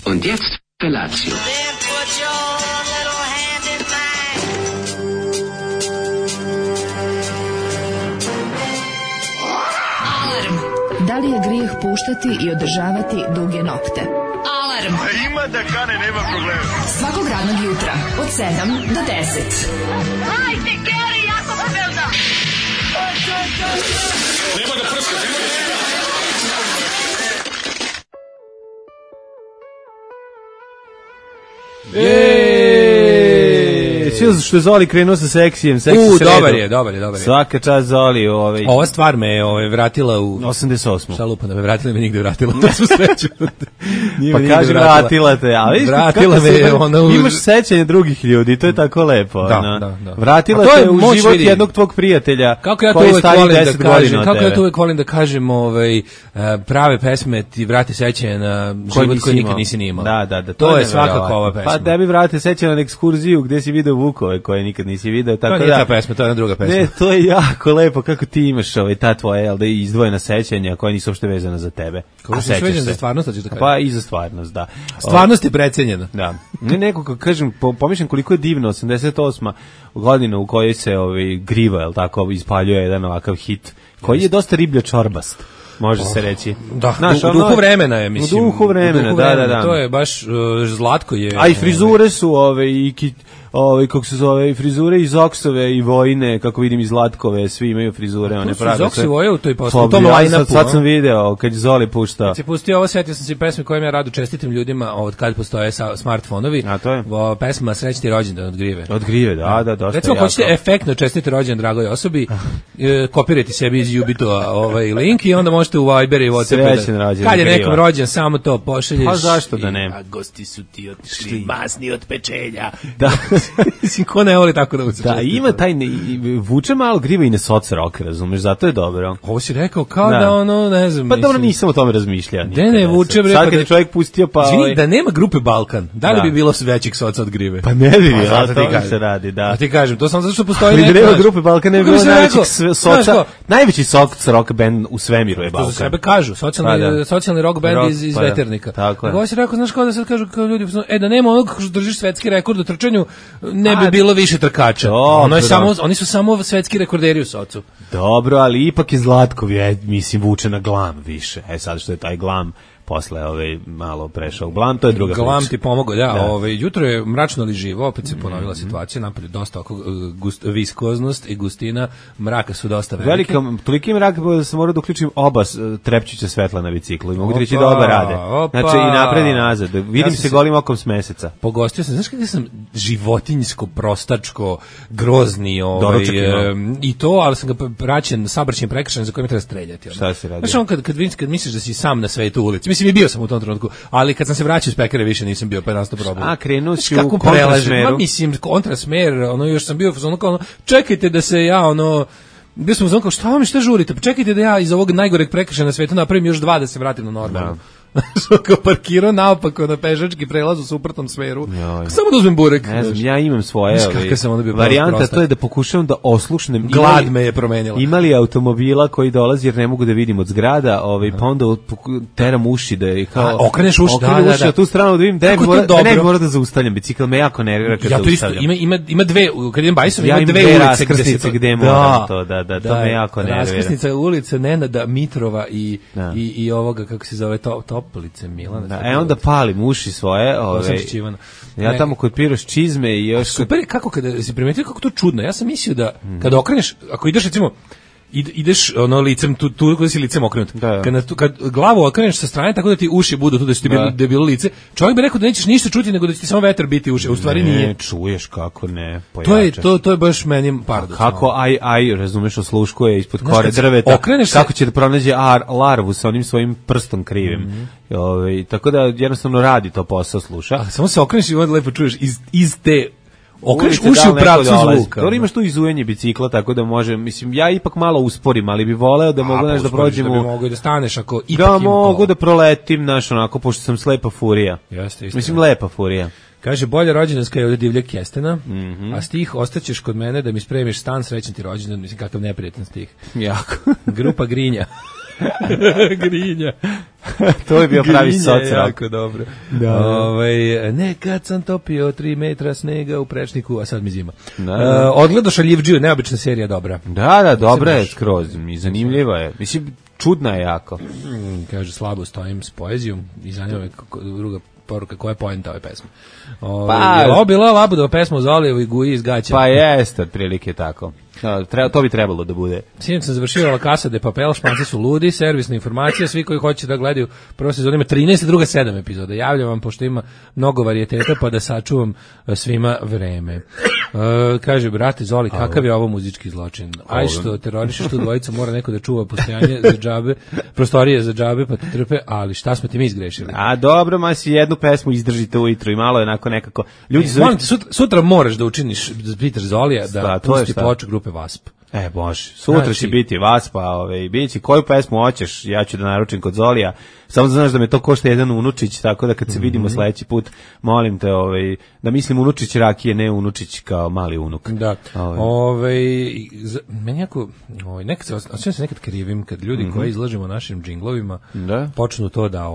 Und jetzt Felatio. Da li je grijeh puštati i održavati duge nokte? Alarm! Ima da kane, nema problema. Svakog radnog jutra, od 7 do 10. Hajde, Geri, jako se velda! Nema da prska, nema da prska. Sve što je Zoli krenuo sa seksijem, dobar je. Svaka čast Zoli, Ova stvar me vratila u 88. Šta lupa da me vratila, me nigde vratila. Na svu sreću. Pa kaži vratila te, a vidiš vratila me ona imaš sećanje drugih ljudi, to je tako lepo. Da. Vratila te u život jednog tvog prijatelja koji je stari 10 godina. Kako ja to uvek volim da kažem, prave pesme ti vrati sećanje na život koji nikad nisi ni imao. Da. To je svakako ova pesma. Pa da bi vrati sećanje na ekskurziju gde si video vukove koje nikad nisi video, tako da. To nije ta pesma, to je jedna druga pesma. Ne, to je jako lepo kako ti imaš ta tvoja izdvojena sećanja koja nisu uopšte vezana za tebe. Kako se vezana za stvarnost, hoćeš da kažeš? Pa i za stvarnost, da. Stvarnost je precenjena. Da. Neko kako kažem, pomišljam koliko je divno 88. godina u kojoj se Griva, el tako, ispaljuje jedan ovakav hit koji je dosta riblja čorbast. Može se reći. Da, u duhu vremena je, mislim. U duhu vremena, da. To je baš Zlatko je. A i frizure su kako se zove, frizure iz Oksove i Vojne, kako vidim iz Zlatkove, svi imaju frizure, one prave. Iz Okse Voje u toj postavi, u tom line-upu. Sad sam video, kad je Zoli puštao. Kad si pustio ovo, setio sam se pesme kojim ja rado čestitim ljudima, od kad postoje smartfonovi. A to je? Pesma Srećni rođendan od Grive. Od Grive, da, dosta. Recimo, hoćete efektno čestiti rođendan dragoj osobi, kopirajte sebi iz Jubito link i onda možete u Viber i WhatsApp. Kad je nekom rođen, samo to pošalješ. Pa zašto da ne? A gosti su ti otišli masni od pečenja. Da. Mislim, ko ne voli tako da uče. Da, ima taj, vuče malo Griva i ne soc rock, razumeš, zato je dobro. Ovo si rekao kao da ne znam. Pa dobro, nisam o tome razmišljao. Ne, vuče bre. Sad kad je čovjek pustio pa... Izvini, da nema grupe Balkan, da li bi bilo većih soca od Grive? Pa ne bi, a to se radi, da. A ti kažem, to samo zato što postoji neka... Ali nema grupe Balkan, ne bi bilo najvećih soca, najveći soc rock band u svemiru je Balkan. To za sebe kažu, socijalni rock band iz Veternika. Tako je. Ovo si rekao, znaš kao da sad kažu kao ljudi, da nema onog što držiš svetski rekord u trčanju, ne bi bilo više trkača. Oni su samo svetski rekorderi u socu. Dobro, ali ipak je Zlatko, mislim, vuče na glam više. Sad što je taj glam posle malo prešao u glam, to je druga priča. Glam ti pomogao, jutro je mračno ali živo, opet se ponovila situacija, napolju dosta viskoznost i gustina, mraka su dosta velike. Toliki mrak da se mora da uključim oba trepčića svetla na biciklu i mogu ti reći da oba rade. Znači i napred i nazad, vidim se golim okom s meseca. Pogostio sam, znaš kada sam životinjsko, prostačko, grozni i to, ali sam ga praćen sabraćen prekršen za kojim treba streljati. Šta se radi? Znaš kad misliš da si sam na svetu ulici, mislim i bio sam u tom trenutku, ali kad sam se vraćao iz pekare više nisam bio, pa je nastao problem. A krenuo si u kontrasmeru? Mislim, kontrasmer, još sam bio čekajte da se ja bio sam u šta žurite, pa čekajte da ja iz ovog najgoreg prekršaja na svetu napravim još 2 da se vratim na normalno. Kao parkirao naopako na pešački prelaz u suprotnom smeru. Samo da uzmem burek. Ne znam, ja imam svoje varijanta, to je da pokušavam da oslušnem. Glad me je promenila. Imali automobila koji dolazi jer ne mogu da vidim od zgrada, pa onda teram uši da je kao... Okreneš uši, da. Tu stranu da vidim, ne mora da zaustavljam, bicikl me jako nervira kad zaustavljam. Ima dve, kad idem bajsom, ima dve ulice raskrsnice gde moram to, da, to me jako nervira. Raskrsnica ulica Nenada Mitrova i ovoga, kako se zove, Toplice Milana. Onda palim uši svoje. Ja tamo kod Piroš čizme i još... Super je kako kada si primetio kako to čudno. Ja sam mislio da kada okreneš, ako ideš recimo ideš licem tu kada si licem okrenut. Kad glavu okreneš sa strane tako da ti uši budu tu da ti je bilo lice. Čovjek bi rekao da nećeš ništa čuti nego da će ti samo vetar biti uši. U stvari nije. Ne, čuješ kako ne. Pojača. To je baš meni paradoks. Kako razumeš, osluškuje ispod kore drveta. Kako će da pronađe larvu sa onim svojim prstom krivim. Tako da jednostavno radi to posao, sluša. Samo se okreneš i onda lepo čuješ iz te okreneš uši u pravcu zvuka. Dobro, imaš tu izujenje bicikla, tako da može, mislim, ja ipak malo usporim, ali bi voleo da mogu da prođem. Da bi mogu da staneš ako ipak da mogu da proletim, onako, pošto sam slepa furija. Jeste. Mislim, lepa furija. Kaže, bolja rođendanska je od divljeg kestena, a stih ostaćeš kod mene da mi spremiš stan, srećan ti rođendan, mislim, kakav neprijatan stih. Jako. Grupa Grinja. Grinja. To je bio pravi soc-rock. Jako dobro. Da. Nekad sam topio 3 metra snega u prečniku, a sad mi zima. Da. Odgledao Šaljivdžiju, neobična serija, dobra. Da, dobra je skroz i zanimljiva je. Mislim, čudna je jako. Kaže, slabo stojim s poezijom i zanima me druga poruka, koja je poenta ove pesme. Je bila Labudova pesma o Zolijevu i Guji iz Gaća? Pa jeste, otprilike tako. To bi trebalo da bude. Sinoć sam završio La Casa de Papel, Španci su ludi, servisna informacija, svi koji hoće da gledaju prvo sezon ima 13, druga 7 epizoda. Javljam vam, pošto ima mnogo varijeteta, pa da sačuvam svima vreme. Kaže, brate Zoli, kakav je ovo muzički zločin? Aj što terorišeš tu dvojicu, mora neko da čuva postojanje za džabe, prostorije za džabe, pa te trpe, ali šta smo ti mi izgrešili? A dobro, ma si jednu pesmu izdržite ujutru i malo je onako nekako... Ljudi molim te, sutra moraš da učiniš Peter Zolija da pusti ploču grupe Wasp. Bože, sutra će biti Waspa, biće koju pesmu hoćeš, ja ću da naručim kod Zolija, samo da znaš da me to košta jedan unučić, tako da kad se vidimo sledeći put, molim te, da mislim unučić rakije, ne unučić kao mali unuk. Da, meni jako, nekad se nekad krivim, kad ljudi koji izlažemo našim džinglovima, počnu to da,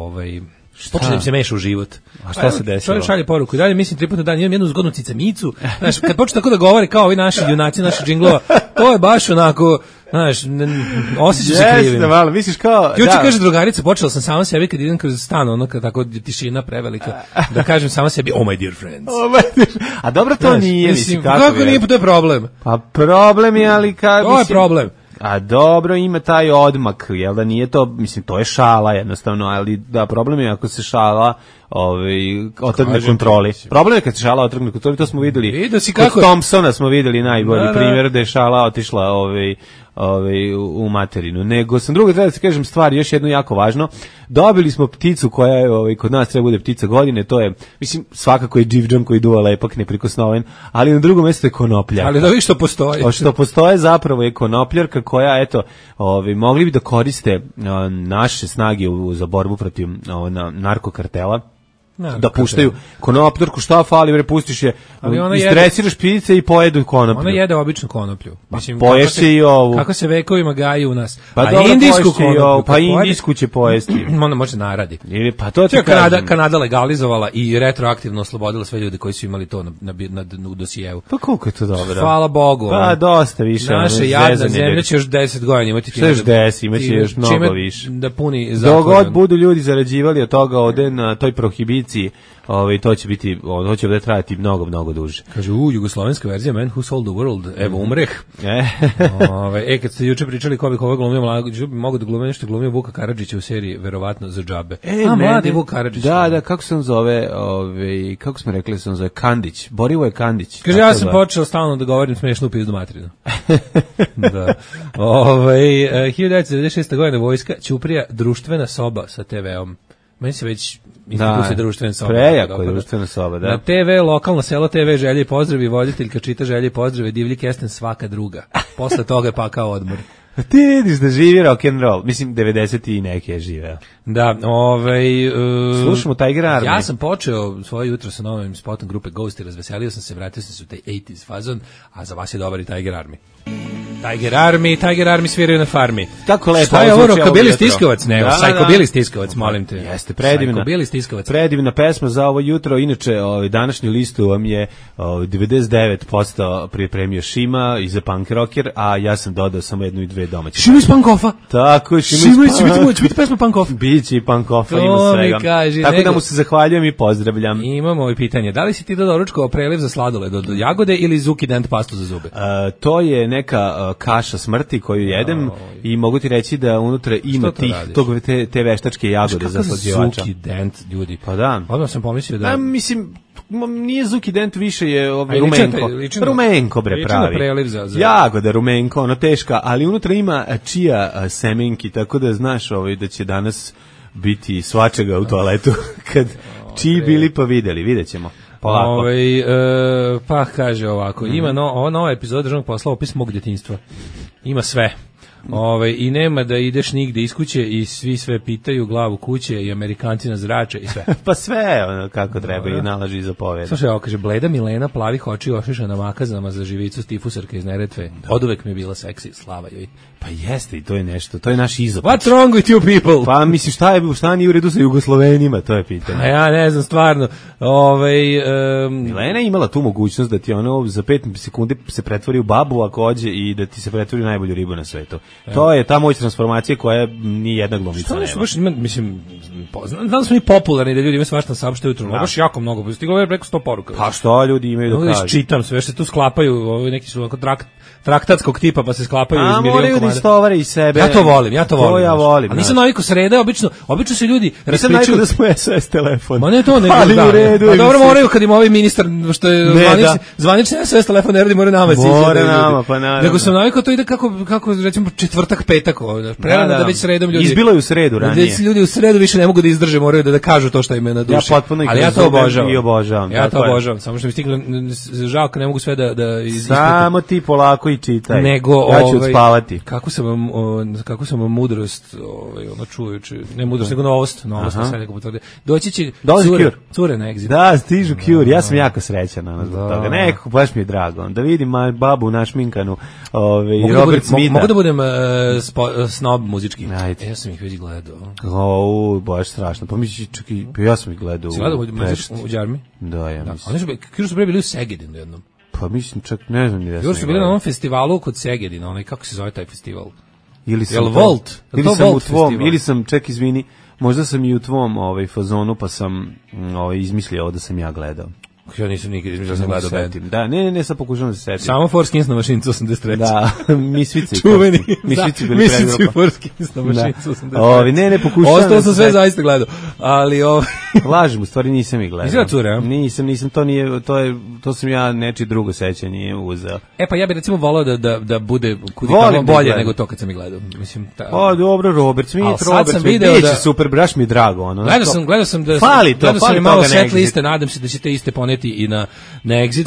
počne da im se meša u život. A šta se desilo? Čovjek šalje poruku i dalje mislim 3 puta na dan, imam jednu zgodnu cicamicu. Znaš, kad počne tako da govore kao ovi naši junaci, naši džinglova, to je baš onako, znaš, osjećam se krivim. Jeste, malo, misliš kao... Juče kaže drugarica, počela sam sama sebi kad idem kroz stan, ono kad tako tišina prevelika, da kažem sama sebi, oh my dear friends. A dobro to nije, mislim, kako nije, to je problem. Pa problem je, ali kad... To je problem. A dobro, ima taj odmak, jel da nije to, mislim, to je šala jednostavno, ali da, problem je ako se šala otrgne kontroli. Problem je kad se šala otrgne kontroli, to smo videli. Kod Thompsona smo videli najbolji primjer da je šala otišla u materinu. Nego sam drugo treba da se kažem stvari, još jedno jako važno. Dobili smo pticu koja je kod nas treba bude ptica godine, to je, mislim, svakako je dživdžam koji duva lepak, neprikosnoven, ali na drugom mjestu je konopljarka. Ali da vi što postoji. Što postoje zapravo je konopljarka koja, eto, mogli bi da koriste naše snage za borbu protiv narkokartela, da puštaju konopljarku, šta fali, bre, pustiš je, istresiraš ptice i pojedu konoplju. Ona jede običnu konoplju. Mislim, poješ se i ovu. Kako se vekovima gaji u nas. Pa indijsku konoplju. Pa indijsku će pojesti. Ona može naradi. Pa to Kanada legalizovala i retroaktivno oslobodila sve ljude koji su imali to u dosijevu. Pa koliko je to dobro. Hvala Bogu. Pa dosta više. Naša jadna zemlja će još 10 godina imati. Što još 10, imaće još mnogo više. Da puni zatvor. Dogod budu ljudi zarađivali od toga ovde na toj prohibiciji, to će biti, to će ovdje trajati mnogo duže. Kaže, jugoslovenska verzija Man Who Sold the World, evo umreh. Kad ste juče pričali ko bi koga glumio, mogu da glumio nešto, glumio Vuka Karadžića u seriji, verovatno za džabe. Mladi Vuk Karadžić. Da, kako se on zove, kako smo rekli se on zove, Kandić, Borivoje Kandić. Kaže, ja sam počeo stalno da govorim smešnu pizdu materinu. Da. 1996. godina vojska, Ćuprija, društvena soba sa TV-om. Meni se već institucija društvena soba. Prejako je društvena soba, da. Na TV, lokalno selo TV, želje i pozdravi, voditeljka čita želje i pozdrave, divlji kesten svaka druga. Posle toga je pakao odmor. Ti vidiš da živi rock'n'roll. Mislim, 90 i neke je živeo. Da, slušamo Tiger Army. Ja sam počeo svoje jutro sa novim spotom grupe Ghost i razveselio sam se, vratio sam se u taj 80s fazon, a za vas je dobar i Tiger Army. Tiger Army sviraju na farmi. Kako lepo. Šta je ovo, Rokabili Stiskovac? Ne, Sajkobili Stiskovac, molim te. Jeste, predivna. Sajkobili Stiskovac. Predivna pesma za ovo jutro. Inače, današnju listu vam je 99% pripremio Šima i za punk rocker, a ja sam dodao samo jednu i dve domaće. Šima iz Pankofa. Tako, Šima će biti pesma Pankof. Biće i Pankofa, ima svega. Tako da mu se zahvaljujem i pozdravljam. Imamo i pitanje. Da li si ti dodao ručko preliv za sladoled od jagode ili Zuki Dent pastu za zube? To je neka kaša smrti koju jedem i mogu ti reći da unutra ima te veštačke jagode za slađivača. Zuki Dent, ljudi. Pa da. Odmah sam pomislio da... Mislim, nije Zuki Dent, više je rumenko. Rumenko, bre, pravi. Jagoda rumenko, ono teška, ali unutra ima čija semenki, tako da znaš da će danas biti svačega u toaletu kad čiji bili pa vidjet ćemo. Pa kaže ovako, ima ova nova epizoda državnog posla, opis mog djetinjstva. Ima sve. I nema da ideš nigde iz kuće i svi sve pitaju, glavu kuće i Amerikanci nas zrače i sve. Pa sve ono kako treba i nalaži i zapoveda. Slušaj, ovo kaže, bleda Milena, plavih oči, ošišana makazama za živicu stifusarka iz Neretve. Oduvek mi je bila seksi, slava joj. Pa jeste i to je nešto, to je naš izopet. What's wrong with you people? Pa mislim šta nije u redu sa Jugoslovenima, to je pitanje. A ja ne znam stvarno. Milena je imala tu mogućnost da ti ono za 5 sekundi se pretvori u babu ako hođe i da ti se pretvori u najbolju ribu na svetu. To je ta moć transformacije koja ni jedna glumica nema. Baš mislim, znam smo i popularni da ljudi imaju svašta saopšte jutro, baš jako mnogo. Stiglo je preko 100 poruka. Pa što ljudi imaju da kažu? Čitam sve, se tu sklapaju, neki su ovako traktatskog tipa pa se sklapaju iz milion komada. Da istovare iz sebe. Ja to volim. To ja volim. A nisam navikao sreda, obično se ljudi nisam navikao da smo SOS telefon. Ma ne to, nego da. U redu, pa dobro moraju kad im ovaj ministar što je zvanični SOS telefon ne radi, moraju nama siđe. More nama, pa naravno. Nego sam navikao to ide kako recimo četvrtak, petak, prerano da već sredom ljudi. Izbilo je u sredu ranije. Da ljudi u sredu više ne mogu da izdrže, moraju da kažu to što im je na duši. Ali ja to obožavam. Ja to obožavam, samo što mi stiglo žao kad ne mogu sve da ispitam. Samo ti polako i čitaj. Nego ja ću odspavati. Kako sam mudrost, čujući, ne mudrost, nego novost sad neko potvrdi. Doći će cure na Exit. Da, stižu Cure, ja sam jako srećan zbog toga. Nekako, baš mi je drago. Da vidim babu našminkanu, Robert Smitha. Mogu da budem snob muzički? Ja sam ih već gledao. Baš strašno. Pa mislim, čekaj, ja sam ih gledao. Si gledao u Đarmi? Da, ja mislim. Oni su bili u Segedinu jednom. Pa mislim, čak ne znam ni da sam. Još su bili na onom festivalu kod Segedina, kako se zove taj festival? Ili sam Volt? Ili sam, ček, izvini, možda sam i u tvom fazonu, pa sam izmislio ovo da sam ja gledao. Ja nisam nikad izmislio da sam gledao band. Da, ne, sad pokušavam da se setim. Samo Four Skins na mašinicu 83. Da, Misvici. Čuveni. Misvici bili predgrupa. Misvici Four Skins na mašinicu 83. Ne, pokušavam. Ostalo sam sve zaista gledao. Ali lažem, u stvari nisam ih gledao. Izgleda cure, a? Nisam, to sam ja nečije drugo sećanje uzeo. Pa ja bih recimo volao da bude bolje nego to kad sam ih gledao. Mislim, dobro, Robert Smith, biće super, baš mi je drago. Gledao sam da sam malo set liste, nadam se da će te iste poneti i na Exit.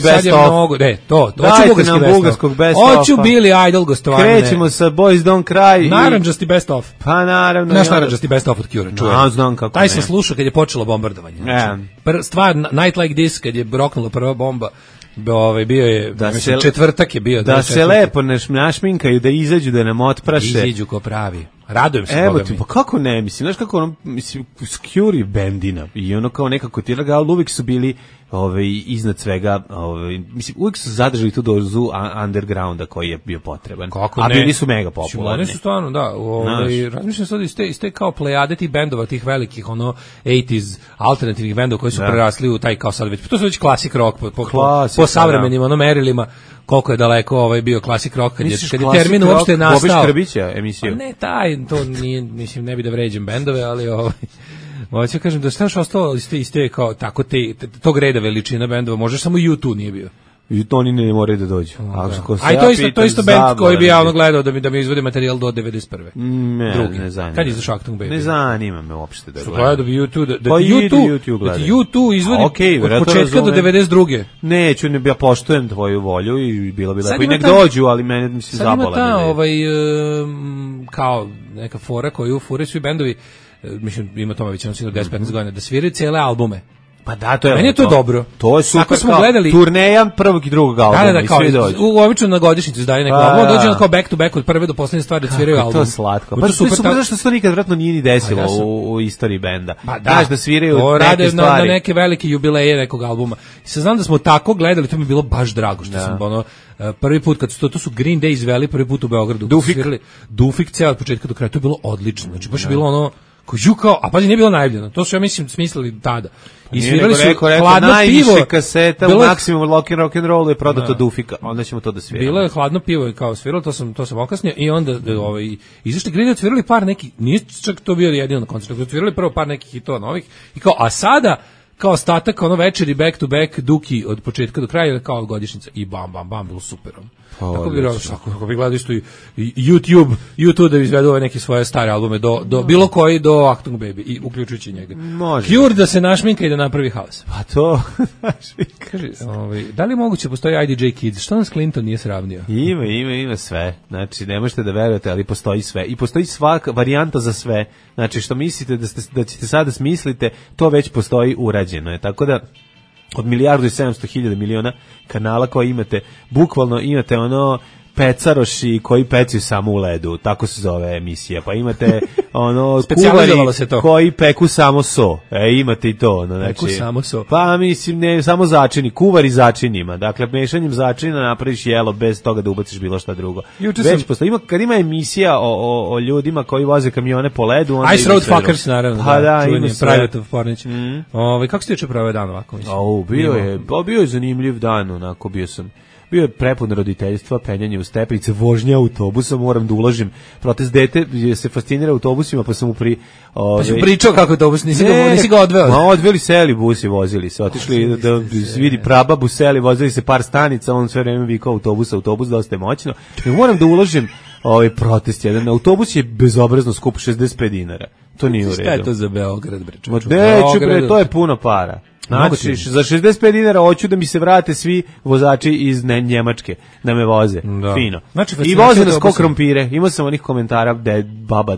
Sad je mnogo, to hoću bugarskog best of. Hoću Billy Idol gostovanje. Krećemo sa Boys Don't Cry. Naranđasti best of. Pa naravno. Naš naranđasti best of od Cure, čujem. Znam kako. Taj sam slušao kad je počelo bombardovanje. Stvar Night Like This, kad je roknula prva bomba, bio je, četvrtak je bio. Da se lepo našminkaju, da izađu, da nam otpraše. Izađu ko pravi. Radujem se. Evo ti, pa kako ne, mislim, znaš kako Cure bendina i ono kao nekako ti ali uvijek su bili iznad svega, mislim, uvijek su zadržali tu dozu undergrounda koji je bio potreban. A bili su mega popularni. Oni su stvarno, da, razmišljam sad iz te kao plejade tih bendova, tih velikih, 80s alternativnih bendova koji su prerasli u taj kao sad već, to su već classic rock, po savremenim merilima, koliko je daleko bio classic rock, kad je termin uopšte nastao. Bobić Krbića emisiju. Pa ne, to nije, mislim, ne bi da vređem bendove, ali hoću kažem da staš ostalo iz te kao tako tog reda veličina bendova, možda samo U2 nije bio. I to oni ne moraju da dođu. To isto bend koji bi ja gledao da mi izvode materijal do 91. Ne zanima. Kad je izašao Actung Baby? Ne zanima me uopšte da gledam. Gledao bi U2, da ti U2 izvodi od početka do 92. Neću, ja poštujem tvoju volju i bilo bi lepo i nek dođu, ali mene mi se zabola. Sad ima ta kao neka fora koju fure svi bendovi, mislim ima tome već 10-15 godina, da sviraju cijele albume. Pa da, to je. Meni je to dobro. To je super. Ako smo gledali turneja prvog i drugog albuma i svi dođu. Obično na godišnjicu izdaju neko album, dođe kao back to back od prve do poslednje stvari da sviraju album. To je slatko. Pa super, zašto se to nikad vratno nije ni desilo u istoriji benda. Znaš da sviraju neke stvari. Na neke velike jubileje nekog albuma. I sad znam da smo tako gledali, to mi je bilo baš drago što sam prvi put kad su to su Green Day izveli prvi put u Beogradu. Dufik ceo od početka do kraja, to je bilo odlično. Znači baš je bilo ono a pazi, nije bilo najavljeno. To su, ja mislim, smislili tada. I svirali su hladno pivo. Najviše kaseta u maksimum rock and rollu je prodato Dufika. Onda ćemo to da sviramo. Bilo je hladno pivo i kao sviralo, to sam okasnio. I onda izašli Green Day, svirali par nekih, nije čak to bio jedino na koncertu, svirali prvo par nekih hitova novih. I kao, a sada kao ostatak, ono večeri back to back, Duki od početka do kraja, kao godišnjica i bam, bam, bam, bilo super. Kako bi gledao isto i YouTube da izvedu ove neke svoje stare albume, do bilo koji, do Achtung Baby, i uključujući njega. Može. Cure da se našminka i da napravi haos. Pa to, Kaže, da li je moguće postoji IDJ Kids? Što nas Clinton nije sravnio? Ima sve. Znači, ne možete da verujete, ali postoji sve. I postoji svaka varijanta za sve. Znači, što mislite da ćete sada smislite, to već postoji, urađeno je. Tako da, od 1.700.000.000 kanala koje imate, bukvalno imate ono pecaroši koji pecaju samo u ledu, tako se zove emisija, pa imate ono kuvari koji peku samo so, imate i to, ono, peku samo so. Pa mislim, ne, samo začini, kuvari začinima, dakle, mešanjem začina napraviš jelo bez toga da ubaciš bilo šta drugo. Već postoji, kad ima emisija o ljudima koji voze kamione po ledu, onda Ice Road Fuckers, naravno, pa da ima Private of Pornić. Kako ste juče proveo dan ovako? Bio je zanimljiv dan, onako, bio je prepun roditeljstva, penjanje u stepenice, vožnja autobusa, moram da uložim. Protest dete se fascinira autobusima, pa sam mu Pa si pričao kako autobus, nisi ga odveo? Ma odveli seli busi, vozili se, otišli da vidi prababu seli, vozili se par stanica, on sve vreme vikao autobus, dosta je moćno. Moram da uložim protest jedan. Autobus je bezobrazno skup, 65 dinara. To nije u redu. Šta je to za Beograd, bre? Neću, bre, to je puno para. Znači, za 65 dinara hoću da mi se vrate svi vozači iz Njemačke, da me voze. Da. Fino. Znači, i voze nas ko krompire. Imao sam onih komentara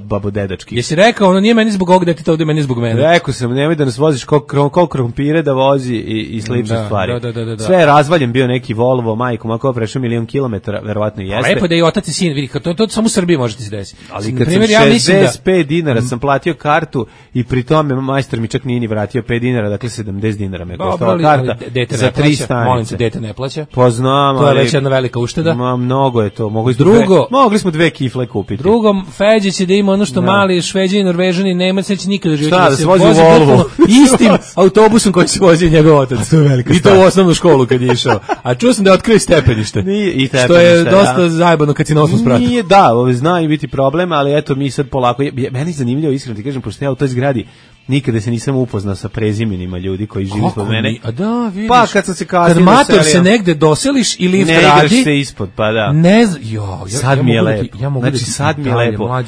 babo dedački. Jesi rekao, ono nije meni zbog ovog deteta, ovdje meni zbog mene. Rekao sam, nemoj da nas voziš ko krompire, da vozi i slične stvari. Da. Sve je razvaljen bio neki Volvo, majko, ako prešao 1.000.000 kilometara, verovatno i jeste. Lepo da i otac i sin, vidi, to samo u Srbiji možete se desiti. Ali kad sam 65 dinara sam platio kartu i pri tome majstor mi čak nije ni vratio 5 dinara, dakle 70 dinara me koštala karta za 3 stanice. Molim te, dete ne plaća. Pa znam, to je već jedna velika ušteda. Mnogo je to. Mogli smo 2 kifle kupiti. Drugo, Feđe će da ima ono što mali Šveđani, Norvežani, Nemac neće nikada živjeti. Šta, da se vozi u Volvo? Istim autobusom koji se vozi njegov otac. I to u osnovnu školu kad je išao. A čuo sam da je otkrio stepenište. Što je dosta zajebano kad si na osnovu sprata. Nije, da, zna i biti problem, ali eto mi sad polako. Meni je zanimljivo, iskreno ti kažem, pošto ja u toj zgradi nikada se nisam upoznao sa prezimenima ljudi koji žive ispod mene. A da, vidiš. Pa kad sam se kasnije kad mator se negde doseliš i lift radi. Ne igraš se ispod, pa da. Sad mi je lepo. Znači sad mi je lepo.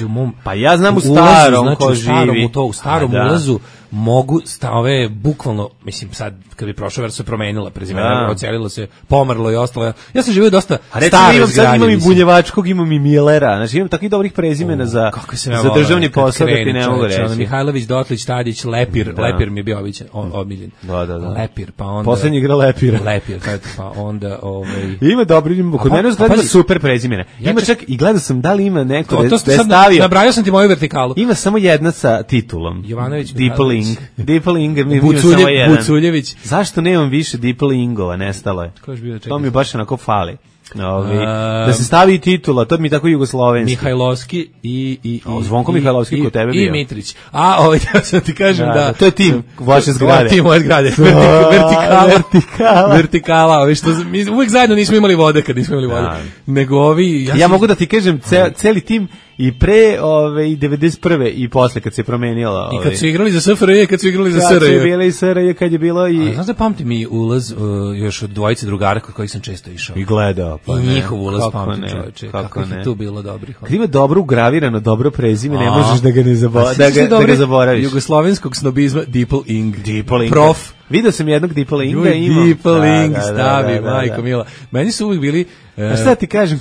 Pa ja znam u starom ko živi. U starom ulazu mogu ove bukvalno, mislim sad kad bi prošao ver se promenila prezimena, ocelilo se, pomrlo i ostalo. Ja sam živio dosta staro sad imam i Bunjevačkog, imam i Milera, znači imam takvih dobrih prezimena za državni posao da ti ne mogu reći. Mihajlović, Dotlić, Tadić, Lepir mi je bio omiljen. Da. Lepir, pa onda poslednji igra Lepir, pa onda ima dobri, kod mene uzgleda super prezimena. Ima čak i gledao sam da li ima neko da je stavio. Nabrajao sam ti moju vertikalu. Ima samo jedna sa titulom. Jovanović, Deepeling, Buculjević. Zašto nemam više Deepelingova, nestalo je. To mi baš onako fali. Da se stavi titula, to mi tako jugoslovenski. Mihajlovski i Zvonko Mihajlovski kod tebe bio. I Mitrić. Ja sam ti kažem da to je tim vaše zgrade. Tim moje zgrade. Vertikala, što mi uvek zajedno nismo imali vode kad nismo imali vode. Nego ovi ja mogu da ti kažem celi tim i pre 91. i posle kad se promenilo. I kad su igrali za SFRJ, kad su igrali za SRJ. Kad su bili SRJ, kad je bilo i... Znaš da pamtim mi ulaz još od dvojice drugara kod kojih sam često išao. I gledao. Pa I njihov ulaz pamtim, čoveče. Kako je tu bilo dobrih. Kad ima dobro ugravirano, dobro prezime, ne možeš da ga ne zaboraviš. Jugoslovenskog snobizma, Deepeling. Prof. Vidio sam jednog Deepelinga imao. Deepeling stavi, majko mila. Meni su uvijek bili... A šta ti kažem,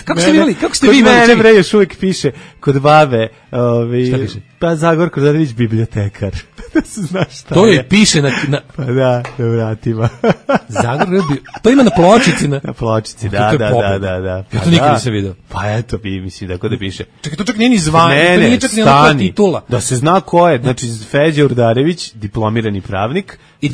kako ste vi imali? Kod mene, bre, još uvijek piše, kod babe, šta piše? Pa Zagorko Zadrić, bibliotekar. Da se znaš šta to je. Piše na... Pa da vratima. To ima na pločici. Na pločici, da. Ja to nikad nisam vidio. Pa eto, mislim, da kod da piše. Čekaj, to čak nije ni zvanje, to nije čak ni onako titula. Da se zna ko je, znači Feđa Urdarević, diplomirani pravnik, i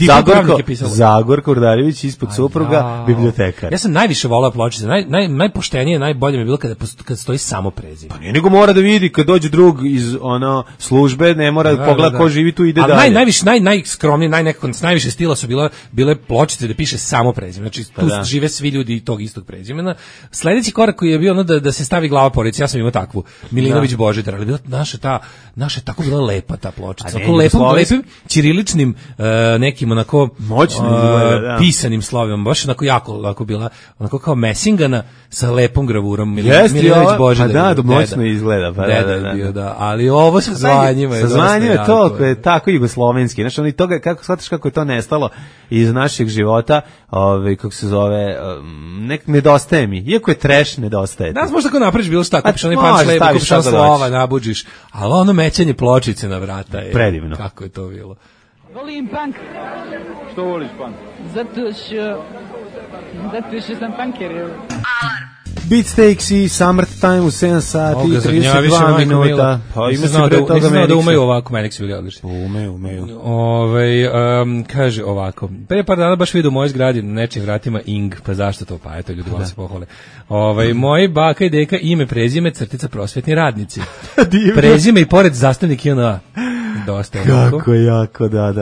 Zagorka Urdarević ispod supruga, bibliotekar. Ja sam najviše volao pločice, najpoštenije, najbolje mi je bilo kad stoji samo prezime. Pa nije nego mora da vidi, kad dođe drug iz službe, ne mora pogleda ko živi tu, ide najviše, najskromnije, najviše stila su bile pločice da piše samo prezime. Znači, tu žive svi ljudi tog istog prezimena. Sledeći korak koji je bio ono da se stavi glava porodice, ja sam imao takvu. Milinović Božidar, ali bila naša tako bila lepa ta pločica. Onako lepim ćiriličnim nekim onako pisanim slovima, baš onako bila onako kao mesingana sa lepom gravurom. Milinović Božidar. Pa moćno izgleda. Pa da, ali ovo sa zvanjima je to je tako jugoslovenski. Znači, oni toga, shvataš kako je to nestalo iz našeg života, kako se zove, nedostaje mi. Iako je trash, nedostaje. Danas možda tako napraviš bilo šta, kupiš onaj pan šlebu, kupiš on slova, nabuđiš, ali ono mećanje pločice na vrata je... Predivno. Kako je to bilo? Volim punk. Što voliš punk? Zato što sam punker. Alarm. Beatsteaks i Summertime u 7 sati i 32 minuta. Pa ima se pre toga Menix. Da umeju ovako, Menix bili odlični. Umeju. Kaže ovako, pre par dana baš vidio u mojoj zgradi na nečim vratima Ing, pa zašto to, pa eto ljudi vam se pohvale. Moji baka i deka ime, prezime, crtica prosvetni radnici. Prezime i pored zastavnik JNA. Dosta je kako jako, da.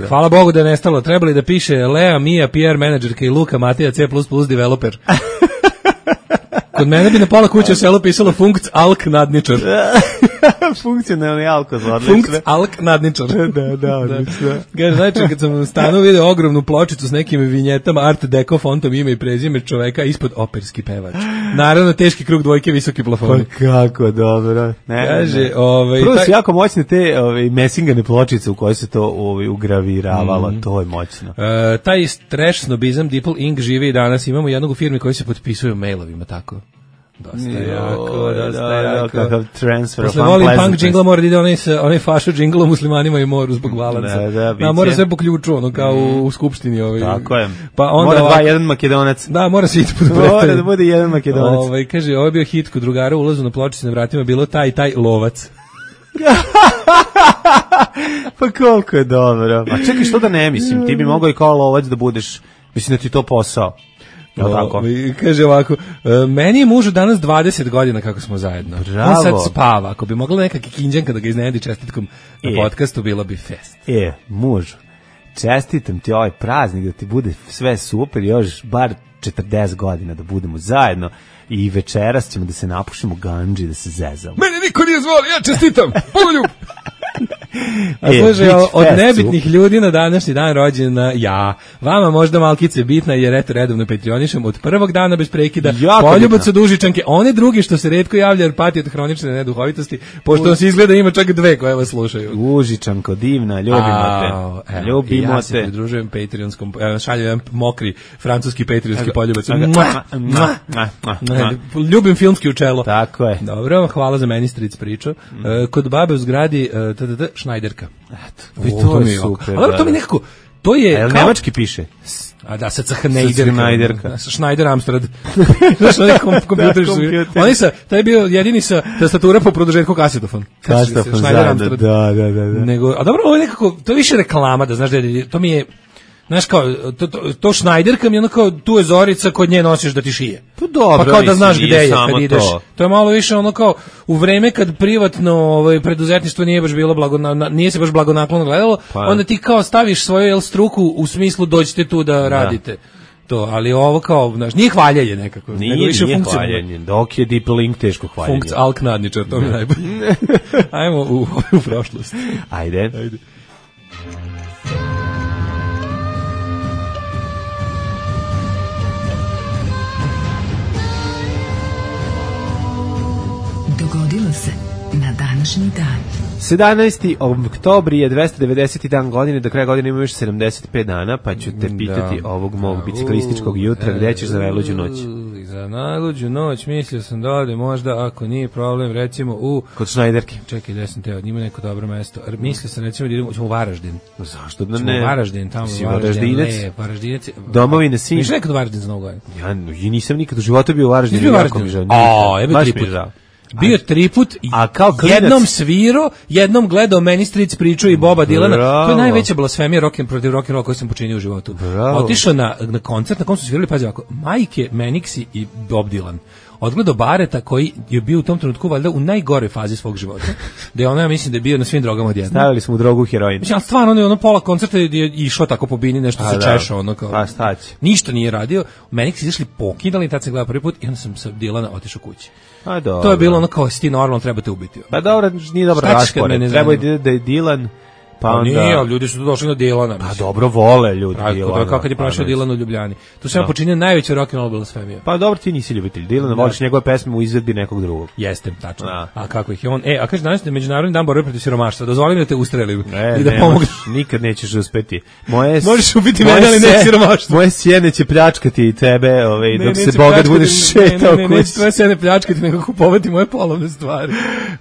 Hvala Bogu da je nestalo. Trebali da piše Lea, Mija, PR menadžerka i Luka, Matija, C++ developer. Kod mene bi na pola kuće selo pisalo Funkc Alk Nadničar. Funkcionalni alkozor. Funkc Alk Nadničar. Da. Kaže, znači, kad sam u stanu vidio ogromnu pločicu s nekim vinjetama, art deco fontom, ime i prezime čoveka, ispod operski pevač. Naravno, teški krug dvojke, visoki plafoni. Pa kako dobro. Kaže, prvo su jako moćne te mesingane pločice u koje se to ugraviravalo. To je moćno. Taj trash snobizam Dipl Inc. živi i danas. Imamo jednog u firmi koji se potpisuju mailovima, tako. Dosta jako. Kakav transfer of unpleasantness. Volim punk džingla, mora da ide onaj fašu džingla muslimanima i moru zbog balansa. Da, mora sve po ključu, ono kao u skupštini. Tako je. Pa onda mora jedan Makedonac. Da, mora se ići pod Mora da bude jedan Makedonac. Kaže, ovo je bio hit kod drugara, ulazu na pločici na vratima, bilo taj lovac. Pa koliko je dobro. A čekaj, što da ne mislim, ti bi mogao i kao lovac da budeš, mislim da ti to posao. Kaže ovako, meni je mužu danas 20 godina kako smo zajedno. Bravo. On sad spava, ako bi mogla neka kikinđanka da ga iznenadi čestitkom na podcastu, bilo bi fest. Mužu, čestitam ti ovaj praznik da ti bude sve super, još bar 40 godina da budemo zajedno i večeras ćemo da se napušimo ganđi, da se zezamo. Mene niko nije zvao, ja čestitam, poljub! A slušaj, od nebitnih ljudi na današnji dan rođena ja. Vama možda malkice bitna jer eto redovno Patreonišem od prvog dana bez prekida. Poljubac od Užičanke, one drugi što se retko javlja jer pati od hronične neduhovitosti, pošto vam se izgleda ima čak dve koje vas slušaju. Užičanko, divna, ljubimo te. Ljubimo ja se pridružujem Patreonskom, šaljem jedan mokri francuski patreonski poljubac. Ljubim filmski u čelo. Tako je. Dobro, hvala za meni stric priču. Kod babe u zgradi Šnajderka. Eto, to je super. Ali to mi nekako, to je... A nemački piše? A da, sad Šnajderka. Šnajder Amstrad. Znaš, oni kompjuteri su... Oni sa, taj je bio jedini sa tastatura po produžetku kasetofon. Kasetofon, da. Nego, a dobro, ovo je nekako, to je više reklama, da znaš da je, to mi je... Znaš kao, to Šnajderka mi je ono kao, tu je Zorica, kod nje nosiš da ti šije. Pa dobro, pa kao da znaš gde je kad ideš. To je malo više ono kao, u vreme kad privatno preduzetništvo nije baš bilo nije se baš blagonaklono gledalo, onda ti kao staviš svoju struku u smislu dođite tu da radite. To, ali ovo kao, znaš, nije hvaljenje nekako. Nije hvaljenje, dok je Deep Link teško hvaljenje. Funkc Alk Nadničar, to mi je najbolje. Ajmo u prošlost. Ajde. Dogodilo se na današnji dan. 17. oktobar je 290. dan godine, do kraja godine ima još 75 dana, pa ću te pitati ovog mog biciklističkog jutra, gde ćeš za najluđu noć? Za najluđu noć mislio sam da ovdje možda, ako nije problem, recimo kod Šnajderke. Čekaj, gde sam teo, ima neko dobro mesto. Mislio sam recimo da idemo u Varaždin. Zašto da ne? U Varaždin, tamo u Varaždinec. Domovine sin. Miš nekad u Varaždin za Novu godinu? Ja nisam nikad u životu bio u Varaždinu. Nisi bio u Varaždinu? Baš mi je žao. Bio 3 put, jednom svirao, jednom gledao meni stric priču i Boba Dilana. To je najveća blasfemija protiv rock'n'rolla koju sam počinio u životu. Otišao na koncert, na kom su svirali, pazi ovako, Majke, Menixi i Bob Dylan. odgledao Bareta koji je bio u tom trenutku valjda u najgoroj fazi svog života. Da je ono, ja mislim da je bio na svim drogama odjednom. Stavili smo u drogu heroin. Mislim, stvarno ono pola koncerta je išao tako po bini, nešto se češao, ono kao. Pa šta će? Ništa nije radio. Meni su izašli pokidali, tad sam gledao prvi put i onda sam sa Dilana otišao kući. A dobro. To je bilo ono kao, si ti normalno, trebate ubiti. Pa dobro, nije dobro raspored. Treba da je Dilan. Pa onda... Nije, ljudi su tu došli na Dilana. Pa dobro, vole ljudi Dilana. Kako je prošao Dilan u Ljubljani. Tu sam počinio najveće rock'n'roll blasfemije. Pa dobro, ti nisi ljubitelj Dilana, voliš njegove pesme u izvedbi nekog drugog. Jeste, tačno. A kako ih je on? A kaže danas je Međunarodni dan borbe protiv siromaštva. Dozvoli mi da te ustrelim i da pomogneš. Nikad nećeš uspeti. Možeš ubiti mene, ali ne siromaštvo. Moje sjene će pljačkati i tebe, dok se bogat budeš šetao kući. Neće tvoje sjene pljačkati, nego kupovati moje polovne stvari.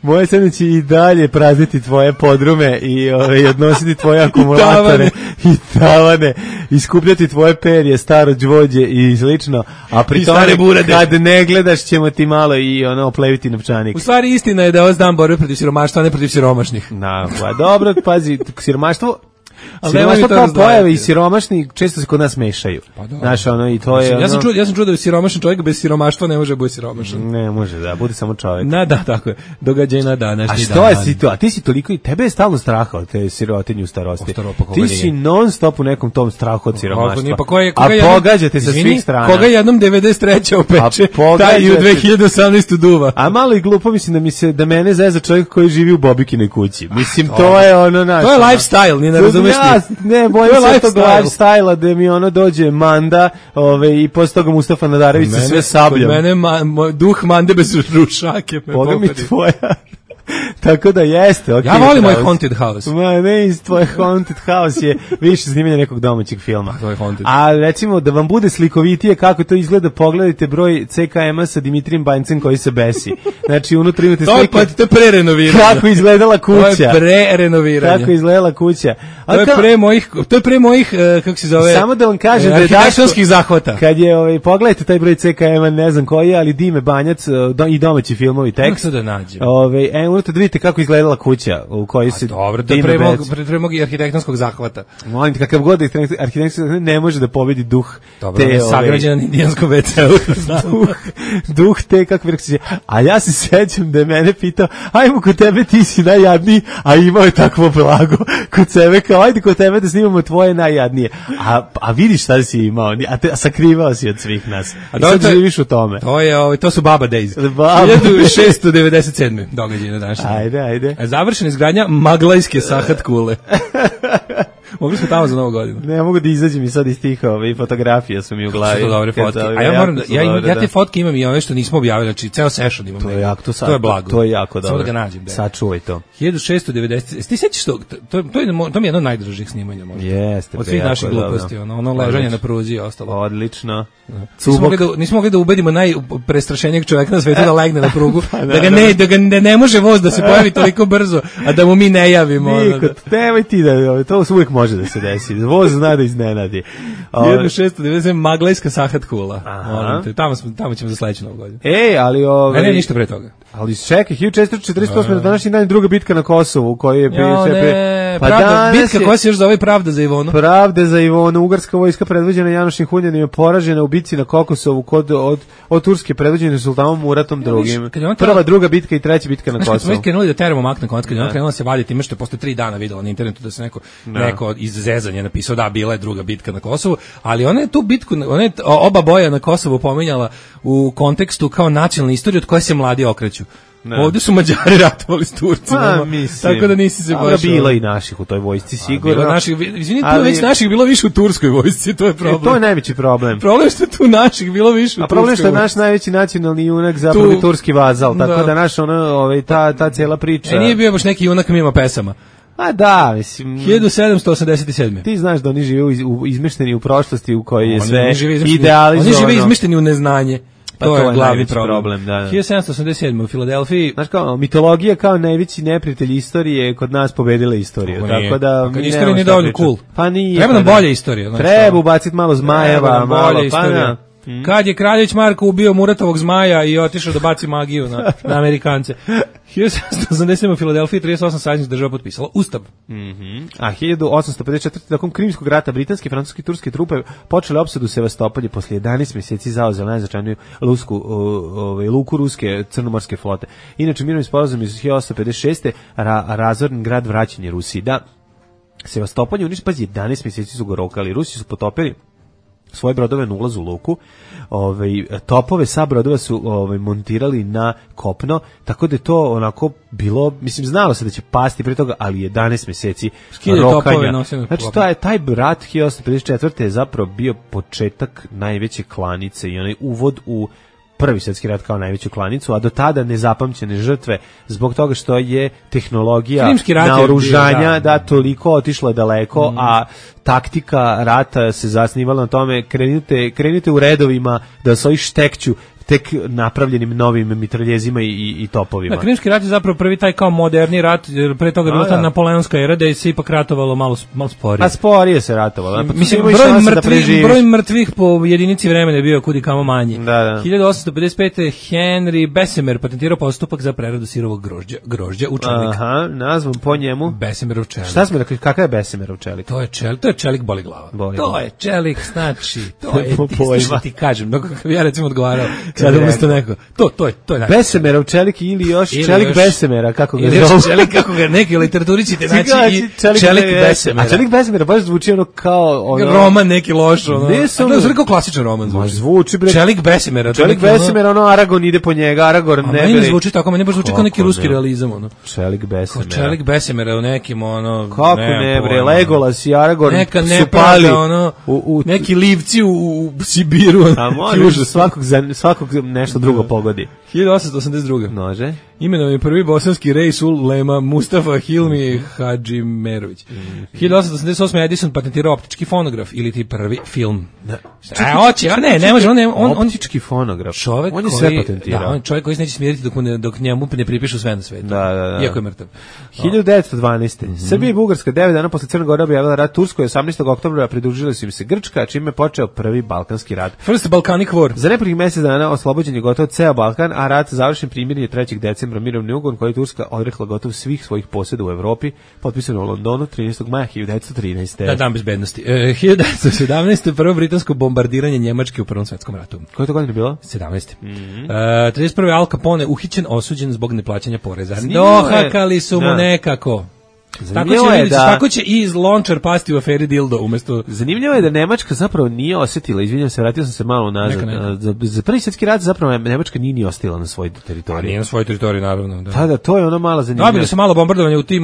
Moje sjene će i dalje prazniti tvoje podrume i odnositi tvoje akumulatore i tavane, iskupljati tvoje perje, staro đvođe i slično, a pri tome kad ne gledaš ćemo ti malo i opleviti novčanik. U stvari istina je da je dan borbe protiv siromaštva, a ne protiv siromašnih. Pa dobro, pazi, siromaštvo kao pojave i siromašni često se kod nas mešaju. Pa znaš, i to je... Ja sam čuo da je siromašan čovjek bez siromaštva ne može biti siromašan. Ne može, da, bude samo čovjek. Da, tako je. Događaj na današnji dan. A što je si to? A ti si toliko i tebe je stalno straha od te sirotinje u starosti. Ti si non stop u nekom tom strahu od siromaštva. A pogađate sa svih strana. Koga jednom 93. opeče, taj i u 2018. duva. A malo i glupo mislim da mene zeza čovjek koji živi u Bobikinoj kući. Mislim, to je ono naš... To je lifestyle, nije ne razumeš. Ne, bojim se tog lifestyle-a da mi dođe Manda i posle toga Mustafa Nadarević sa sve sabljom. Kod mene duh Mande bez rušake. Boga mi tvoja. Tako da jeste, okay. Ja volim moj Haunted House. Ma ne, iz tvoje Haunted House je više snimanje nekog domaćeg filma. Haunted. A recimo da vam bude slikovitije kako to izgleda, pogledajte broj CKM-a sa Dimitrijem Banjcem koji se besi. Znači unutra imate slike. To je pre-renoviranje. Kako izgledala kuća. To je pre-renoviranje. Kako izgledala kuća. To je pre mojih kako se zove? Samo da vam kažem da je arhitektonskih zahvata. Kad je pogledajte taj broj CKM-a, ne znam koji je, ali Dime Banjac i domaći filmovi tekst. Kako da nađem? Unutra da vidite kako izgledala kuća u kojoj se... Dobro, to je pre mog arhitektonskog zahvata. Molim te, kakav god arhitektonski ne može da pobedi duh dobro, te... Dobro, sagrađen na indijanskom WC-u. duh te, kako bi rekao se... A ja se sećam da je mene pitao, ajmo kod tebe, ti si najjadniji, a imao je takvo blago kod sebe, kao ajde kod tebe da snimamo tvoje najjadnije. A vidiš šta si imao, a sakrivao si od svih nas. I sad živiš u tome. To su Baba Days. 1697. događaj na današnji. Ajde. Završena izgradnja Maglajske sahat kule. Mogli smo tamo za Novu godinu. Ne, mogu da izađem i sad iz tih fotografija su mi u glavi. To dobre fotke. A ja moram ja te fotke imam i one što nismo objavili, znači ceo session imam. To je blago. To je jako dobro. Samo da ga nađem. Sačuvaj to. 1690. Ti sećaš to je mi jedno od najdražih snimanja možda. Jeste. Od svih naših gluposti, ono ležanje na pruzi i ostalo. Odlično. Nismo mogli da ubedimo najprestrašenijeg čoveka na svetu da legne na prugu, da ne može voz da se pojavi toliko brzo, a da mu mi ne javimo. Niko, nemoj ti da, to uvijek može da se desi. Voz zna da iznenadi. 1690 Maglajska sahat kula. Tamo ćemo za sledeću Novu godinu. Ali ne ništa pre toga. Ali čekaj, 1448 na današnji dan druga bitka na Kosovu, koji je bitka koja se još zove Pravda za Ivonu. Pravda za Ivonu, ugarska vojska predvođena Janošim Hunjanom je poražena u bitci na Kokosovu od Turske predvođene sultanom Muratom II. Prva, druga bitka i treća bitka na Kosovu. Smo krenuli da teramo mak na konc, kad je on krenula se vaditi time što je posle 3 dana videla na internetu da se neko iz zezanja napisao da bila je druga bitka na Kosovu, ali ona je tu bitku, oba boja na Kosovu pominjala u kontekstu kao nacionalne istorije od koje se mladi okreću. Ovdje su Mađari ratovali s Turcima, tako da nisi se baš... Bilo i naših u toj vojsci, sigurno. Već naših bilo više u turskoj vojsci, to je problem. To je najveći problem. Problem što je tu naših bilo više u turskoj vojsci. A problem što je naš najveći nacionalni junak zapravo i turski vazal, tako da naš ta cijela priča... Nije bio baš neki junak mimo pesama. A da, mislim... 1787. Ti znaš da oni žive izmešteni u prošlosti u kojoj je sve idealizovano. Oni žive izmešteni u neznanje. To je glavni problem. 1787 u Filadelfiji. Znaš kao, mitologija kao najveći neprijatelj istorije kod nas pobedila istoriju. Tako da... Kad istorija nije dovoljno cool. Pa nije. Treba nam bolje istorija. Treba ubaciti malo zmajeva, malo... Kad je Kraljević Marko ubio Muratovog zmaja i otišao da baci magiju na Amerikance. 1787 u Filadelfiji 38 saveznih država potpisalo Ustav. A 1854. nakon Krimskog rata britanske, francuske i turske trupe počele opsadu Sevastopolja, posle 11 mjeseci zauzela najznačajniju luku ruske crnomorske flote. Inače, mirovni sporazum iz 1856. razorni grad vraćen je Rusiji. Da, Sevastopolje uniš, pazi, 11 mjeseci su go rokali. Rusi su potopili svoje brodove na ulazu u luku, topove sa brodova su montirali na kopno, tako da je to onako bilo, mislim, znalo se da će pasti pre toga, ali 11 mjeseci rokanja. Znači, taj rat 1854. je zapravo bio početak najveće klanice i onaj uvod u Prvi svjetski rat kao najveću klanicu, a do tada nezapamćene žrtve zbog toga što je tehnologija naoružanja da toliko otišla daleko, a taktika rata se zasnivala na tome krenite u redovima da se ovi štekću tek napravljenim novim mitraljezima i topovima. Da, Krimski rat je zapravo prvi taj kao moderni rat, jer pre toga je bila ta napoleonska era da je se ipak ratovalo malo sporije. A sporije se ratovalo. Mislim, broj mrtvih po jedinici vremena je bio kudi kamo manji. Da. 1855. Henry Bessemer patentirao postupak za preradu sirovog grožđa u čelik. Aha, nazvom po njemu. Bessemerov čelik. Šta smo rekli, kakav je Bessemerov čelik? To je čelik boli glava. To je čelik, znači, to je ti kažem, ja recimo odgovarao. Sada umesto neko. To je. Besemerov čelik ili još čelik Besemera, kako ga zovu. Ili čelik, kako ga neki u literaturi ćete naći i čelik Besemera. A čelik Besemera baš zvuči ono kao... roman neki loš, ono. Ne sam... Zvuči kao klasičan roman. Zvuči, bre. Čelik Besemera. Čelik Besemera, ono, Aragon ide po njega, Aragorn ne bili. Meni zvuči tako, meni baš zvuči kao neki ruski realizam, ono. Čelik Besemera. Čelik Besemera u nekim, ono... Kako ne, bre, Legolas i Aragorn su pali neki livci u Sibiru. A može svakog nešto drugo pogodi. 1882. Može. Imenovan je prvi bosanski Reisul Lema Mustafa Hilmi Hadžimerović. 1888. Edison patentirao optički fonograf ili ti prvi film. Ne može, on optički fonograf. Čovjek on je sve patentirao. Da, on je čovjek koji se neće smiriti dok njemu ne pripišu sve na svetu. Da. Iako je mrtav. 1912. Srbija i Bugarska 9 dana posle Crne Gore objavila rat Turskoj, 18. oktobra pridružili su im se Grčka, čime je počeo prvi Balkanski rat. First Balkanic War. Za nepunih mjesec dana oslobođen je gotovo ceo Balkan, a rat završen primirjen 3. decembra mirovni ugovor koji je Turska odrekla gotovo svih svojih posjeda u Evropi, potpisan u Londonu 13. maja 1913. Da, dan bezbednosti. 1917. prvo britansko bombardiranje Njemačke u Prvom svjetskom ratu. Koje to godine bilo? 17. 31. Al Capone uhićen, osuđen zbog neplaćanja poreza. Dohakali su mu nekako. Tako će i Lončar pasti u aferi Dildo umesto... Zanimljivo je da Nemačka zapravo nije osjetila, izvinjam se, vratio sam se malo nazad. Za prvi svjetski rat zapravo Nemačka nije ni ostila na svojoj teritoriji. Nije na svojoj teritoriji, naravno. Da, to je ono malo zanimljivo. Dobili su malo bombardovanje u tim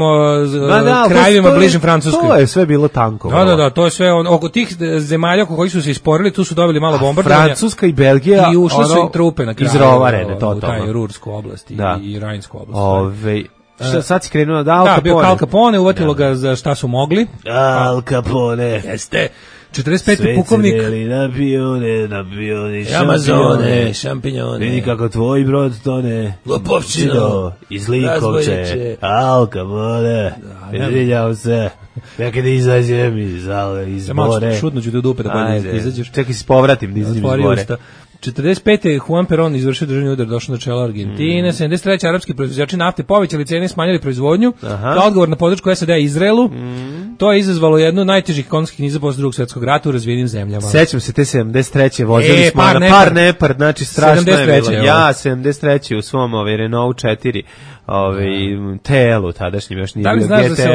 krajevima bližim Francuskoj. To je sve bilo tanko. Da, to je sve, oko tih zemalja oko kojih su se isporili, tu su dobili malo bombardovanja. Francuska i Belgija i ušle su im trupe na kraju. Izrovarene, totalno. U taj Rursku oblast i Rajnsku oblast. Sad si krenuo da Al Capone. Da, bio Al Capone, uvatilo ga za šta su mogli. Al Capone. Jeste. 45. pukovnik. Sve cijeli napioni, šampinjone. Vidi kako tvoj brod tone. Lopovčino. Iz Likovče. Al Capone. Izvinjam se. Nekada izađem iz bore. Šutno ću te u dupe da bolje izađeš. Čekaj se povratim da izađem iz bore. 45. Juan Perón izvršio državni udar, došao na čelo Argentine. 73. arapski proizvođači nafte povećali cene i smanjili proizvodnju. Kao odgovor na podršku SAD-a Izraelu. To je izazvalo jednu od najtežih ekonomskih kriza posle Drugog svjetskog rata u razvijenim zemljama. Sećam se te 73. vozili smo na par nepar, znači strašno je bilo. Ja 73. u svom Renault 4 TL-u tadašnjim još nije bilo GTL. Da li znaš da se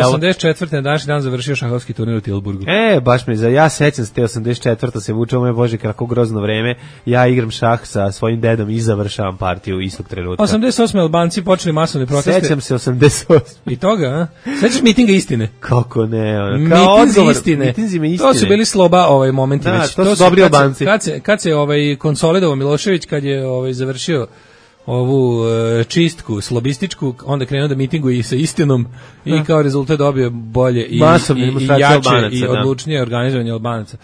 84. na današnji dan završio šahovski turnir u Tilburgu? Baš mi ja sećam se te 84. se vuče, moje bože, kako grozno vreme. Ja igram šah sa svojim dedom i završavam partiju istog trenutka. 88. Albanci počeli masovne proteste. Sećam se 88. I toga, a? Sećaš mitinga istine? Kako ne? Mitinzi istine. To su bili sloba momenti. Da, to su dobri Albanci. Kad se konsolidovao Milošević, kad je završio ovu čistku slobističku, onda krenuo da mitinguje i sa istinom i kao rezultat dobio bolje i jače i odlučnije organizovanje Albanaca.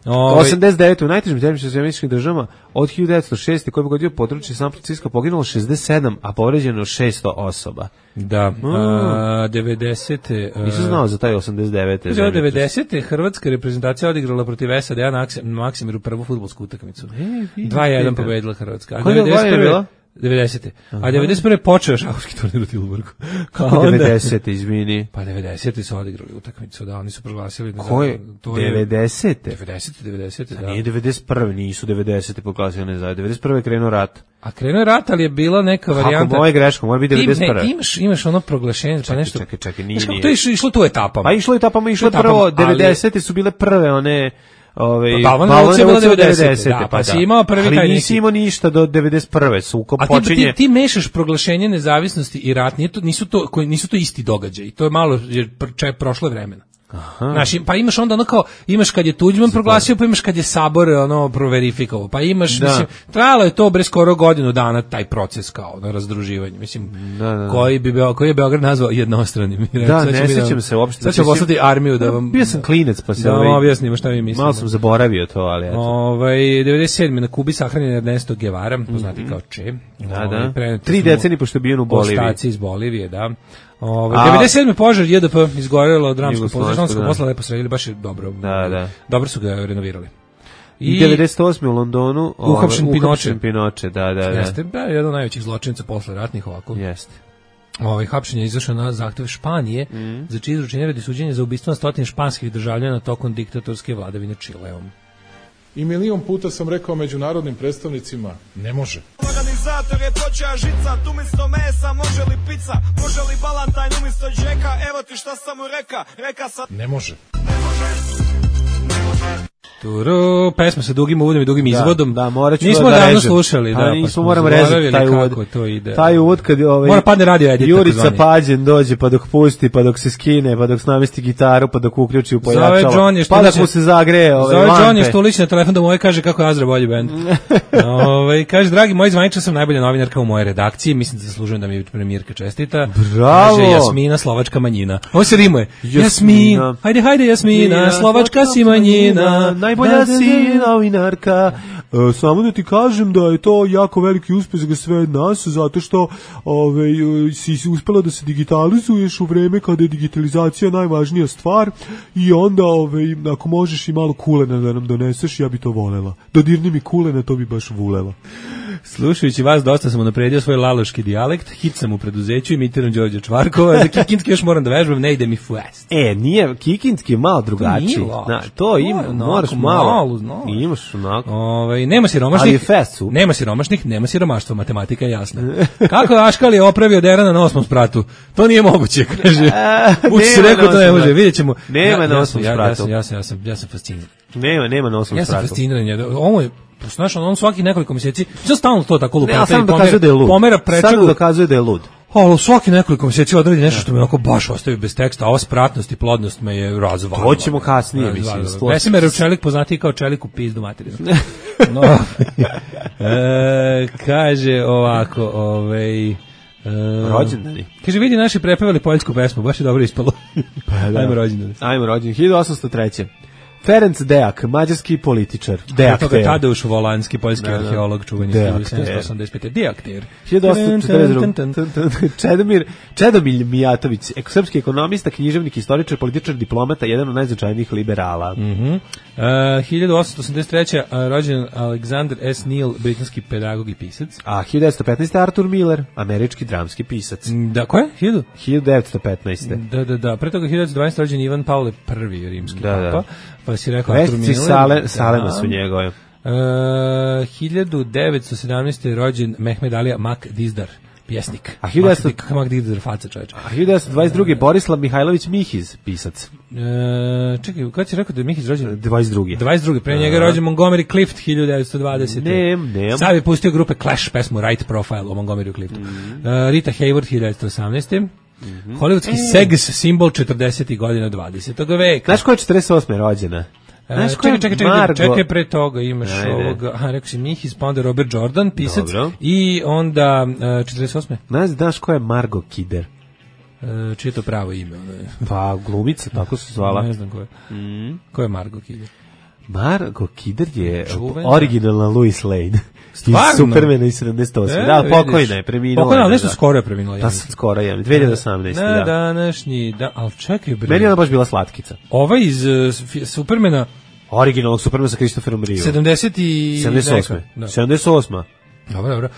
89. u najtežim zemljišnim američkim državama od 1906. koji je pogodio područje San Francisco poginulo 67, a povređeno 600 osoba. Da, 90. Nisam znao za taj 89. 90. Hrvatska reprezentacija odigrala protiv SAD-a na Maksimiru prvu fudbalsku utakmicu. 2:1 pobedila Hrvatska. A koja je bila? 90. A 91. počeo šahovski turnir u Tilburgu. Kao 90. izvini. Pa 90. su odigrali utakmicu, da, oni su proglasili. Ko je? 90. 90, da. Nije 91. Nisu 90. proglasili nezavisnost. 91. je krenuo rat. A krenuo je rat, ali je bila neka varijanta. Kako moje greško, mora biti 91. Imaš ono proglašenje, pa nešto. Čekaj, nije. To je išlo tu etapama. Pa išlo prvo, 90. su bile prve one... Balvan je bila 90. Da, pa si imao prvi taj neki. Ali nisi imao ništa do 91. Sukob počinje. A ti mešaš proglašenje nezavisnosti i rat, nisu to isti događaji. To je malo, jer prošlo je vremena. Znaš, pa imaš onda ono kao, imaš kad je Tuđman proglasio, pa imaš kad je Sabor ono proverifikovao, pa imaš, mislim, trajalo je to bre skoro godinu dana taj proces kao na razdruživanje, mislim, koji je Beograd nazvao jednostranim. Da, ne sjećam se uopšte. Sad ću poslati armiju da vam... Bio sam klinec, pa se... Da vam objasnimo šta mi mislimo. Malo sam zaboravio to, ali eto. 97. na Kubi sahranjen Ernesto Guevara, poznati kao Che. Da. 3 decenije pošto je bio u Boliviji. Ostaci iz Bolivije, da. 97. požar JDP izgorelo dramsko pozdraštansko posla lepo sredili, baš je dobro. Da. Dobro su ga renovirali. I 98. u Londonu uhapšen Pinoče, da. Jeste, jedan od najvećih zločinaca posle ratnih ovako. Jeste. Hapšenje je izašao na zahtev Španije za čije izručenje radi suđenja za ubistvo na 100 španskih državljana tokom diktatorske vladavine Čileom. I milion puta sam rekao međunarodnim predstavnicima, ne može. Organizator je počeo žicat, umjesto mesa može li pizza, može li balantajn umjesto džeka, evo ti šta sam mu reka sam... Ne može. Turu, pesma sa dugim uvodom i dugim izvodom. Da, morat ću nismo da davno režem. slušali, da. Nismo moramo rezati taj uvod. To ide. Taj uvod kad mora padne radio edit. Jurica Pađen dođe, pa dok pusti, pa dok se skine, pa dok namesti gitaru, pa dok uključi u pojačalo. Pa dok mu se zagreje lampe. Zove John Štulić na telefon da moje kaže kako je Azra bolji bend. Kaže, dragi moji zvaničar, sam najbolja novinarka u mojoj redakciji, mislim da zaslužujem da mi premijerka čestita. Bravo! Kaže, Jasmina, slovačka manjina. Ovo se rimuje. Jasmina, hajde Jasmina, slovačka si manjina. Najbolja si novinarka. Samo da ti kažem da je to jako veliki uspeh za sve nas, zato što si uspela da se digitalizuješ u vreme kada je digitalizacija najvažnija stvar i onda ako možeš i malo kulena da nam doneseš, ja bi to volela. Dodirni mi kulena, to bi baš volela. Slušajući vas, dosta sam unapredio svoj laloški dijalekt, hit sam u preduzeću, imitiram Đorđa Čvarkova, za kikinski još moram da vežbam, ne ide mi fast. Nije, kikinski je malo drugačiji. To ima, moraš malo. Imaš onako. Nema siromašnih, nema siromaštva, matematika je jasna. Kako je Aškali opravio Derana na 8. spratu? To nije moguće, kaže. Uči se rekao, to ne može, vidjet ćemo. Nema na 8. spratu. Ja sam fasciniran. Nema na 8. spratu. Ja sam fasciniran. Ovo je znaš, on svaki nekoliko mjeseci, sve stalno to tako lupa. Ne, samo dokazuje da je lud. Pomera prečagu. Samo dokazuje da je lud. Svaki nekoliko mjeseci odradi nešto što me onako baš ostavi bez teksta, a ova spratnost i plodnost me je razvalila. To ćemo kasnije, mislim. Vesemir Čelik poznatiji kao Čelik u pizdu materinu. Kaže ovako, rođendani. Kaže, vidi, naši prepevali poljsku pesmu, baš je dobro ispalo. Ajmo rođendani. 1803. Ferenc Deak, mađarski političar. Deakter. Tadeusz Volanski, poljski arheolog, čuveni 1785. Deakter. 1842. Čedomir Mijatović, srpski ekonomista, književnik, istoričar, političar, diplomata, jedan od najznačajnijih liberala. 1883. rođen Alexander S. Neal, britanski pedagog i pisac. A 1915. Arthur Miller, američki dramski pisac. Da, ko je? 1915. Da. Pre toga 1912. rođen Ivan Pavle I, rimski papa. Pa si rekao Arthur Miller. Salema su njegove. 1917. rođen Mehmed Alija Mak Dizdar, pjesnik. A 1922. Mak Dizdar, faca čoveča. A 1922. Borislav Mihajlović Mihiz, pisac. Čekaj, kada si rekao da je Mihiz rođen? 22. Pre njega je rođen Montgomery Clift 1920. Nem. Sad je pustio grupe Clash pesmu Right Profile o Montgomery Cliftu. Rita Hayworth 1918. Hollywoodski sex simbol 40. godina 20. veka. Znaš ko je 48. rođena? Čekaj, pre toga imaš ovoga, rekao si Mihiz, pa onda Robert Jordan, pisac, i onda 48. Znaš ko je Margot Kidder? Čije je to pravo ime? Pa glumica, tako se zvala. Ne znam ko je. Ko je Margot Kidder? Marko Kidder je Čuvena. originalna Lois Lane. Stvarno? Iz Supermana iz 78. Da, pokojna je, preminula. Pokojna, ali nešto da. skoro je preminula. Da, sad skoro je, 2018. Na da. današnji, ali čekaj bre. Meni je ona baš bila slatkica. Ovaj iz Supermana Originalnog Supermana sa Christopherom Reevom. 78. 78. Dobro.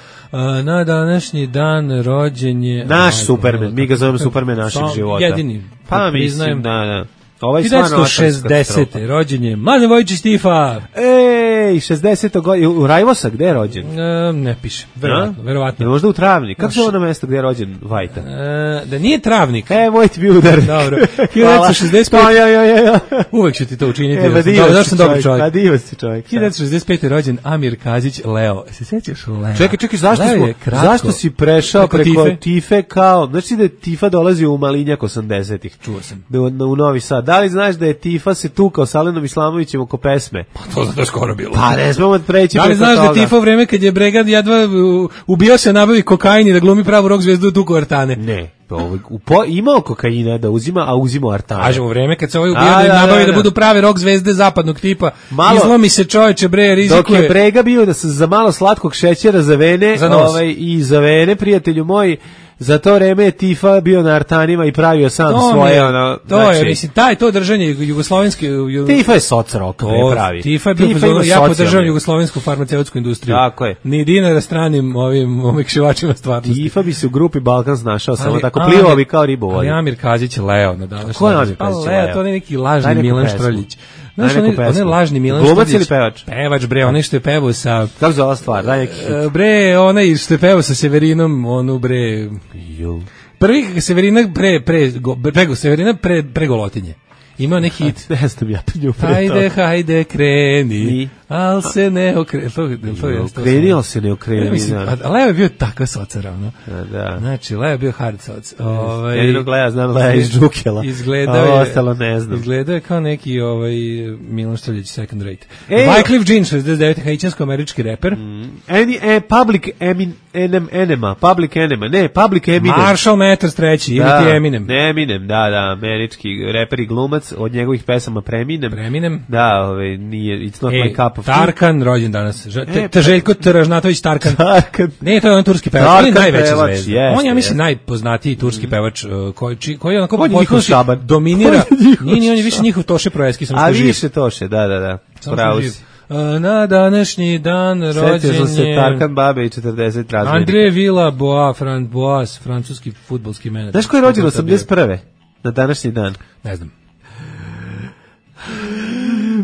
Na današnji dan rođen je... Naš Superman, mi ga zovemo Superman našeg života. Jedini. Pa mislim, da. Ovaj 1960. rođen je Mladen Vojičić Tifa. Ej, 60. godine, u Rajvosa, gde je rođen? Ne piše, verovatno. Možda u Travnik. Kako se ono mesto gde je rođen Vajta? Da nije Travnik. Moj ti bi udarnik. Dobro. 1965. Uvek ću ti to učiniti. Da sam dobar čovjek. Pa divac si čovjek. 1965. rođen Amir Kazić Leo. Se sećaš Leo? Čekaj, zašto si prešao preko Tife kao, znači da je Tifa dolazi u Malinjak 80-ih. Čuo sam. U Novi Sad. Da li znaš da je Tifa se tukao sa Alenom Islamovićem oko pesme? Pa to zato skoro bilo. Pa ne smemo preći. Da li znaš da je Tifa u vreme kad je Bregad jedva ubio se nabavi kokain i da glumi pravu rock zvezdu tuku Artane? Ne. Imao kokaina da uzima, a uzimo Artane. Kažemo, u vreme kad se ovaj ubio da nabavi da budu prave rock zvezde zapadnog tipa. Izlomi se čoveče bre, rizikuje. Dok je Brega bio da se za malo slatkog šećera za vene, i za vene, prijatelju moj, za to vreme je Tifa bio na Artanima i pravio sam svoje mislim, to držanje jugoslovenske Tifa je soc rock pravi. Tifa je bio ja podržavam jugoslovensku farmaceutsku industriju. Tako je. Ni dinara stranim ovim omekšivačima stvarnosti. Tifa bi se u grupi Balkan snašao samo tako plivao bi kao ribu vodi. Amir Kazić Leo na današnji. Ko je Amir Kazić Leo? To je neki lažni Milan Štrljić. Znaš, on je lažni Milan Štrljić. Glumac ili pevač? Pevač, bre, onaj što je pevao sa... Kako zove ova stvar? Daj neki hit. Bre, onaj što je pevao sa Severinom, onu, bre... Prvi Severina Severina pre Golotinje. Imao neki hit. Ne znam ja penju pre to. Hajde, kreni. Al se ne okreni. Kreni, al se ne okreni. Leo je bio tako socar, ono. Da. Znači, Leo je bio hard soc. Jednog Lea znam, Lea iz Džukela. Ostalo ne znam. Izgledao je kao neki Milan Štrljić second rate. Wyclef Jean, 69. haitijansko-američki reper. Public Enema. Ne, Public Eminem. Marshall Mathers treći, ili ti Eminem. Eminem, da, američki reper i glumac, od njegovih pesama Preminem. Da, nije, it's not my cup of tea. Tarkan, rođen danas. Željko Tržnatović Tarkan. Ne, to je on turski pevač. On je najveća zvezda. On je, ja mislim, najpoznatiji turski pevač koji onako dominira. Nije, on je više njihov Toše Proeski. A više Toše, da. Pravo si. Na današnji dan rođen Sjetio se Tarkan Babe i 40 razrednika. André Villas-Boas, francuski fudbalski menadžer. Znaš ko je rođen 81. na današnji dan? Ne znam.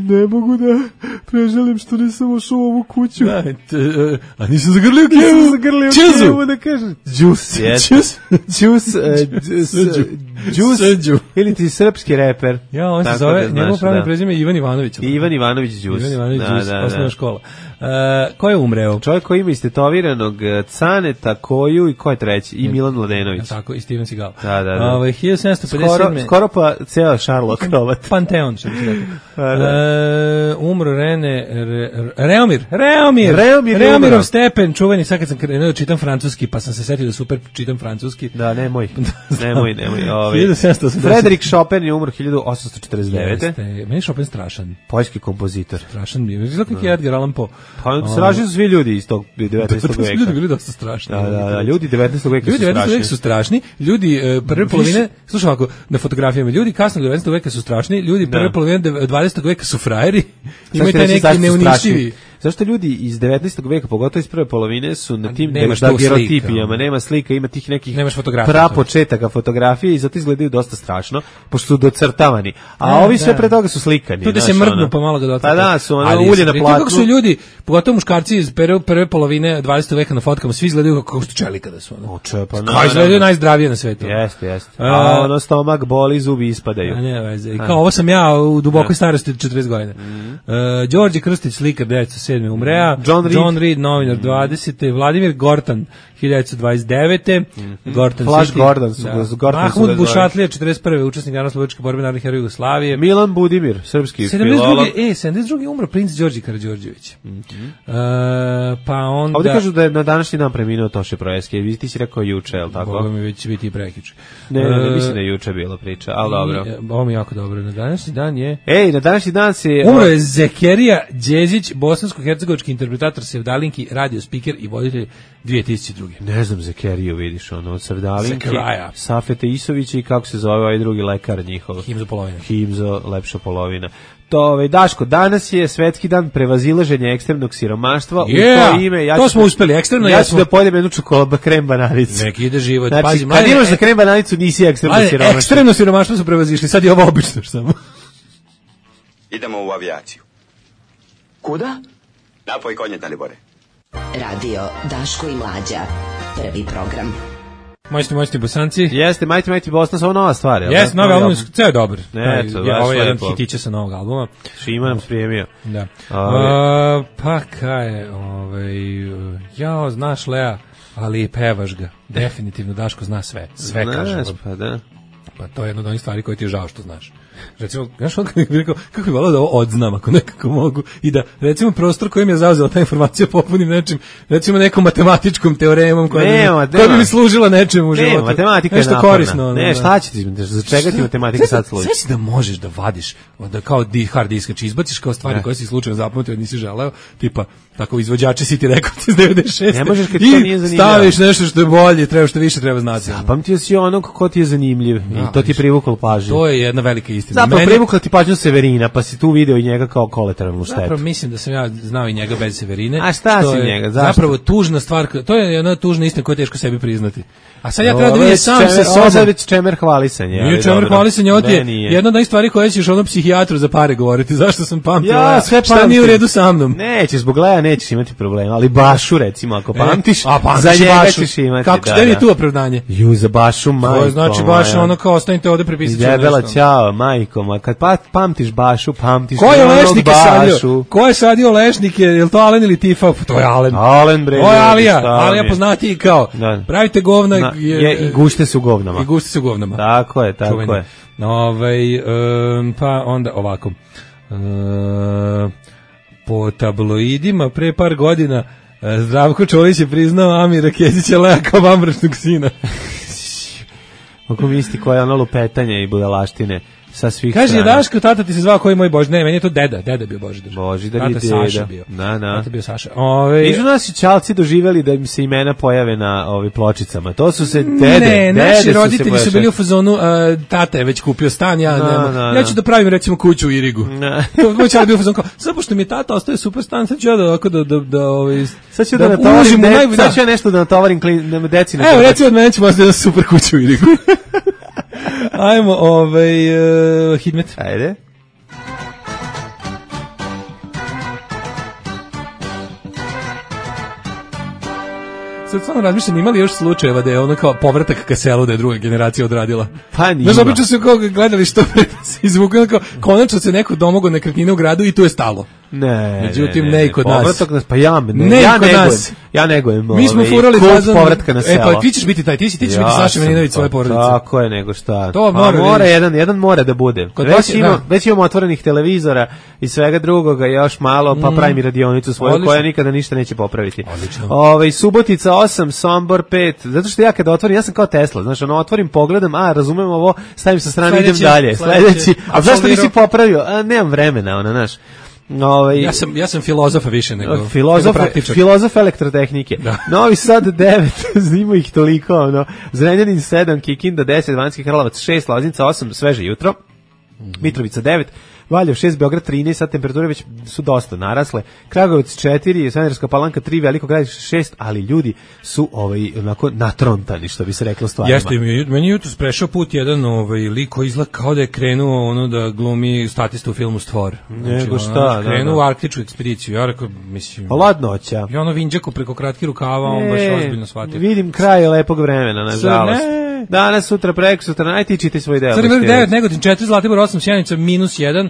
Ne mogu da preželim što nisam ušao u ovu kuću. A nisam zagrlio kevu, da kažem. Džus, ili ti srpski reper. Ja, on se zove, njegov pravno prezime Ivan Ivanović. Ivan Ivanović Džus. Osnovna škola. Ko je umreo? Čovjek koji ima istetoviranog Caneta, Koju i ko je treći? I Milan Mladenović. Tako, i Steven Seagal. Da. 1757. Skoro pa ceo Sherlock Novat. Panteon, što bi se rekao. Umro Reomirov Stepen, čuveni, sad kad sam krenuo da čitam francuski, pa sam se setio da super čitam francuski. Da, nemoj. Frederik Chopin je umro 1849. Meni je Chopin strašan. Poljski kompozitor. Strašan mi je. Izgleda kako je Edgar Allan Poe. Pa strašni su svi ljudi iz tog 19. veka. Ljudi bili dosta strašni. Da, ljudi 19. veka su strašni. Ljudi 19. veka su strašni. Ljudi prve polovine, slušaj ovako, na fotografijama, ljudi kasnog 19. veka su strašni, ljudi prve polovine 20. veka su frajeri. Imaju taj neki neuništivi. Zašto ljudi iz 19. veka, pogotovo iz prve polovine, su na tim dagerotipijama, nema slika, ima tih nekih prapočetaka fotografije i zato izgledaju dosta strašno, pošto su docrtavani. A ovi sve pre toga su slikani. Tu da se mrdnu pa malo ga dotaknu. Pa da, su ulje na platnu. Kako su ljudi, pogotovo muškarci iz prve polovine 20. veka na fotkama, svi izgledaju kako su čelika da su. Kao izgledaju najzdravije na svetu. Jeste. A ono stomak boli, zubi ispadaju. Kao ovo sam ja u dubokoj starosti 40 godina. Đorđe Krstić, slikar, deco, 1927. umrea. John Reed, novinar 20. Vladimir Gortan, 1929. Gortan Flash City. Gordon su Mahmud Bušatlija, 41. učesnik narodno-slobodačke borbe narodnih heroja Jugoslavije. Milan Budimir, srpski filolog. 72. umro princ Đorđe Karađorđević. Pa onda... Ovdje kažu da je na današnji dan preminuo Toše Proeski. Ti si rekao juče, je li tako? Boga mi već biti i prekiče. Ne, mislim da je juče bila priča, ali dobro. Ovo mi jako dobro. Na današnji dan je... Na današnji dan si... Umro je Zekerija Đezić, bosansko-hercegovački interpretator, sevdalinki, radio speaker i voditelj 2002. Ne znam Zekeriju, vidiš, od sevdalinki, Zekeraja. Safeta Isovića i kako se zove ovaj drugi lekar njihov. Himzo polovina. Himzo, lepša polovina. Daško, danas je svetski dan prevazilaženja ekstremnog siromaštva. U to ime, to smo uspeli, ekstremno. Ja ću da pojedem jednu čokoladu krem bananicu. Neki ide život. Znači, pazi, kad imaš za krem bananicu, nisi ekstremno siromaštvo. Ekstremno siromaštvo su prevazišli, sad je ovo obično samo. Idemo u avijaciju. Kuda? Napoj konje, Dalibore. Radio Daško i Mlađa. Prvi program. Mojsti Bosanci. Jeste, Majti Bosna, ovo nova stvar. Jeste, novi album, ceo je dobar. Ovo je jedan hitića sa novog albuma. Šima nam sprijemio. Da. Pa kaj je, znaš Lea, ali pevaš ga. Definitivno Daško zna sve. Sve kaže. Pa da. Pa to je jedna od onih stvari koje ti je žao što znaš. Recimo, znaš kako bi volao da ovo odznam ako nekako mogu i da, recimo, prostor kojim je zauzela ta informacija popunim nečim, recimo nekom matematičkom teoremom koja bi mi služila nečemu u životu. Ne, matematika je naporna. Korisno. Ne, šta će ti, za čega ti matematika sad služi? Sve si da možeš da vadiš, da kao hard disk, znači izbaciš kao stvari koje si slučajno zapamtio, nisi želeo, tipa, tako izvođače si ti rekao iz 96. Ne možeš kad to nije zanimljivo. Staviš nešto što je bolje, što više treba znati. Zapamtio si onog ko ti je zanimljiv i to ti je privuklo pažnju. To je jedna velika istina. Zapravo privukla ti pažnju Severina, pa si tu video i njega kao kolateralnu štetu. Zapravo mislim da sam ja znao i njega bez Severine. A šta si njega? Zašto? Zapravo tužna stvar, to je jedna tužna istina koju je teško sebi priznati. A sad ja treba da vidim sam se sobom. Ovo je već čemer hvalisanje. Nije čemer hvalisanje, ovo je jedna od stvari koje ćeš onom psihijatru za pare govoriti. Zašto sam pamtio? Ja, sve šta nije u redu sa mnom? Nećeš, zbog Leja nećeš imati problema, ali Bašu recimo, ako pamtiš, za njega ćeš imati. Kako ste mi tu opravdanje? Za Bašu, majko. To znači baš ono kao ostanite ovde prepisati nešto. Debela ćao, majko, kad pamtiš Bašu, pamtiš ko je lešnike sadio? Ko je sadio lešnike? Je li to Alen ili Tifa? To je Alen. Alen, bre. To je Alija poznatiji kao. Pravite govna. I gušte se u govnama. I gušte se u govnama. Tako je. Pa onda ovako. Po tabloidima pre par godina Zdravko Čolić je priznao Amira Kesića Lea kao vambračnog sina. Ako misli koja je ono lupetanje i budalaštine sa svih kaže, strana. Daško, tata ti se zvao koji je moj Božidar. Ne, meni je to deda bio Božidar. Božidar je deda. Saša bio. Tata bio Saša. Nisu naši čalci doživjeli da im se imena pojave na pločicama. To su se dede. Ne, naši roditelji su bili u fazonu, tata je već kupio stan, ja ću da pravim recimo kuću u Irigu. Moj čal je bio u fazonu kao, sad pošto mi tata ostaje super stan, sad ću ja sad ću ja nešto da natovarim deci. Evo, recimo od mene ćemo ostaje super kuću u Irigu. Ajmo, Hidmet. Ajde. Sad stvarno razmišljam, imali još slučajeva da je ono kao povratak ka selu da je druga generacija odradila? Pa nima. Znaš, obično su kao gledali što se izvukali, kao konačno se neko domogao nekretnine u gradu i tu je stalo. Ne, međutim, ne i kod nas. Povratak nas, pa ja negujem. Mi smo furali fazon povratka na selo. Pa ti ćeš biti taj, ti ćeš biti Saša Milinović svoje porodice. Tako je, nego šta. To mora jedan mora da bude. Već imamo otvorenih televizora i svega drugoga, još malo, pa pravim i radionicu svoju koja nikada ništa neće popraviti. Subotica 8, Sombor 5, zato što ja kada otvorim, ja sam kao Tesla, znaš, otvorim, pogledam, razumem ovo, stavim sa strane, idem dalje, sledeći, a zašto nisi popravio? Nemam vremena, znaš. Ja sam filozofa više nego filozof elektrotehnike. Novi Sad 9, znimo ih toliko, Zrenjanin 7, Kikinda 10, Banjski Karlovac 6, Loznica 8, sveže jutro, Mitrovica 9, Valjevo 6, Beograd 13, sad temperature već su dosta narasle, Kragujevac 4, Smederevska Palanka 3, Veliko Gradište 6, ali ljudi su onako natrontani, što bi se reklo stvarima. Jeste, meni jutros prešao put jedan lik koji izgleda kao da je krenuo da glumi statista u filmu Stvor. Nego šta, krenuo u arktičku ekspediciju, ja rekao, mislim... Ladnoća. I vinđako preko kratkih rukava, on baš ozbiljno shvatio. Vidim kraj lepog vremena, nažalost. Danas, sutra, preko sutra, najtičite svoj deo. Crni vrh 9, Negotin 4, Zlatibor 8, Sjenica -1,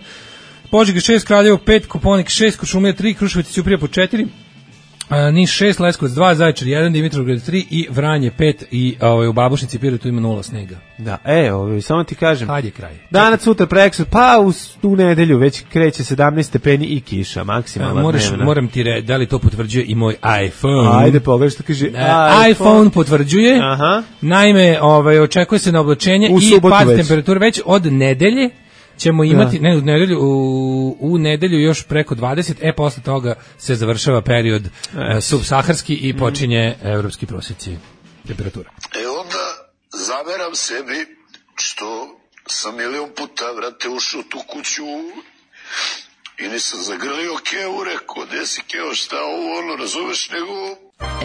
Požega 6, Kraljevo 5, Koponik 6, Kuršumlija 3, Kruševac i Ćuprija po 4, Niš 6, Leskovac 2, Zaječar 1, Dimitrovgrad 3 i Vranje 5 i u Babušnici i Pirotu ima 0 snega. Da, samo ti kažem. Kad je kraj? Danas, sutra, preksut, pa u nedelju već kreće 17 stepeni i kiša, maksimalna dnevna. Moram ti reći, da li to potvrđuje i moj iPhone? Ajde, pogledaj što kaže iPhone potvrđuje. Aha. Naime, očekuje se na oblačenje i pad temperature već od nedelje. Ćemo imati u nedelju još preko 20, posle toga se završava period subsaharski i počinje evropski prosjeci temperatura. Onda zameram sebi što sam milion puta, vrate, ušao tu kuću i nisam zagrlio Keo, rekao, gde si Keo, šta ovo, razumeš, nego...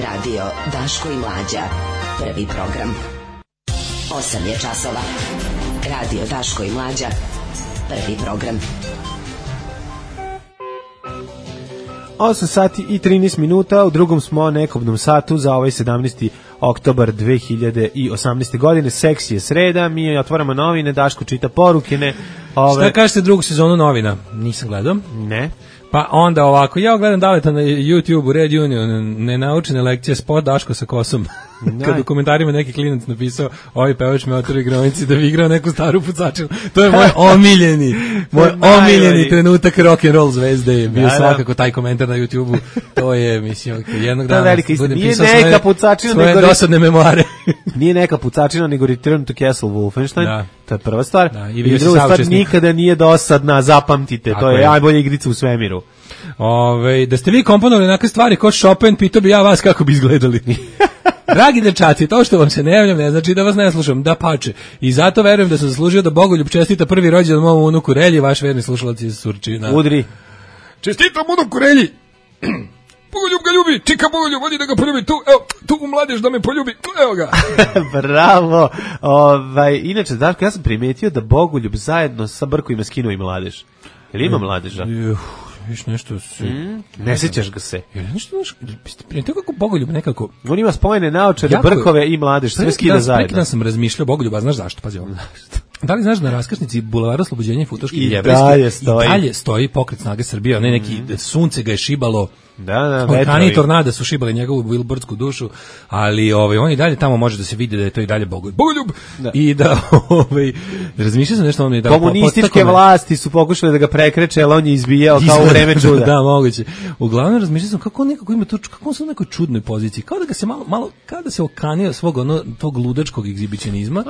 Radio Daško i Mlađa, prvi program. 8 je časova. Radio Daško i Mlađa, prvi program. 8 sati i 13 minuta, u drugom smo nekobnom satu za ovaj 17. oktobar 2018. godine. Seksi je sreda, mi otvaramo novine, Daško čita poruke. Šta kažete drugu sezonu novina? Nisam gledao. Ne. Pa onda ovako, ja gledam Daleta na YouTube-u, Red Union, nenaučene lekcije, spot Daško sa kosom. Kad u komentarima neki klinac napisao, ovaj pevač me otvori igronici da bi igrao neku staru pucačinu. To je moj omiljeni trenutak rock'n'roll zvezde. Je bio svakako taj komentar na YouTube-u. To je, mislim, jednog dana budem pisao svoje dosadne memoare. Nije neka pucačina, nego Return to Castle Wolfenstein. To je prva stvar. I druga stvar, nikada nije dosadna, zapamtite. To je najbolja igrica u svemiru. Da ste vi komponovali neke stvari kao Chopin, pitao bi ja vas kako bi izgledali. Dragi dečaci, to što vam se ne javljam ne znači da vas ne slušam, da pače. I zato verujem da sam zaslužio da Bogoljub čestita prvi rođendan mom unuku Relji, vaš verni slušalac iz Surčina. Udri. Čestitam unuku Relji. Bogoljub ga ljubi, čika Bogoljub, vodi da ga poljubi, tu u mladež da me poljubi, evo ga. Bravo. Inače, Darko, ja sam primetio da Bogoljub zajedno sa Brko ima skinuo i mladež. Jel ima mladeža? Viš nešto ne sećaš ga se. To kako Bogoljub nekako... On ima spojene naočare, brkove i mladež, sve skida zajedno. Prekida sam razmišljao Bogoljuba, znaš zašto, pazi ovo. Da li znaš da na raskrsnici Bulevara Oslobođenja i Futoške i dalje stoji Pokret snage Srbije, onaj neki sunce ga je šibalo, orkani i tornada su šibali njegovu bilbordsku dušu, ali on i dalje tamo može da se vidi da je to i dalje Bogoljub. I da razmišljao sam nešto da komunističke vlasti su pokušale da ga prekreče, ali on je izbijao kao u vreme čuda. Da, moguće. Uglavnom razmišljao sam kako on nekako ima to, kako on se u nekoj čudnoj poziciji, kao da ga se malo kao da se okanio svog tog ludačkog egzibicionizma.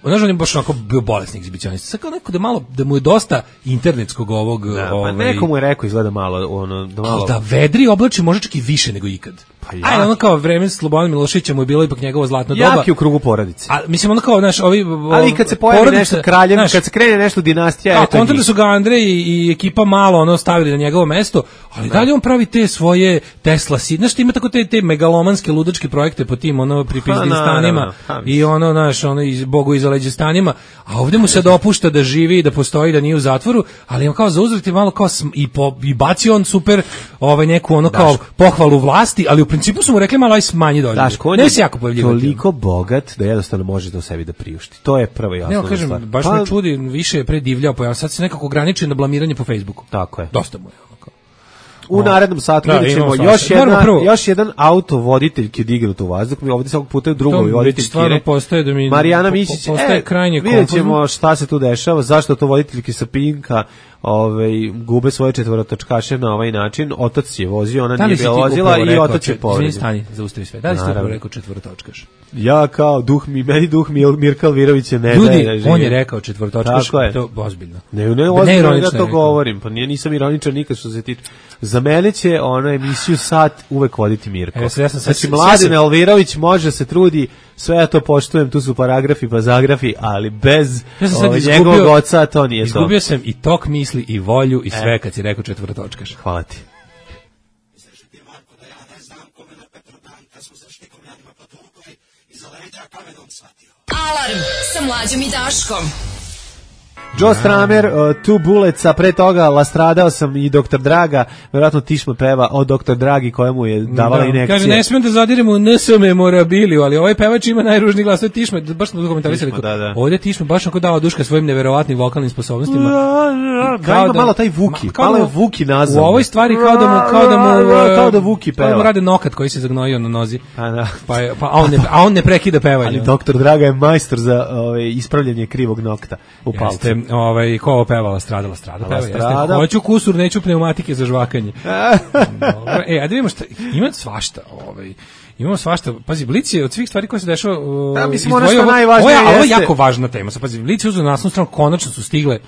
Znaš, on je baš onako bio bolesni egzibicionist. Sad kao neko da mu je dosta internetskog ovog... Pa neko mu je rekao izgleda malo... Da vedri oblači možda čak i više nego ikad. Ajde, ono kao vreme Slobodana Miloševića mu je bilo ipak njegovo zlatno doba. Jak je u krugu porodice. A mislim ono kao, znaš, ali kad se pojavi nešto kraljem, kad se krene nešto dinastija, eto. Kontra da su ga Andrej i ekipa malo stavili na njegovo mesto, ali dalje on pravi te svoje Tesla, znaš, ima tako te megalomanske ludačke projekte po tim pripizdim stanima i znaš, iz Bogu iza leđa stanima, a ovdje mu se dopušta da živi, da postoji, da nije u zatvoru, ali on kao zauzvrat je malo kao i baci on super neku kao pohvalu vlasti, ali u principu su mu rekli malo aj smanji dolje. Ne se jako pojavljivati. Toliko bogat da jednostavno može to sebi da priušti. To je prvo jasno. Ne, kažem, baš me čudi, više je predivljao pojava. Sad se nekako ograniči na blamiranje po Facebooku. Tako je. Dosta mu je. U narednom satu vidjet ćemo još jedan autovoditelj ki odigrao u vazduh. Mi ovdje svakog puta drugovi voditelj stvarno postaje da mi Marijana Mišić. Postaje krajnje konfuzno. Vidjet ćemo šta se tu dešava, zašto to voditeljki sa Pinka gube svoje četvorotočkaše na ovaj način. Otac je vozio, ona nije bila vozila i otac je povredio. Stani, zaustavi sve. Da li ste upravo rekao četvorotočkaš? Ja kao meni duh Mirka Alvirovića ne ljudi, daje. On je rekao četvorotočkaš, to ozbiljno. Ne ozbiljno da to govorim, pa nisam ironičan nikad što se tiče. Za mene će emisiju Sat uvek voditi Mirko. Znači, Mladen Alvirović može se trudi, sve ja to poštujem, tu su paragrafi, pazagrafi, ali bez njegovog oca to nije to. Izgubio sam i tok misli i volju i sve kad si rekao četvorotočkaš. Hvala ti. Alarm sa Mlađom i Daškom. Joe Stramer, Two Bullets, a pre toga Lastradao sam i Dr. Draga, verovatno Tišma peva o Dr. Dragi koja mu je davala injekcije. Kaže, ne smijem da zadirem u NS memorabiliju, ali ovaj pevač ima najružniji glas, to je Tišma, baš smo dokumentarisali. Ovdje Tišma baš onako dao duška svojim neverovatnim vokalnim sposobnostima. Kao ima malo taj Vuki, malo je Vuki nazvan. U ovoj stvari kao da Vuki peva. Kao da mu rade nokat koji se zagnojio na nozi. A on ne prekida pevanje. Ali Dr. Draga je majstor za ispravljanje krivog nokta u palcu. Ko ovo pevala? Strada. Hoću kusur, neću pneumatike za žvakanje. A da vidimo šta, ima svašta. Imamo svašta. Pazi, Blic je od svih stvari koje se dešava... mislim, ono što najvažnije jeste... Ovo je jako važna tema. Pazi, Blic je uzeo na naslovnu stranu, konačno su stigle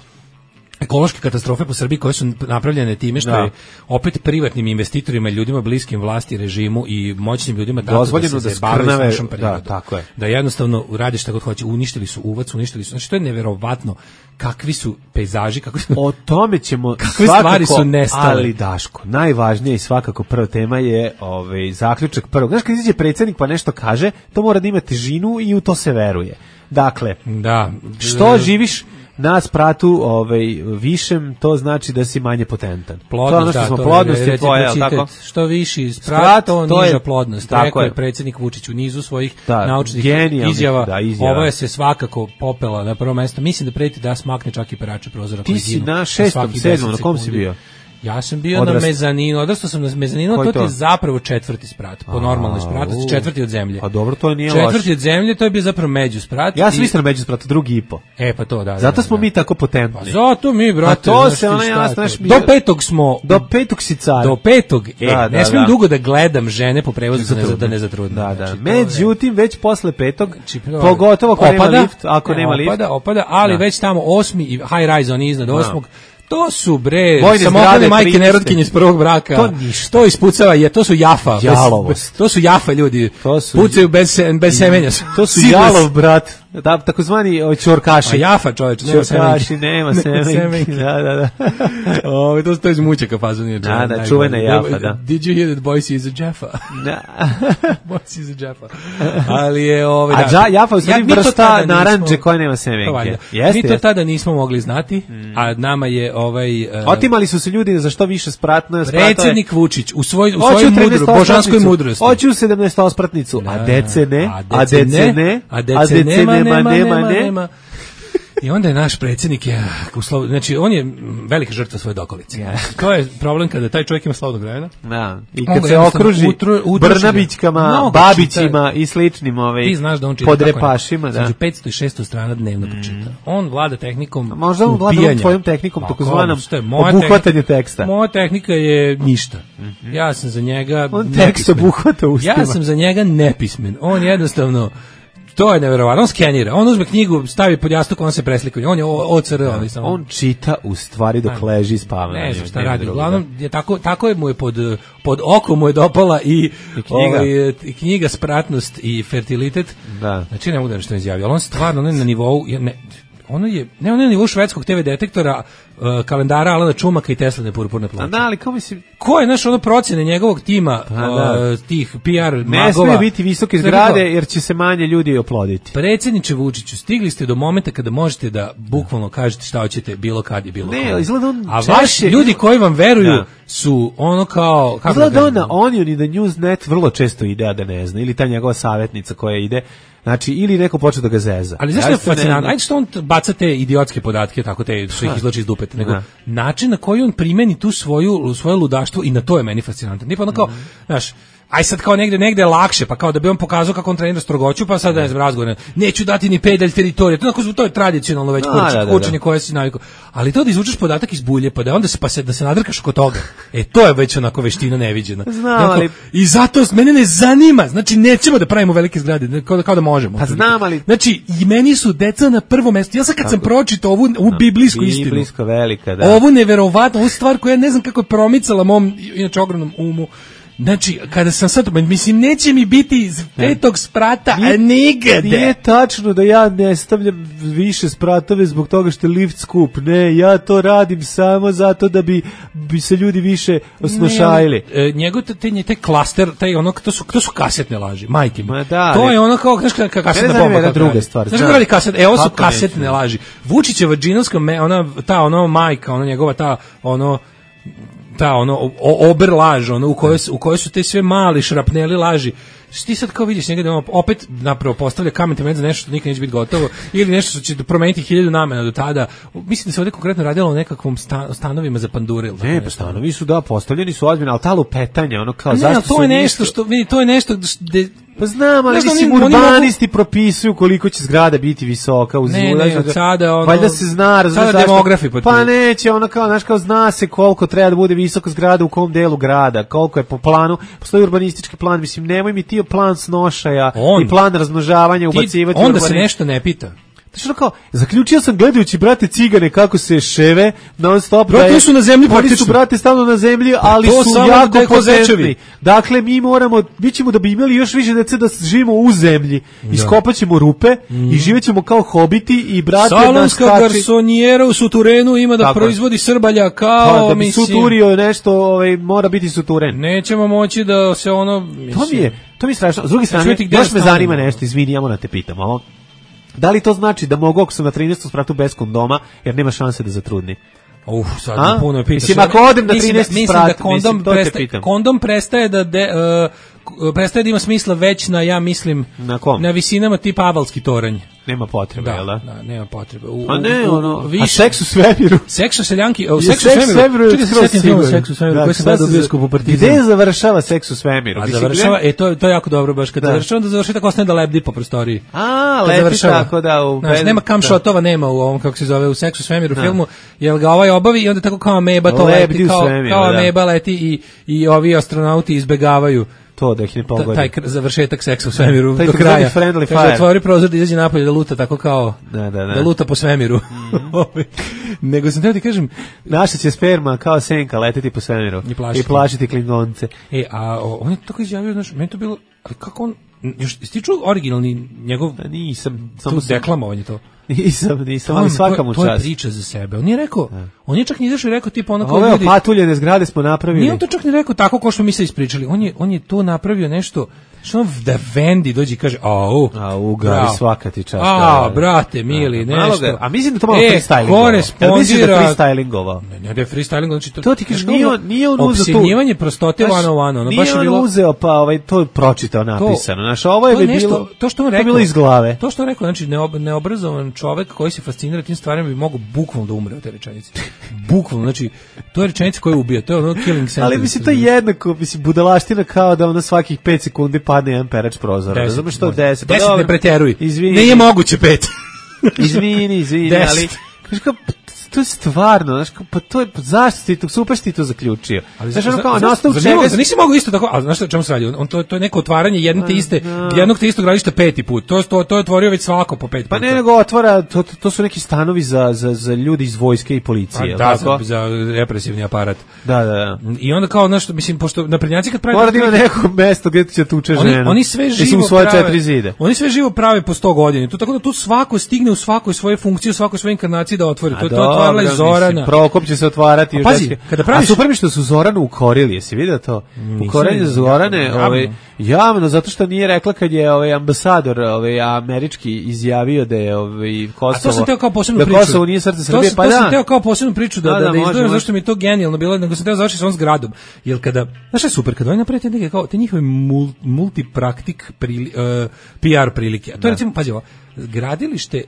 ekološke katastrofe po Srbiji koje su napravljene time što je opet privatnim investitorima i ljudima bliskim vlasti, režimu i moćnim ljudima dozvoljeno da se bave s našom prirodom. Da jednostavno rade šta god hoće. Uništili su uvac, znači to je neverovatno kakvi su pejzaži, o tome ćemo kakve stvari su nestale. Ali Daško, najvažnije i svakako prva tema je zaključak prvog. Znaš, kad izađe predsjednik pa nešto kaže, to mora da ima težinu i u to se veruje. Dakle, što živiš na spratu višem, to znači da si manje potentan. Plodnost, plodnost je tvoja, tako? Što viši sprat, to niža plodnost. Rekao je predsjednik Vučić u nizu svojih naučnih izjava. Ovo je se svakako popela na prvo mesto. Mislim da preti da smakne čak i perače prozora. Ti si na 6., 7., na kom si bio? Ja sam bio na mezaninu, odrastao sam na mezaninu, to ti je zapravo 4. sprat, po normalnoj spratu, 4. od zemlje. Pa dobro, to nije loše. 4. od zemlje, to je bio zapravo međusprat. Ja sam mislio na međusprat, 2,5. Pa to, da. Zato smo mi tako potentni. Pa zato mi, brate, to se ona jasno. Do 5. smo... Do 5. si car. Do 5. Ne smijem dugo da gledam žene po prevozu da ne zatrudnim. Da. Međutim, već posle 5. pogotovo ako nema lift, ako nema lift. Opada, ali već tamo 8. i high rise, oni iznad 8. To su samohrane majke nerotkinje iz prvog braka. To ispucava, to su jafa. Jalovost. To su jafa ljudi. Pucaju bez semenja. To su jalov, brat. Takozvani čorkaši. Jafa, čoveče, nema semenki. Da. To je iz mućaka fazon. Da, čuvena jafa, da. Did you hear that Boise is a Jaffa? Da. Boise is a Jaffa. Ali je Jafa u stvari vrsta naranđe koja nema semenke. Mi to tada nismo mogli znati, a nama je otimali su se ljudi za što više spratno. Predsjednik Vučić u svojoj božanskoj mudrosti. Hoću 17 spratnicu, a dece nema. I onda je naš predsjednik znači on je velika žrtva svoje dokolice. To je problem kada taj čovjek ima slobodnog vremena. Da. I kad se okruži Brnabićkama, Babićima i sličnim podrepašima, da. 500 i 600 strana dnevno pročita. On vlada tehnikom upijanja. Možda on vlada tvojom tehnikom, takozvanom obuhvatanje teksta. Moja tehnika je ništa. Ja sam za njega on tekst obuhvata ustima. Ja sam za njega nepismen. On jednostavno to je neverovatno, on skenira, on uzme knjigu, stavi pod jastuk, on se preslika, on je OCR. On čita u stvari dok leži spava. Ne znam šta radi, uglavnom, tako je mu je pod okom mu je dopala i knjiga Spratnost i fertilitet. Da. Znači ne mogu da nešto izjavio, ali on stvarno na nivou, ono je na nivou švedskog TV detektora, kalendara Alana Čumaka i Teslane purpurne ploče. Da, ali kao mislim... Ko je naš procjene njegovog tima, tih PR magova? Ne smije biti visoke zgrade jer će se manje ljudi oploditi. Predsjedniče Vučiću, stigli ste do momenta kada možete da bukvalno kažete šta hoćete bilo kad i bilo ne, izgleda on a vaši ljudi koji vam veruju su ono kao... Izgleda on na Onion i na Newsnet vrlo često ide, a da ne zna. Ili ta njegova savjetnica koja ide... Znači, ili neko počne da ga zeza. Ali zašto je fascinantno? Ajde što on baca te idiotske podatke, tako što ih izloči iz dupeta, nego način na koji on primeni tu svoje ludaštvo i na to je meni fascinantno. Nije pa ono kao, znaš, aj sad kao negde lakše, pa kao da bi on pokazao kako on trenira strogoću, pa sad ne znam razgovor. Neću dati ni pedalj teritorije. To je tradicionalno već učenje koje si navikao. Ali to da izvučeš podatak iz bulje, pa da onda da se nadrkaš oko toga. To je već onako veština neviđena. Znam, ali... I zato mene ne zanima. Znači nećemo da pravimo velike zgrade, kao da možemo. Pa znam, ali... Znači i meni su deca na prvom mestu. Ja sad kad sam pročitao ovu biblijsku istinu. Biblijsko velika, da. Ovu neverovatnu, ovu stvar koja ne znam kako je promicala mom inače ogromnom umu. Znači, kada sam sad, mislim, neće mi biti iz 5. sprata, a nigde. Nije tačno da ja ne stavljam više spratove zbog toga što je lift skup. Ne, ja to radim samo zato da bi se ljudi više osnošajili. Njegov taj klaster, to su kasetne laži, majke mi. Da, to je ono kao, znaš, kasetna bomba. Ne, druga stvar. Znaš kako radi kaset? Ovo su kasetne laži. Vučićeva džinovska, ona majka, ona njegova, ober laž, u kojoj su te sve mali šrapneli laži. Ti sad kao vidiš njega da opet napravo postavlja kamen temelj za nešto što nikad neće biti gotovo ili nešto što će promeniti 1000 namena do tada. Mislim da se ovdje konkretno radilo o nekakvom stanovima za pandure. Ne, pa stanovi su postavljeni su ozbiljno, ali ta lupetanja, ono kao zašto to je nešto što vidi, to je nešto gde pa znam, ali mislim, urbanisti propisuju koliko će zgrada biti visoka uz sada ono, valjda se zna, sada demografi pa neće, ono kao, znaš, kao zna se koliko treba da bude visoka zgrada u kom delu grada, koliko je po planu, postoji urbanistički plan, mislim, nemoj mi ti plan snošaja i plan razmnožavanja ubacivati. Onda se nešto ne pita. Znači kao, zaključio sam gledajući brate cigane kako se ševe non stop. Brate, su na zemlji praktično. Oni su brate stalno na zemlji, ali su jako potentni. Dakle, mi ćemo da bi imali još više dece da živimo u zemlji. Iskopaćemo rupe i živećemo kao hobiti i brate salonska garsonijera u suturenu ima da proizvodi srbalja kao, da bi suturio nešto, mora biti suturen. Nećemo moći da se ono... To mi je strašno. S druge strane, još me zanima nešto, izvini, ja moram te pitam, da li to znači da mogu ako sam na 13. spratu bez kondoma, jer nema šanse da zatrudni? Sad puno je pitaš. Mislim, ako odem na 13. sprat, kondom prestaje prestaje da ima smisla već na, ja mislim, na visinama tipa Avalski toranj. Nema potrebe, jel da? Da, nema potrebe. A seks u svemiru? Seks u seljanki, seks u svemiru. Čuti se setim filmu Seks u svemiru, koji sam gledao u bioskopu Partizan. Gde završava Seks u svemiru? A završava, to je jako dobro, baš kad završava, onda završi tako ostane da lebdi po prostoriji. Lebdi tako da... Nema kam šotova, nema u ovom, kako se zove, u Seks u svemiru filmu, jer ga ovaj obavi i onda tako kao ameba to leti, kao ameba leti i ovi astronauti izbegavaju to da ih ne pogodi. Taj završetak seksa u svemiru do kraja. Kaže, otvori prozor da izađe napolje da luta tako kao da luta po svemiru. Nego sam teo ti kažem, naša će sperma kao senka leteti po svemiru i plašiti Klingonce. On je tako izjavio, znaš, meni to bilo, ali kako on, još stiču originalni njegov, nisam, samo deklamovanje to. Nisam, ali svaka mu čast. To je priča za sebe. On je rekao, on je čak ni izašao i rekao tipa ono kao ove opatuljene zgrade smo napravili. Nije on to čak ni rekao tako kao što mi se ispričali. On je to napravio nešto što da Vendi dođe i kaže, gravi svaka ti čast. Brate, mili, nešto. A mislim da to malo freestylingovao. Korespondira. Mislim da freestylingovao. Ne da je freestylingovao. Znači to ti kažeš, nije on uzeo to. Opsjenjivanje prostote one. Nije on uzeo, pa to pročitao napisano. Znaš, ovo je bilo, to što on rekao, bilo iz glave. To što on rekao, znači, neobrazovan čovek koji se fascinira tim stvarima bi mogao bukvalno da umre od te rečenice. Bukvalno, znači, to je rečenica koja ubija, to je ono killing sentence. Ali mislim, to je jednako, budalaština kao da ona svakih 5 sekundi padne jedan perač prozora. Razumeš što 10? 10 ne pretjeruj. Ne je moguće 5. Izvini, ali... To je stvarno, znaš, pa to je, zašto ti to, super si ti to zaključio. Znaš, ono kao, na osnovu čega... Nisi mogao isto tako, ali znaš o čemu se radi? To je neko otvaranje jednog te istog radišta 5. put. To je otvorio već svako po 5 puta. Pa ne, nego otvara, to su neki stanovi za ljudi iz vojske i policije. Za represivni aparat. Da. I onda kao, znaš, mislim, pošto naprednjaci kad pravi... Mora da ima neko mesto gdje će tuče ženu. Oni sve živo prave. Oni sve živo prave po 100 godina. Tako da tu svako stigne u svakoj svoje funkcije, u svakoj svojoj inkarnaciji da otvori. To otvarala i Zorana. Prokop će se otvarati. A pazi, kada praviš... A super mi što su Zoranu ukorili, jesi vidio to? Ukorili Zorane javno, zato što nije rekla kad je ambasador američki izjavio da je Kosovo... A to sam teo kao posebnu priču. Da Kosovo nije srce Srbije, pa da. To sam teo kao posebnu priču da izdvojim, zašto mi je to genijalno bilo, nego sam teo završiti s ovom zgradom. Jer kada, znaš je super, kada oni napravite neke kao te njihove multipraktik PR prilike. A to je recimo, pazi ovo, gradilište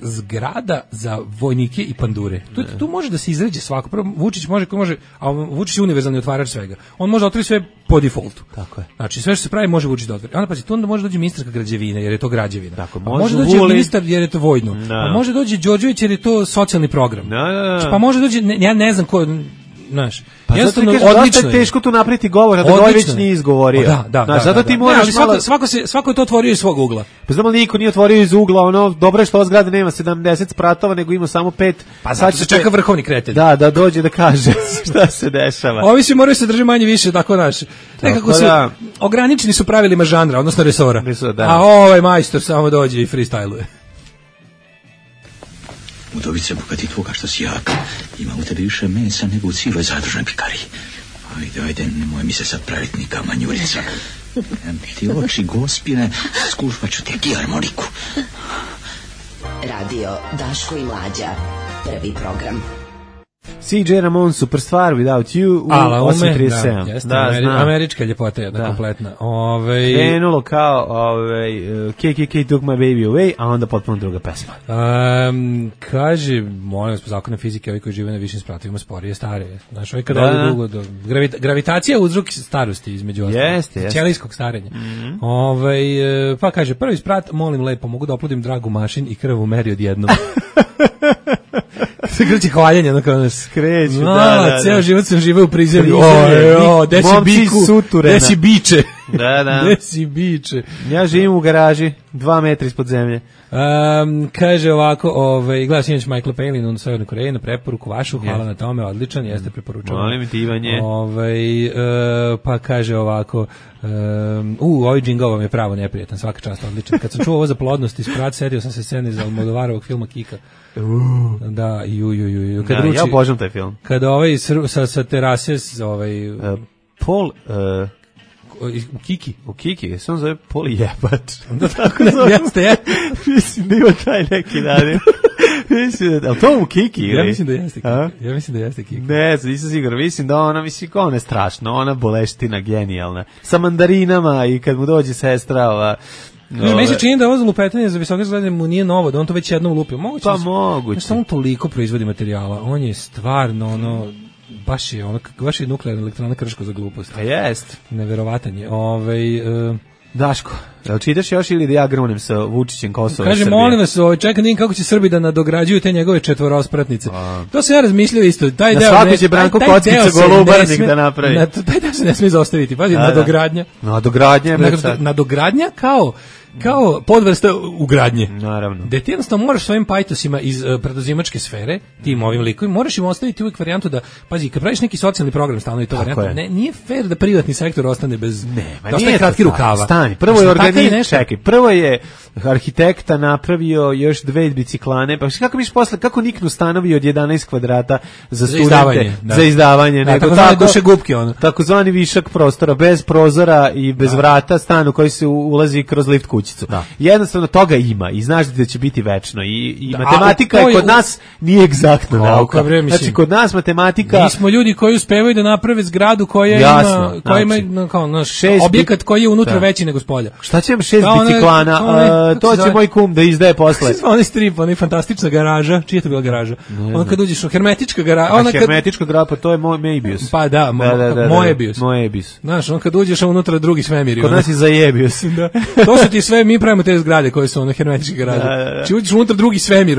zgrada za vojnike i pandure. Tu može da se izređe svako. Prvo, Vučić može, a Vučić je univerzalni otvarač svega. On može otvoriti sve po defaultu. Tako je. Znači sve što se pravi može Vučić da otvori. Onda pazi, tu onda može doći ministarka građevine jer je to građevina. Tako, može doći ministar jer je to vojno. A može doći Đorđević jer je to socijalni program. Da. Pa može doći, ja ne znam ko, znaš, Pa jednostavno zato kažem, odlično dosta je teško tu napriti govor, a da ga već nije izgovorio. Da, zato ti moraš svako je to otvorio iz svog ugla. Pa znamo, niko nije otvorio iz ugla, ono, dobro je što ova zgrada nema 70 spratova, nego ima samo 5. Pa sad se čeka vrhovni kretelj. Da dođe da kaže šta se dešava. Ovi svi moraju se drži manje više, tako naš. Nekako su, ograničeni su pravilima žanra, odnosno resora. A ovaj majstor samo dođe i freestyluje. Udovice, bogati tvoga što si jak, ima u tebi više mesa nego u cijeloj zadružnoj pikariji. Ajde, nemoj mi se sad praviti nika manjurica. Ti oči gospine, skušpat ću ti harmoniku. Radio Daško i Mlađa, prvi program. CJ Ramon, Superstar, Without You, u 8.37. Da, američka ljepota jedna kompletna. Krenulo kao KKK Took My Baby Away, a onda potpuno druga pesma. Kaže, molim vas, po zakonu fizike, ovi koji žive na višim spratovima sporije, starije. Znaš, ovi kada ovdje dugo, gravitacija je uzrok starosti između ostalog. Ćelijskog starenja. Pa kaže, prvi sprat, molim lepo, mogu da oplodim dragu mašin i krvu meri odjednom. Se kreće hvaljenje, ono kao nas kreću, ceo život sam živeo u prizemlju. Desi biku, desi biče. Desi biče. Ja živim u garaži, 2 metra ispod zemlje. Kaže ovako, gledao sinoć Michaela Palin u Severnoj Koreji na preporuku vašu, hvala na tome, odličan, jeste preporučeno. Molim ti, Ivanje. Pa kaže ovako, ovaj džingl vam je pravo neprijatan, svaka čast, odličan. Kad sam čuo ovo za plodnost i sprat, sedio sam se sceni za Almodovarovog filma Kika. Da, ja obožavam taj film. Kada sa terase Paul u Kiki, se on zove Poli jebač. Da, tako ne jeste. Mislim da ima taj neki dan. Ali to u Kiki? Ja mislim da jeste Kiki. Ne, nisam siguran. Mislim da ona je strašna, ona boleština genijalna. Sa mandarinama i kad mu dođe sestra meni se čini da ovo lupetanje za visoke zgrade mu nije novo, da on to već jednom lupio. Moguće. Samo toliko proizvodi materijala. On je stvarno baš je nuklearna elektrana Krško za glupost. Pa jest. Neverovatan je. Daško, jel čitaš još ili da ja grunem sa Vučićem Kosova i Srbije? Kaže, molim vas, čekaj, vidim kako će Srbi da nadograđuju te njegove četvorospratnice. To se ja razmišljao isto. Na svako će Branko Kockica Golubarnik da napravi. Taj deo se ne smije zaostaviti. Pazi, nadogradnja. Nadogradnja kao podvrsta ugradnje. Naravno. Da ti jednostavno moraš svojim pajtosima iz preduzimačke sfere, tim ovim likovima, moraš im ostaviti uvijek varijantu da, pazi, kad praviš neki socijalni program stalno i to varijanta, nije fair da privatni sektor ostane bez, da ostaje kratki rukava. Stani, prvo je arhitekta napravio još 2 biciklane, pa kako biš posle, kako niknu stanovi od 11 kvadrata za studente, za izdavanje, nego takozvani višak prostora, bez prozora i bez vrata, stan u koji se ulazi kroz lift kućicu. Jednostavno toga ima i znaš da će biti večno i matematika je kod nas nije egzaktna nauka. Znači kod nas matematika... Mi smo ljudi koji uspevaju da naprave zgradu koja ima kao naš objekat koji je unutra veći nego spolja. Šta će vam 6 biciklana? To će moj kum da izdaje posle. Onaj strip, onaj fantastična garaža. Čija je to bila garaža? Ono kad uđeš u hermetička garaža. Hermetička garaža, pa to je Moebius. Pa da, Moebius. Znaš, on kad uđeš unutra drugi svemir. Kod nas je Zajebius. To su ti sve, mi pravimo te zgrade koje su hermetičke garaže. Či uđeš unutra drugi svemir,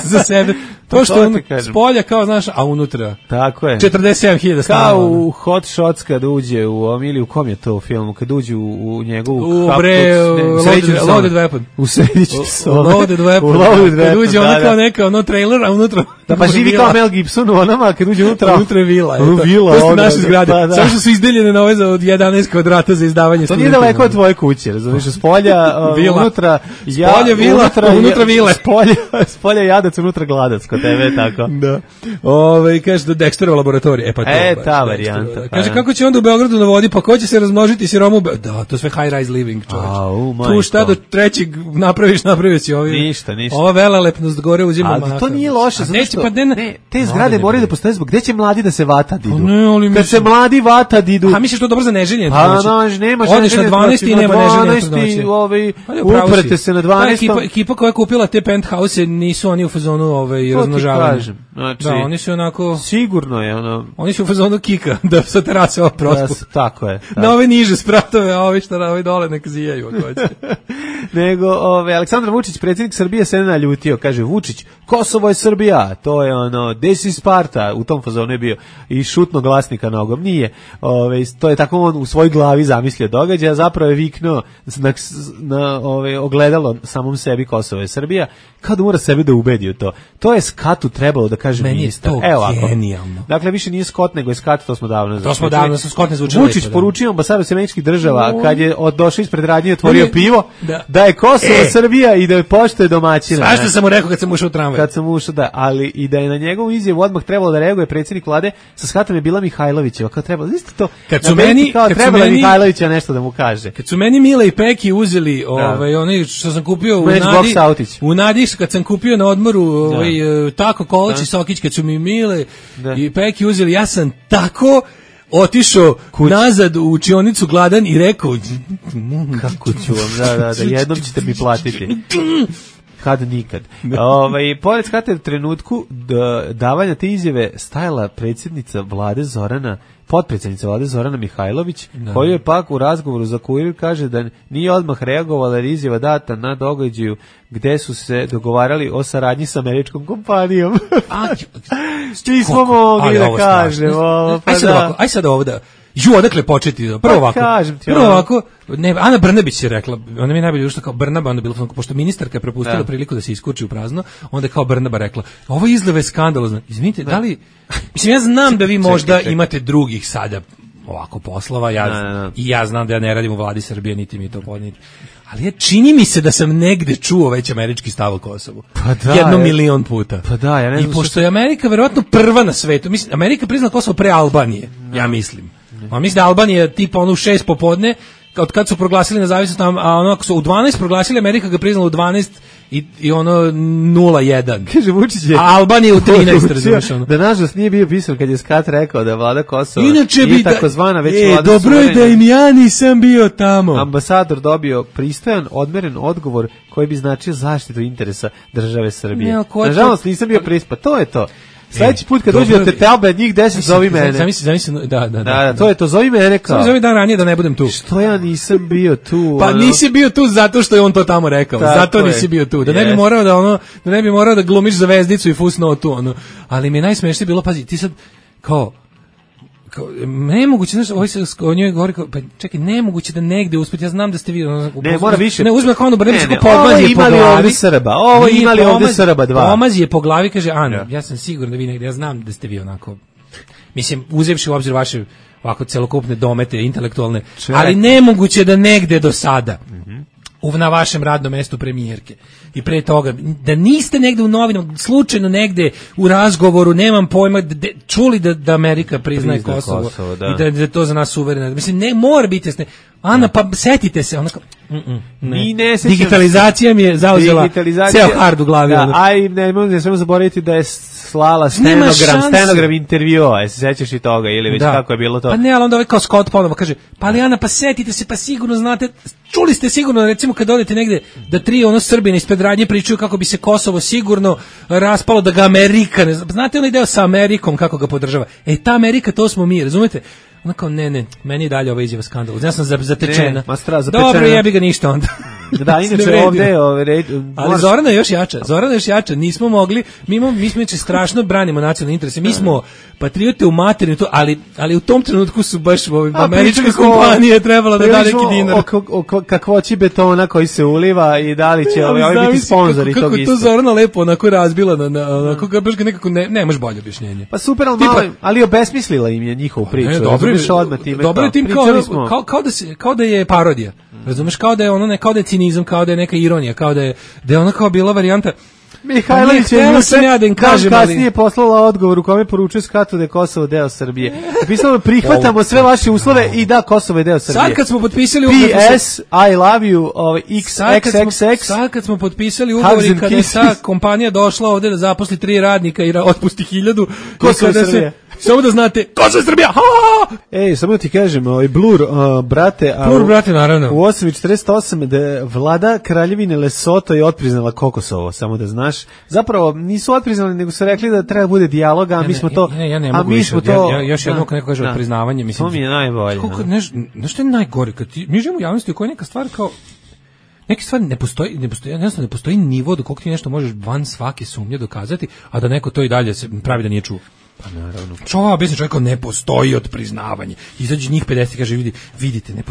za sebe. To što je spolja kao, znaš, a unutra. Tako je. 47.000 stanova. Kao u Hot Shots kad uđe u kom je to u filmu, kad uđe u njegovu Loaded Weapon. U srediću sobe. Loaded Weapon. Kad uđe ona kao neka trailer, a unutra... Da, pa živi kao Mel Gibson u onama, kad uđe unutra... Unutra je vila. To su naše zgrade. Samo što su izdeljene na ove za od 11 kvadrata za izdavanje studentima. To nije daleko od tvoje kuće, razumiješ? Spolja, unutra... Spolja vila, unutra vile. Spolja jadac, unutra gladac, kod tebe, tako. Da. Kaže da Dexterova laboratorija. Ta varijanta. Kaže, kako će onda u Beogradu na vodi, pa ko će se razmnožiti siroma u Beogradu? Da, to sve high rise living, čovječ. Tu šta do trećeg napravio si ovi. Ništa. Ova velelepnost gore uzima mahata. Ali to nije loše, zato što te zgrade moraju da postoje zbog gde će mladi da se vata didu. Kad se mladi vata didu... A misliš to dobro za neženje? Nemaš odeš na 12. i nema neženje. Uprete se na 12. Ekipa koja je kupila te penthouse nisu oni u fazonu razmnožavanja. Znači, da, oni su onako... Sigurno je ono... Oni su u fazonu kika, da sa terase ovo prospu. Tako je. Na ove niže spratove, a ovi šta na ovi dole nek zijaju. Nego, Aleksandar Vučić, predsjednik Srbije, se ne naljutio. Kaže, Vučić, Kosovo je Srbija. To je ono, this is Sparta. U tom fazonu je bio. I šutno glasnika nogom. Nije. To je tako on u svojoj glavi zamislio događaja. Zapravo je viknuo na ogledalo samom sebi Kosovo je Srbija. Kao da mora sebe da ubedi u to. To je Skatu trebalo da kaže ministar. Meni je to genijalno. Dakle, više nije Skot, nego je Skat, to smo davno završili. To smo davno, Skot ne zvuči lepo. Vučić poručio ambasadoru Sjedinjenih Država, kad je došao ispred radnje i otvorio pivo, da je Kosovo Srbija i da je poštuje domaćina. Svašta sam mu rekao kad sam ušao u tramvaj. Kad sam ušao, da, ali i da je na njegovu izjavu odmah trebalo da reaguje predsjednik vlade, sa Skatom je bila Mihajlovićeva, kao trebalo, isto to. Kad su meni, trebalo Mihajlovića nešto da mu kaže. Kad su meni Mile i Peki uzeli, oni što sam kupio u Nadi, kad sam kupio na odmoru, tako Kolač i Sokić, kad su mi Mile i Peki uzeli, ja sam tako otišao nazad u učionicu gladan i rekao kako ću vam, da, jednom ćete mi platiti. Kad nikad. Pored Skate u trenutku davanja te izjave stajala predsjednica vlade potpredsjednica vlade Zorana Mihajlović, koju je pak u razgovoru za Kurir kaže da nije odmah reagovala jer izjava data na događaju gde su se dogovarali o saradnji sa američkom kompanijom. Svi smo mogli da kažemo. Aj sad ovo da... odakle početi? Prvo ovako, Ana Brnabić je rekla, ona mi je najbolje ušla kao Brnaba, onda bilo, pošto ministarka je propustila priliku da se iskurči u prazno, onda je kao Brnaba rekla, ovo izgleda je skandalozno. Izvinite, da li, mislim, ja znam da vi možda imate drugih sada ovako poslova, ja znam da ja ne radim u vladi Srbije, niti mi to podniti. Ali čini mi se da sam negde čuo već američki stav o Kosovu. 1 milion puta. Ja i pošto je Amerika verovatno prva na svetu, mislim, Amerika priznala Kosovo pre Albanije, ja mislim. A mislim da Albanija tipa ono u 6 popodne, od kad su proglasili nezavisnost, a ono ako su u 12 proglasili, Amerika ga priznala u 12 i ono 0-1. Kaže Vučić je... A Albanija u 13, razumiješ ono. Da nažalost nije bio pisan kad je Skat rekao da je vlada Kosova inače i takozvana već vlada dobro je da im ja nisam bio tamo. Ambasador dobio pristojan, odmeren odgovor koji bi značio zaštitu interesa države Srbije. Nažalost nisam bio prispat, to je to. Sljedeći put kad dođe te telbe, njih 10 zovi mene. Zamisli, da. To je to, zovi mene kao. Zovi dan ranije da ne budem tu. Što ja nisam bio tu? Pa nisi bio tu zato što je on to tamo rekao. Zato nisi bio tu. Da ne bi morao da glumiš zvezdicu i fusnotu ono. Ali mi je najsmešnije bilo, pazi, ti sad kao nemoguće, znaš, ovaj se o njoj govori kao, pa čekaj, nemoguće da negde uspeti, ja znam da ste vi... Ne, mora više. Ne, uzme kao ono Brnebić, pomazi je po glavi. Ovo imali ovdje Srba 2. Pomazi je po glavi, kaže, Ana, ja sam siguran da vi negde, ja znam da ste vi onako, mislim, uzevši u obzir vaše ovako celokupne domete, intelektualne, ali nemoguće da negde do sada, na vašem radnom mestu premijerke i pre toga, da niste negde u novinama, slučajno negde u razgovoru, nemam pojma, čuli da Amerika priznaje Kosovo i da je to za nas suvereno. Mislim, ne mora biti jasne. Ana, pa setite se, onako, digitalizacija mi je zauzela ceo hard u glavi. Ne smemo zaboraviti da je slala stenogram intervjua, se sećaš i toga, ili već kako je bilo to? Pa ne, ali onda ovaj kao Scott ponovo kaže, pa ali Ana, pa setite se, pa sigurno znate, čuli ste sigurno, recimo kad odete negde, da 3 Srbina ispred radnje pričaju kako bi se Kosovo sigurno raspalo, da ga Amerika, znate onaj deo sa Amerikom kako ga podržava? Ta Amerika, to smo mi, razumete? Ona kao, ne, meni je dalje ova izjava skandal. Ja sam zatečena. Dobro, jebi ga ništa onda. Da, inače ovde... Ali Zorana je još jača. Nismo mogli, mi smo strašno branimo nacionalne interese. Mi smo patriote u materinu, ali u tom trenutku su baš američke kompanije trebala da da neki dinar. O kakvoći betona koji se uliva i da li će biti sponzori tog isto. Kako to Zorana lepo onako razbila, onako nekako nemaš bolje objašnjenje. Pa super, ali obesmislila im je njihovu priču. Dobro je tim kao da je parodija. Razumeš, kao da je ono, kao da je cinizam, kao da je neka ironija, kao da je ona kao bila varijanta. Mihajlović je kasnije poslala odgovor u kome poručuje Skatu da je Kosovo deo Srbije. Napisano, prihvatamo sve vaše uslove i da, Kosovo je deo Srbije. Sad kad smo potpisali ugovor... PS, I love you, XXX. Sad kad smo potpisali ugovor i kada je ta kompanija došla ovde da zaposli 3 radnika i otpusti 1000. Kosovo je Srbije. Samo da znate, Kosovo je Srbija! Ej, samo da ti kažem, Blur, brate, Blur, brate, naravno. U 8:48 da vlada Kraljevine Lesoto je otpriznala Kokosovo, samo da znaš. Zapravo nisu otpriznali, nego su rekli da treba bude dijaloga, a mi smo to... Ja ne mogu više, još jednom neko kaže priznavanje, mislim. To mi je najbolje. Nešto je najgore, kad mi živimo u javnosti u kojoj neka stvar kao... Neke stvari ne postoji nivo do kog ti nešto možeš van svake sumnje dokazati, a da neko to i dalje se pravi da nije čuo. Pa naravno. Čova obično čovjek ne postoji otpriznavanje. Izađe njih 50 i kaže vidite, ne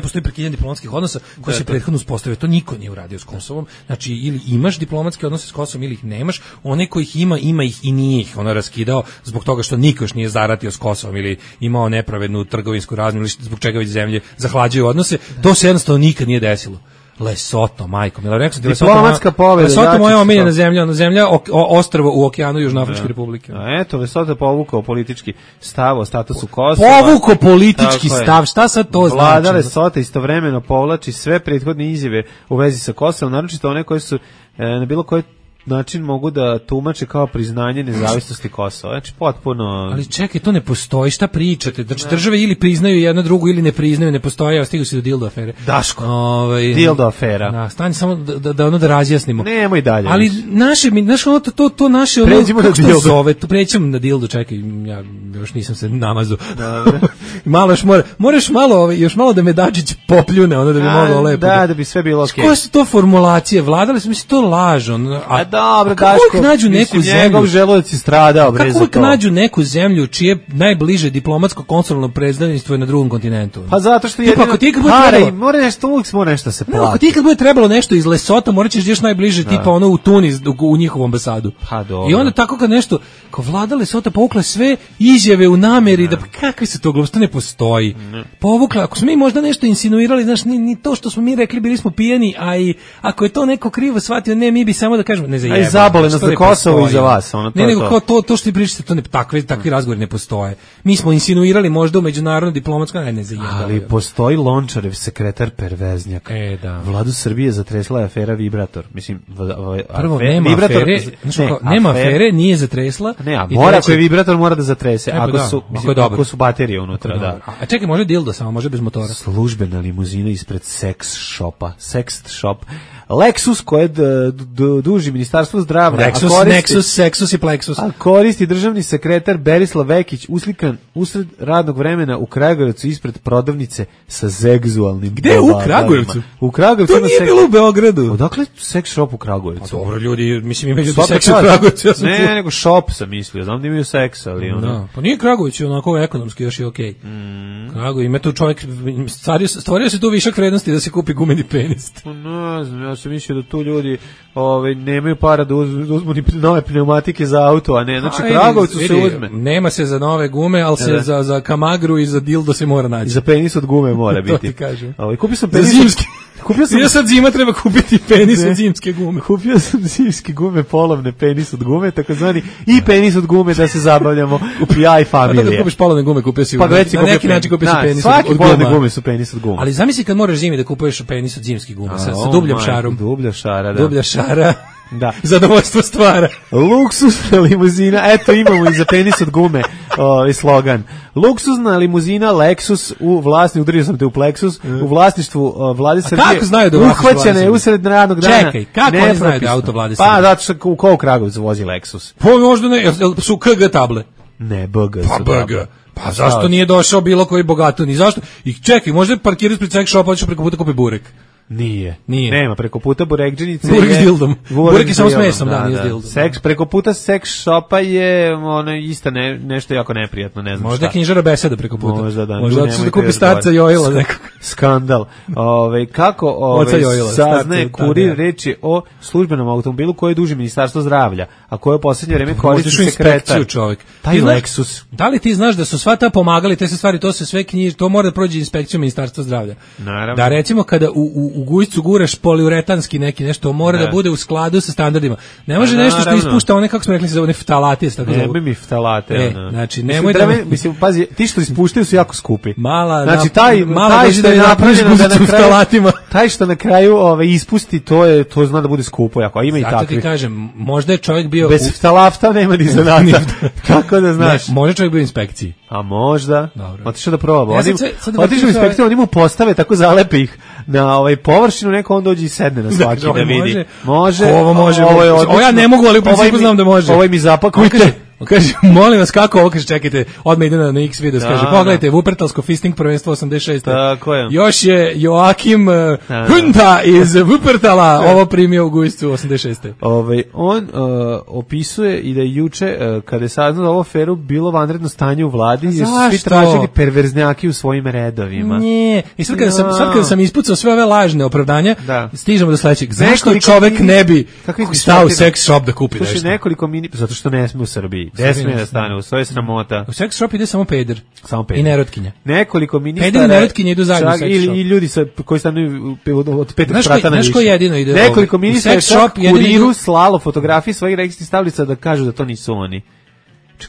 postoji prekidanje diplomatskih odnosa koji se prethodno uspostavio. To niko nije uradio s Kosovom. Znači ili imaš diplomatske odnose s Kosovom ili ih nemaš. Onaj ko ih ima ih i nije ih raskidao zbog toga što niko još nije zaratio s Kosovom ili imao nepravednu trgovinsku razmjenu ili zbog čega već zemlje zahlađuju odnose. To se jednostavno nikad nije desilo. Lesoto, majko, mila rekao ti diplomatska pobeda. Lesoto moja omiljena zemlja, ostrvo u okeanu Južnoafričke republike. A eto, Lesoto je povukao politički stav o statusu Kosova. Povukao politički stav, šta sad to znači? Vlada Lesota istovremeno povlači sve prethodne izjave u vezi sa Kosovom, naročito one koje su na bilo koji način mogu da tumače kao priznanje nezavisnosti Kosova. Znači potpuno... Ali čekaj, to ne postoji, šta pričate? Znači države ili priznaju jedno drugu ili ne priznaju, ne postoje, stigu se do dildo afere. Daško, dildo afera. Da, stani samo da razjasnimo. Nemoj dalje. Ali naše pređimo na dildo. Pređemo na dildo, čekaj, ja još nisam se namazao. Malo moraš još malo da me Dačić popljune, da bi moglo lepo. Da bi sve bilo okej. Koje su to formulacije? Vladali su, mislim, to laž, dobro, Daško, nađu neku zemlju, njegov želudac je stradao, bre, za to. Kako nađu neku zemlju čije najbliže diplomatsko konzularno predstavništvo je na drugom kontinentu? Pa zato što jedino mora nešto se plati. Ako ti kad bude trebalo nešto iz Lesota, morat ćeš još najbliže, tipa u Tunis, u njihovu ambasadu. Pa dobro. I onda tako kad nešto, kao vlada Lesota povukla sve izjave u nameri, da kakve se to gluposti, ne postoji. Povukla, ako smo mi možda nešto insinuirali, znaš, ni to što smo mi rekli, bili smo pijeni, a i ako je to neko krivo shvatio, ne, mi bi samo da kažemo, ne zajebamo. Aj zabole nas za Kosovo i za vas, nego kao to što ti pričate, to ne, takvi razgovori ne postoje. Mi smo insinuirali možda u međunarodno diplomatsko, ne zajebamo. Ali postoji Lončarev sekretar perveznjak. Da. Vladu Srbije zatresla je afera Vibrator. Mislim, prvo nema Vibrator, nema afere, nije zatresla. Ne, a ako je Vibrator mora da zatrese, ako su baterije unutra, da. A čekaj, može dildo samo, može bez motora. Službena limuzina ispred sex shop. Lexus koje duži Ministarstvo zdravlja. Lexus i Plexus. A koristi državni sekretar Berislav Vekić uslikan usred radnog vremena u Kragujevcu ispred prodavnice sa seksualnim. Gde u Kragujevcu? U Kragujevcu. To nije bilo u Beogradu. Odakle sex shop u Kragujevcu? A dobro, ljudi, mislim imaju sex u Kragujevcu. Ne, nego shop sam mislio. Znam da imaju seks, ali ono. Pa nije Kragujevac, onako ekonomski još je okej. Kragujevac, ima tu čovjek, stvorio se tu višak vrednosti da se kupi gumeni penis. Ne znam, ja sam mislio da tu ljudi nemaju para da uzmu ni nove pneumatike za auto, a ne, znači Kragovcu se uzme. Nema se za nove gume, ali se za kamagru i za dildo se mora naći. I za penis od gume mora biti. To ti kažem. Kupio sam penis zimski. Ja sad zima treba kupiti penis od zimske gume. Kupio sam zimske gume, polovne penis od gume, takozvani i penis od gume da se zabavljamo u ja i familija. Pa da kupiš polovne gume, kupio si na neki način kupio si penis od svaki polovne gume su penis od gume. Ali zamisli kad moraš zimi da kupuješ penis od zimskih guma sa dubljom šarom. Dublja šara, da. Dublja šara. Da. Zadovoljstvo stvara. Luksuzna limuzina, eto imamo i za penis od gume slogan. Luksuzna limuzina Lexus u vlasništvu, udario sam te u Plexus, u vlasništvu Vlade Srbije. Kako znaju da uhvaćena je usred radnog dana. Čekaj, kako oni znaju da auto Vlade Srbije? Pa zato što u kog Kragovcu vozi Lexus. Pa možda ne, su KG table. Ne, BG su table. Pa zašto nije došao bilo koji bogatuni? Zašto? I čekaj, možda parkirati ispred sex shopa, hoćeš preko puta kupi burek. Nije. Nema, preko puta burekđenice burek s dildom. Burek je samo s mesom, nije s dildom. Preko puta sex shopa je isto nešto jako neprijatno, ne znam možda šta. knjižara beseda preko puta. Možda da. Možda da kupi starca Jojila nekog. Skandal. Kako saznaje Kurir, reč je o službenom automobilu koji duži Ministarstvo zdravlja, a koje u posljednje vreme koristi sekretar. Taj Lexus. Da li ti znaš da su sva ta pomagali, te se stvari, to se sve knjiži, to mora da prođe inspekciju Ministarstva zdravlja. Naravno. Da recimo kada u gujcu guraš poliuretanski neki nešto, mora da bude u skladu sa standardima. Ne može nešto što ispušta one, kako smo rekli, se zove ftalate, tako zove. Ne bi mi ftalate. Znači, nemoj da... Mislim, pazi, ti što ispuštaju su jako skupi. Znači, taj što je napravljeno da na kraju... Taj što na kraju ispusti, to zna da bude skupo jako, a ima i takvi. Zato ti kažem, možda je čovjek bio... Bez ftalafta nema ni zanata. Kako da znaš? Možda čovjek bio u inspekciji. A možda. Otišao da proba. Otišao u inspekciju, oni mu postave, tako zalepe ih na površinu, neko on dođe i sedne na svaki da vidi. Može. Ovo može. Ovo ja ne mogu, ali u principu znam da može. Ovo mi zapakujte. Kaže, molim vas, kako ovo, kaže, čekajte, odmah ide na X video, kaže, pogledajte, Wuppertalsko fisting prvenstvo 86. Tako je. Još je Joakim Hunta iz Wuppertala ovo primio u Gujscu 86. On opisuje i da je juče, kada je saznao da ovo aferu, bilo vanredno stanje u vladi, jer su svi tražili perverznjaki u svojim redovima. Nije. I sad kada sam ispucao sve ove lažne opravdanja, stižemo do sledećeg. Zašto čovek ne bi stao u sex shop da kupi nešto? Slušaj, nekoliko zato što ne sme u Srbiji. Gde sme da stane, u svoje sramota. U sex shop ide samo peder. I nerotkinja. Nekoliko ministara. Peder i nerotkinja idu zajedno u sex shop. I ljudi koji stanuju od 5 sprata na više. Znaš ko jedino ide? Nekoliko ministara čak kuriru slalo fotografije svojih registrih stavljica da kažu da to nisu oni.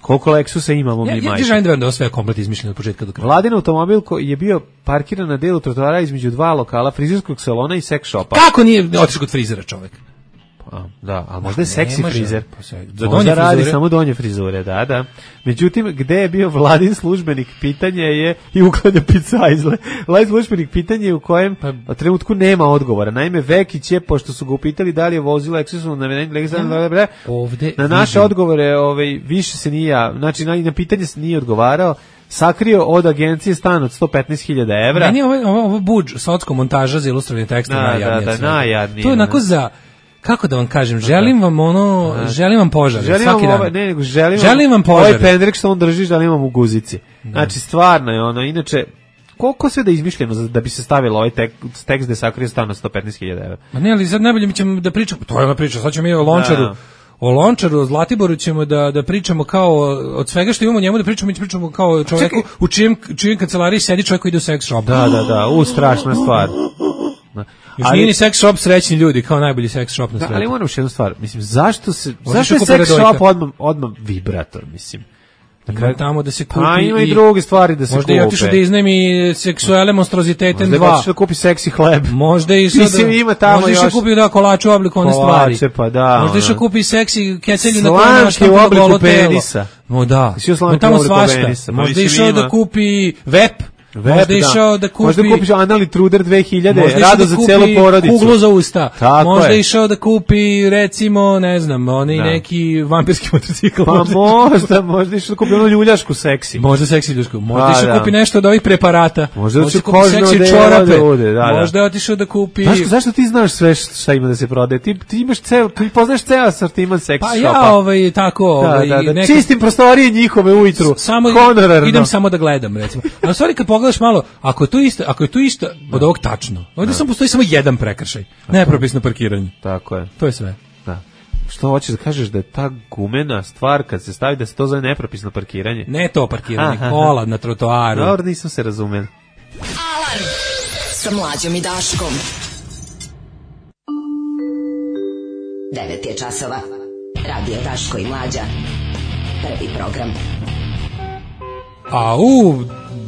Koliko Lexusa imamo mi majke? Ja želim da ovo sve je komplet izmišljeno od početka do kraja. Vladin automobil je bio parkiran na delu trotoara između dva lokala, frizerskog salona i sex shopa. Kako nije otišao kod frizera čovek? Da, a možda je seksi frizer. Možda radi samo donje frizure, da. Međutim, gde je bio vladin službenik, pitanje je i uklanja picajzle. Vladin službenik pitanje u kojem u trenutku nema odgovora. Naime, Vekić je, pošto su ga upitali da li je vozilo Excelsu na naše odgovore više se nije, znači na pitanje se nije odgovarao, sakrio od agencije stan od 115.000 evra. Meni je ovo budž, socko montaža za ilustrovanje teksta najjadnije. To je onako za... Kako da vam kažem, želim vam požar, svaki dan. Želim vam požar. Ovaj pendrek što on drži, želim vam u guzici. Znači, stvarno je ono, inače, koliko sve da je izmišljeno da bi se stavilo ovaj tekst da je sakrio stan od 115.000 evra? Ma ne, ali sad najbolje mi ćemo da pričamo, to je ona priča, sad ćemo mi o Lončaru. O Lončaru, o Zlatiboru ćemo da pričamo kao od svega što imamo njemu da pričamo, mi ćemo pričamo kao čovjeku u čijem kancelariji sedi čovjek koji ide u sex shop. Da, strašna stvar. Još nije ni sex shop srećni ljudi, kao najbolji sex shop na svijetu. Ali moram još jednu stvar, mislim, zašto je sex shop odmah vibrator, mislim? Ima tamo da se kupi ima i druge stvari da se kupe. Možda je otišao da iznajmi seksuele monstroziteten 2. Možda je otišao da kupi seksi hleb. Možda je išao kupi kolače u obliku one stvari. Možda je išao kupi seksi kecelju na koje našta u obliku penisa. Tamo svašta. Možda je išao da kupi vep. Možda je išao da kupi... Možda kupiš Anali Truder 2000, rado za celu porodicu. Kuglu za usta. Možda je išao da kupi, recimo, ne znam, neki vampirski motocikl. Pa možda išao da kupi ono ljuljašku seksi. Možda seksi ljuljašku. Možda išao da kupi nešto od ovih preparata. Možda da kupi seksi čorape. Možda je otišao da kupi... Zašto ti znaš sve šta ima da se prodaje? Ti imaš ti poznaš ceo asortiman seksi shopa. Pa ja tako... Čistim prostorije njihove ujutru. Idem samo da gledam, recimo. A u stvari kad pogledaš malo, ako je to isto od ovog tačno, ovdje samo postoji samo jedan prekršaj, nepropisno parkiranje. Tako je. To je sve. Da. Što hoćeš da kažeš da je ta gumena stvar kad se stavi da se to zove nepropisno parkiranje? Ne to parkiranje, kola na trotoaru. Dobro, nisam se razumeo. Alarm sa Mlađom i Daškom. 9 je časova. Radio Daško i Mlađa. Prvi program.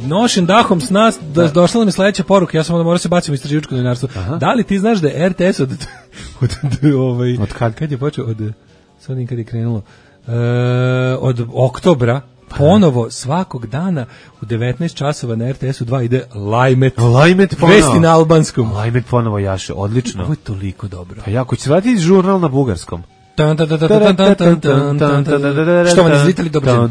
Nošen dahom s nas, došla nam je sledeća poruka, ja sam onda morao se baciti u istraživačko novinarstvo. Da li ti znaš da je RTS od kad je počeo, sad kad je krenulo, od oktobra, ponovo svakog dana u 19 časova na RTS-u 2 ide Lajmet ponovo. Vesti na albanskom. Lajmet ponovo jaše, odlično. Ovo je toliko dobro. Pa jako će raditi žurnal na bugarskom. Što vam izlitali dobro.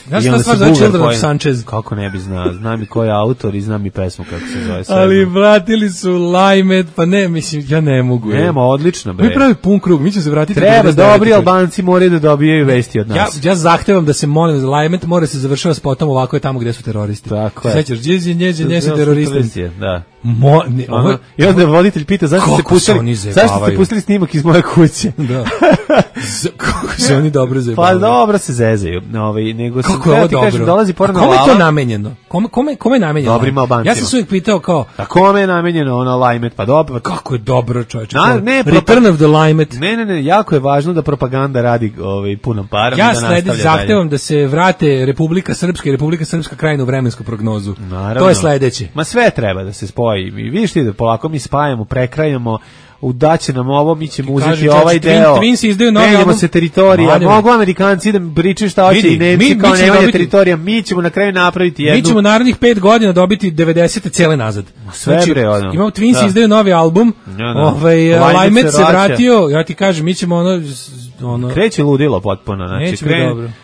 Znaš šta stvar zove Children of Sanchez? Kako ne bi znao, znam i ko je autor i znam i pesmu kako se zove. Ali vratili su Lajmet, pa ne, mislim, ja ne mogu. Nema, odlično bre. Mi pravi pun krug, mi ćemo se vratiti. Treba, dobri Albanci moraju da dobijaju vesti od nas. Ja zahtevam da se molim, Lajmet mora se završava spotom ovako je tamo gde su teroristi. Tako je. Sećaš, nje su teroristi. I onda voditelj pita zašto ste pustili snimak iz moje kuće. Da. Kako se oni dobro zajebavaju. Pa dobro se zezaju. Nego kako je ovo dobro? Kažem, dolazi porno kome lala. Je to namenjeno? Kome je namenjeno? Dobrim Albancima. Ja sam se uvijek pitao kao... A kome je namenjeno ono Lajmet? Pa dobro. Kako je dobro, čovječe. Return of the Lajmet. Ne, jako je važno da propaganda radi punom parom. Ja sledim zahtevom da se vrate Republika Srpska i Republika Srpska krajina u vremensku prognozu. Naravno. To je sledeće. Ma sve treba da se spoji. I vidiš ti da polako mi spajamo, prekrajamo, udaće nam ovo, mi ćemo uzeti ovaj deo. Twins izdaju novi album. Se teritorija. Mogu Amerikanci da pričaju šta hoće i Nemci kao nemanje teritorija. Mi ćemo na kraju napraviti jednu. Mi ćemo narednih 5 godina dobiti 90 cele nazad. Sve bre ono. Imamo Twins izdaju novi album. Lajmet se vratio. Ja ti kažem, mi ćemo ono kreće ludilo potpuno, znači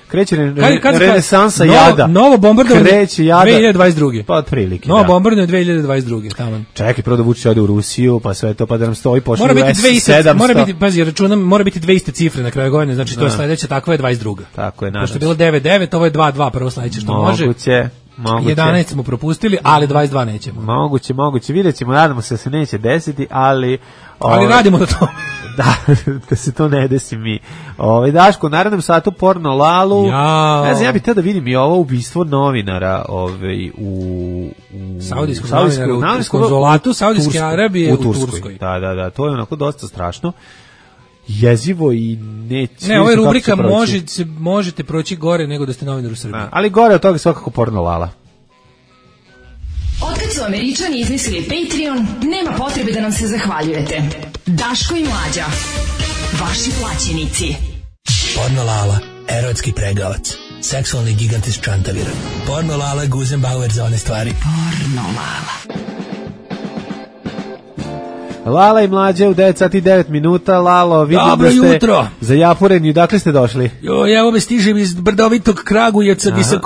kreće renesansa novo, jada. Novo bombardovanje kreće jada 2022. Pa otprilike. Novo bombardovanje 2022. Taman. Čekaj, prvo da Vučić ode u Rusiju, pa sve to pa da nam stoji pošli mora biti 700. Mora biti, pazi, računam, mora biti 2 iste cifre na kraju godine, znači to je sledeća, takva je 22. Tako je, nadam se. Pošto je bilo 9-9, ovo je 2-2, prvo sledeće što može. Moguće. 11 smo propustili, ali 22 nećemo. Moguće, vidjet ćemo, nadamo se da se neće desiti, ali radimo na to. da se to ne desi mi. Daško, u narednom satu porno lalu. Ne znam, ja bih tada vidim i ovo ubistvo novinara u saudijskog novinara u konzulatu Saudijske Arabije u Turskoj. Da, to je onako dosta strašno. Jezivo i ne, ovo je rubrika možete proći gore nego da ste novinar u Srbiji. Ali gore od toga svakako porno lala. Otkad su Američani izmislili Patreon, nema potrebe da nam se zahvaljujete. Daško i Mlađa, vaši plaćenici. Porno lala, erotski pregavac, seksualni gigant iz Čantavira. Porno lala, Guzenbauer za one stvari. Porno lala. Lala i Mlađe u 9 sati 9 minuta. Lalo, vidim dobro da ste jutro. Zajapureni. Odakle ste došli? Ja ove stižem iz brdovitog Kragujevca, gdje sam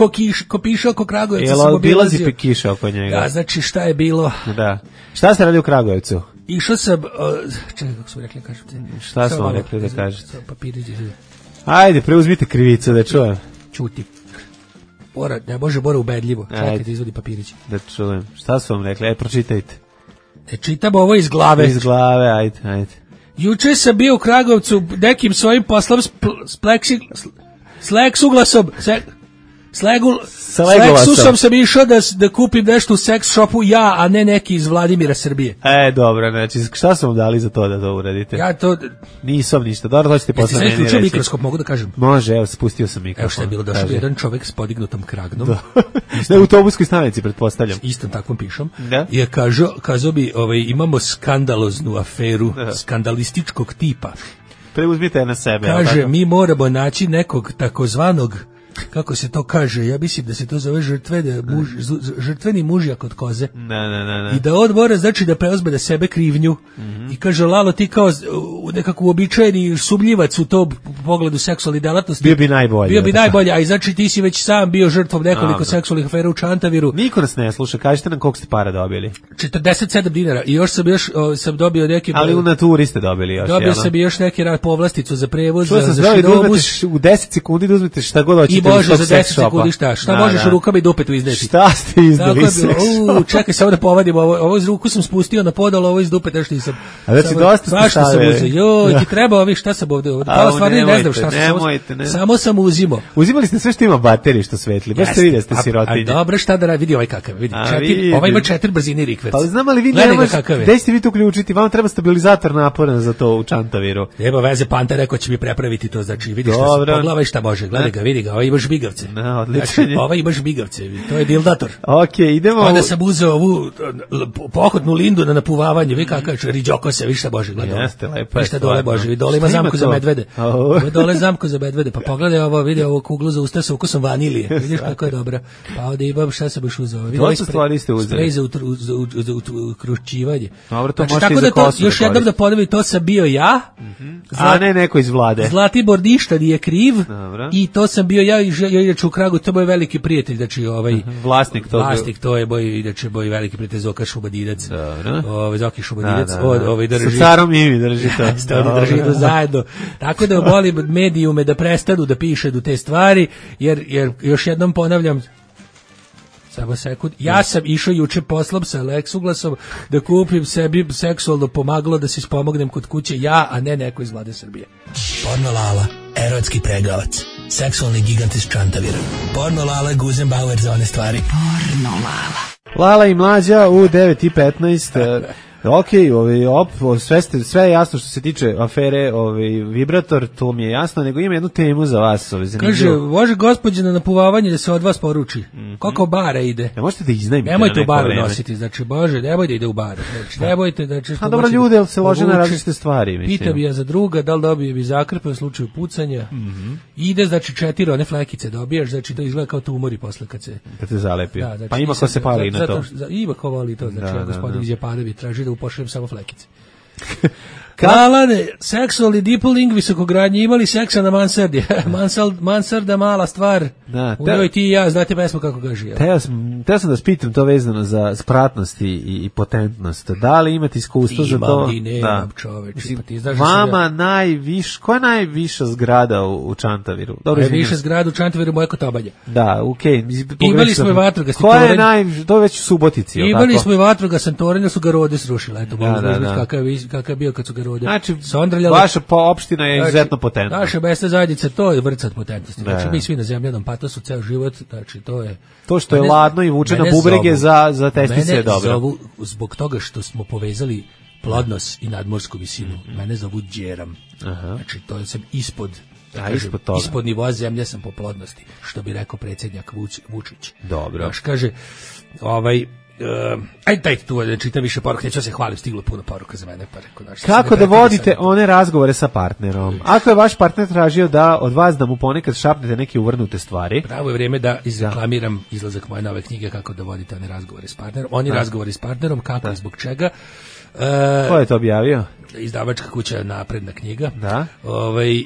ko piša oko Kragujevca. Jel obilazi kiša oko njega? Ja, znači šta je bilo? Da. Šta ste radili u Kragujevcu? Išao sam, čekaj kako smo rekli, kažete. Šta smo rekli da kažete? Papirići. Ajde, preuzmite krivicu da čujem. Čuti. Bora ubedljivo. Čekajte, izvodi papirići. Da čujem. Šta su vam rekli? Ajde, pročitajte. Čitam ovo iz glave. Iz glave, ajde. Juče sam bio u Kragovcu nekim svojim poslom s leksuglasom. S leksusom sam išao da kupim nešto u seks shopu ja, a ne neki iz Vladimira Srbije. Dobro, znači šta su vam dali za to da to uradite? Ja to... Nisam ništa, dobro, to ćete posle meni reći. Jeste mikroskop, mogu da kažem? Može, evo, spustio sam mikrofon. Evo što je bilo, došao jedan čovek s podignutom kragnom. Na autobuskoj stanici, pretpostavljam. Istom takvom pišom. I kazao bi, imamo skandaloznu aferu, skandalističkog tipa. Preuzmite na sebe. Kaže, mi moramo naći nekog takozvanog, kako se to kaže, ja mislim da se to zove žrtveni mužjak od koze. I da on mora, znači, da preuzme na sebe krivnju. I kaže, Lalo, ti kao nekako uobičajeni sumnjivac u to pogledu seksualnih delatnosti. Bio bi najbolje. A i znači ti si već sam bio žrtvom nekoliko seksualnih afera u Čantaviru. Niko nas ne sluša, kažete nam koliko ste para dobili. 47 dinara. I još sam dobio neki... Ali u naturi ste dobili još. Dobio sam još neki povlasticu za prevoz, za širobus. U 10 sekundi da uzmete šta god hoćete. Može za 10 sekundi šta možeš u rukama i dupetu izneti. Šta ste izdali seks? Čekaj, samo da povadim ovo iz ruku sam spustio na podol, ovo iz dupeta što nisam. A da si dosta stavili. Ti treba ovih, šta sam ovde? Pa stvarno ne znam šta sam. Samo sam uzimao. Uzimali ste sve što ima baterije što svetli. Baš ste vidjeli ste sirotinje. A dobro, šta da radi, vidi ovaj kakav, vidi. Ovaj ima 4 brzine rikverc. Pa znam, ali vi gde ćete vi to uključiti? Vam treba stabilizator napora za to u Čantaviru. Nema veze, Panta rekao će mi prepraviti to, znači vidi šta se pogledaj šta može. Gledaj ga, vidi ga, ovaj imaš bigavce. Znači, ovaj imaš bigavce, to je dildator. Okej, idemo. Onda sam uzeo ovu pohodnu lindu na napuvavanje, vi kakav riđoko se, vi šta može, gledaj. Jeste, lepo je. Vi šta dole može, vi dole ima zamku za medvede. Dole zamku za medvede, pa pogledaj ovo, vidi ovo kuglu za usta sa ukusom vanilije, vidiš kako je dobra. Pa ovdje imam, šta sam još uzeo? Dosta stvari ste uzeli. Sprej za ukrušćivanje. Dobro, to možete i za kosu. Još jednom da ponovim, to sam bio ja. A ne neko iz vlade. Zlatibor ništa nije kriv. I to sam bio ja inače u Kragu, to je moj veliki prijatelj, znači vlasnik to je moj veliki prijatelj Zoka Šubadinac. Zoki Šubadinac, drži. Sa carom Imi drži to. Drži to zajedno. Tako da molim medijume da prestanu da pišu te stvari, jer još jednom ponavljam, Samo sekund. Ja sam išao juče poslom sa Lexuglasom da kupim sebi seksualno pomagalo da se ispomognem kod kuće ja, a ne neko iz Vlade Srbije. Porno Lala, erotski pregavac, seksualni gigant iz Čantavira. Porno Lala, Guzenbauer za one stvari. Porno Lala. Lala i Mlađa u 9:15. Ok, sve je jasno što se tiče afere Vibrator, to mi je jasno, nego ima jednu temu za vas. Kaže, može gospođa na napuvavanje da se od vas poruči. Koliko bara ide? Ne možete da iznajmite. Nemojte u baru nositi, znači, Bože, nemojte da ide u baru. Znači, nemojte da... A dobro, ljude se lože na različite stvari, mislim. Pita bi ja za druga, da li dobije bi zakrpe u slučaju pucanja. Ide, znači, 4 one flekice dobijaš, znači, to izgleda kao tumori posle kad se zalepi. Znači, pa ima ko se pali na to. Ima ko voli to, znači, gospodin Đepadovi traži da upošljem samo flekice. Kalane, seksualni dipoling visokogradnji, imali seksa na mansardi. Mansarda mala stvar. Da, u njoj ti i ja, znate pesmu kako kaže. Teo sam da spitam to vezano za spratnost i potentnost. Da li imate iskustvo za to? Imam i nemam, čoveče. Vama koja je najviša zgrada u Čantaviru? Najviša zgrada u Čantaviru moje Kotobanje. Da, okej. Imali smo i vatrogasni toranj. Koja je to već u Subotici? Imali smo i vatrogasni toranj, su ga Rode srušile. Eto, kakav je bio kad su ga Rode. Znači, vaša opština je izuzetno potentna. Naša mesna zajednica, to je vrcat potentnosti. Znači, mi svi na zemljanom patosu ceo život, znači, to je... To što je ladno i vuče na bubrege za testice je dobro. Mene zovu, zbog toga što smo povezali plodnost i nadmorsku visinu, mene zovu Đeram. Znači, to je sam ispod nivoa zemlje sam po plodnosti, što bi rekao predsjednjak Vučić. Dobro. Znaš, kaže, ajde tu da čitam više poruka, neću se hvalim, stiglo puno poruka za mene, pa rekao, kako da vodite one razgovore sa partnerom? Ako je vaš partner tražio da od vas da mu ponekad šapnete neke uvrnute stvari, pravo je vrijeme da izreklamiram izlazak moje nove knjige Kako da vodite one razgovore s partnerom. Oni razgovori s partnerom, kako i zbog čega. Ko je to objavio? Izdavačka kuća Napredna knjiga. Da.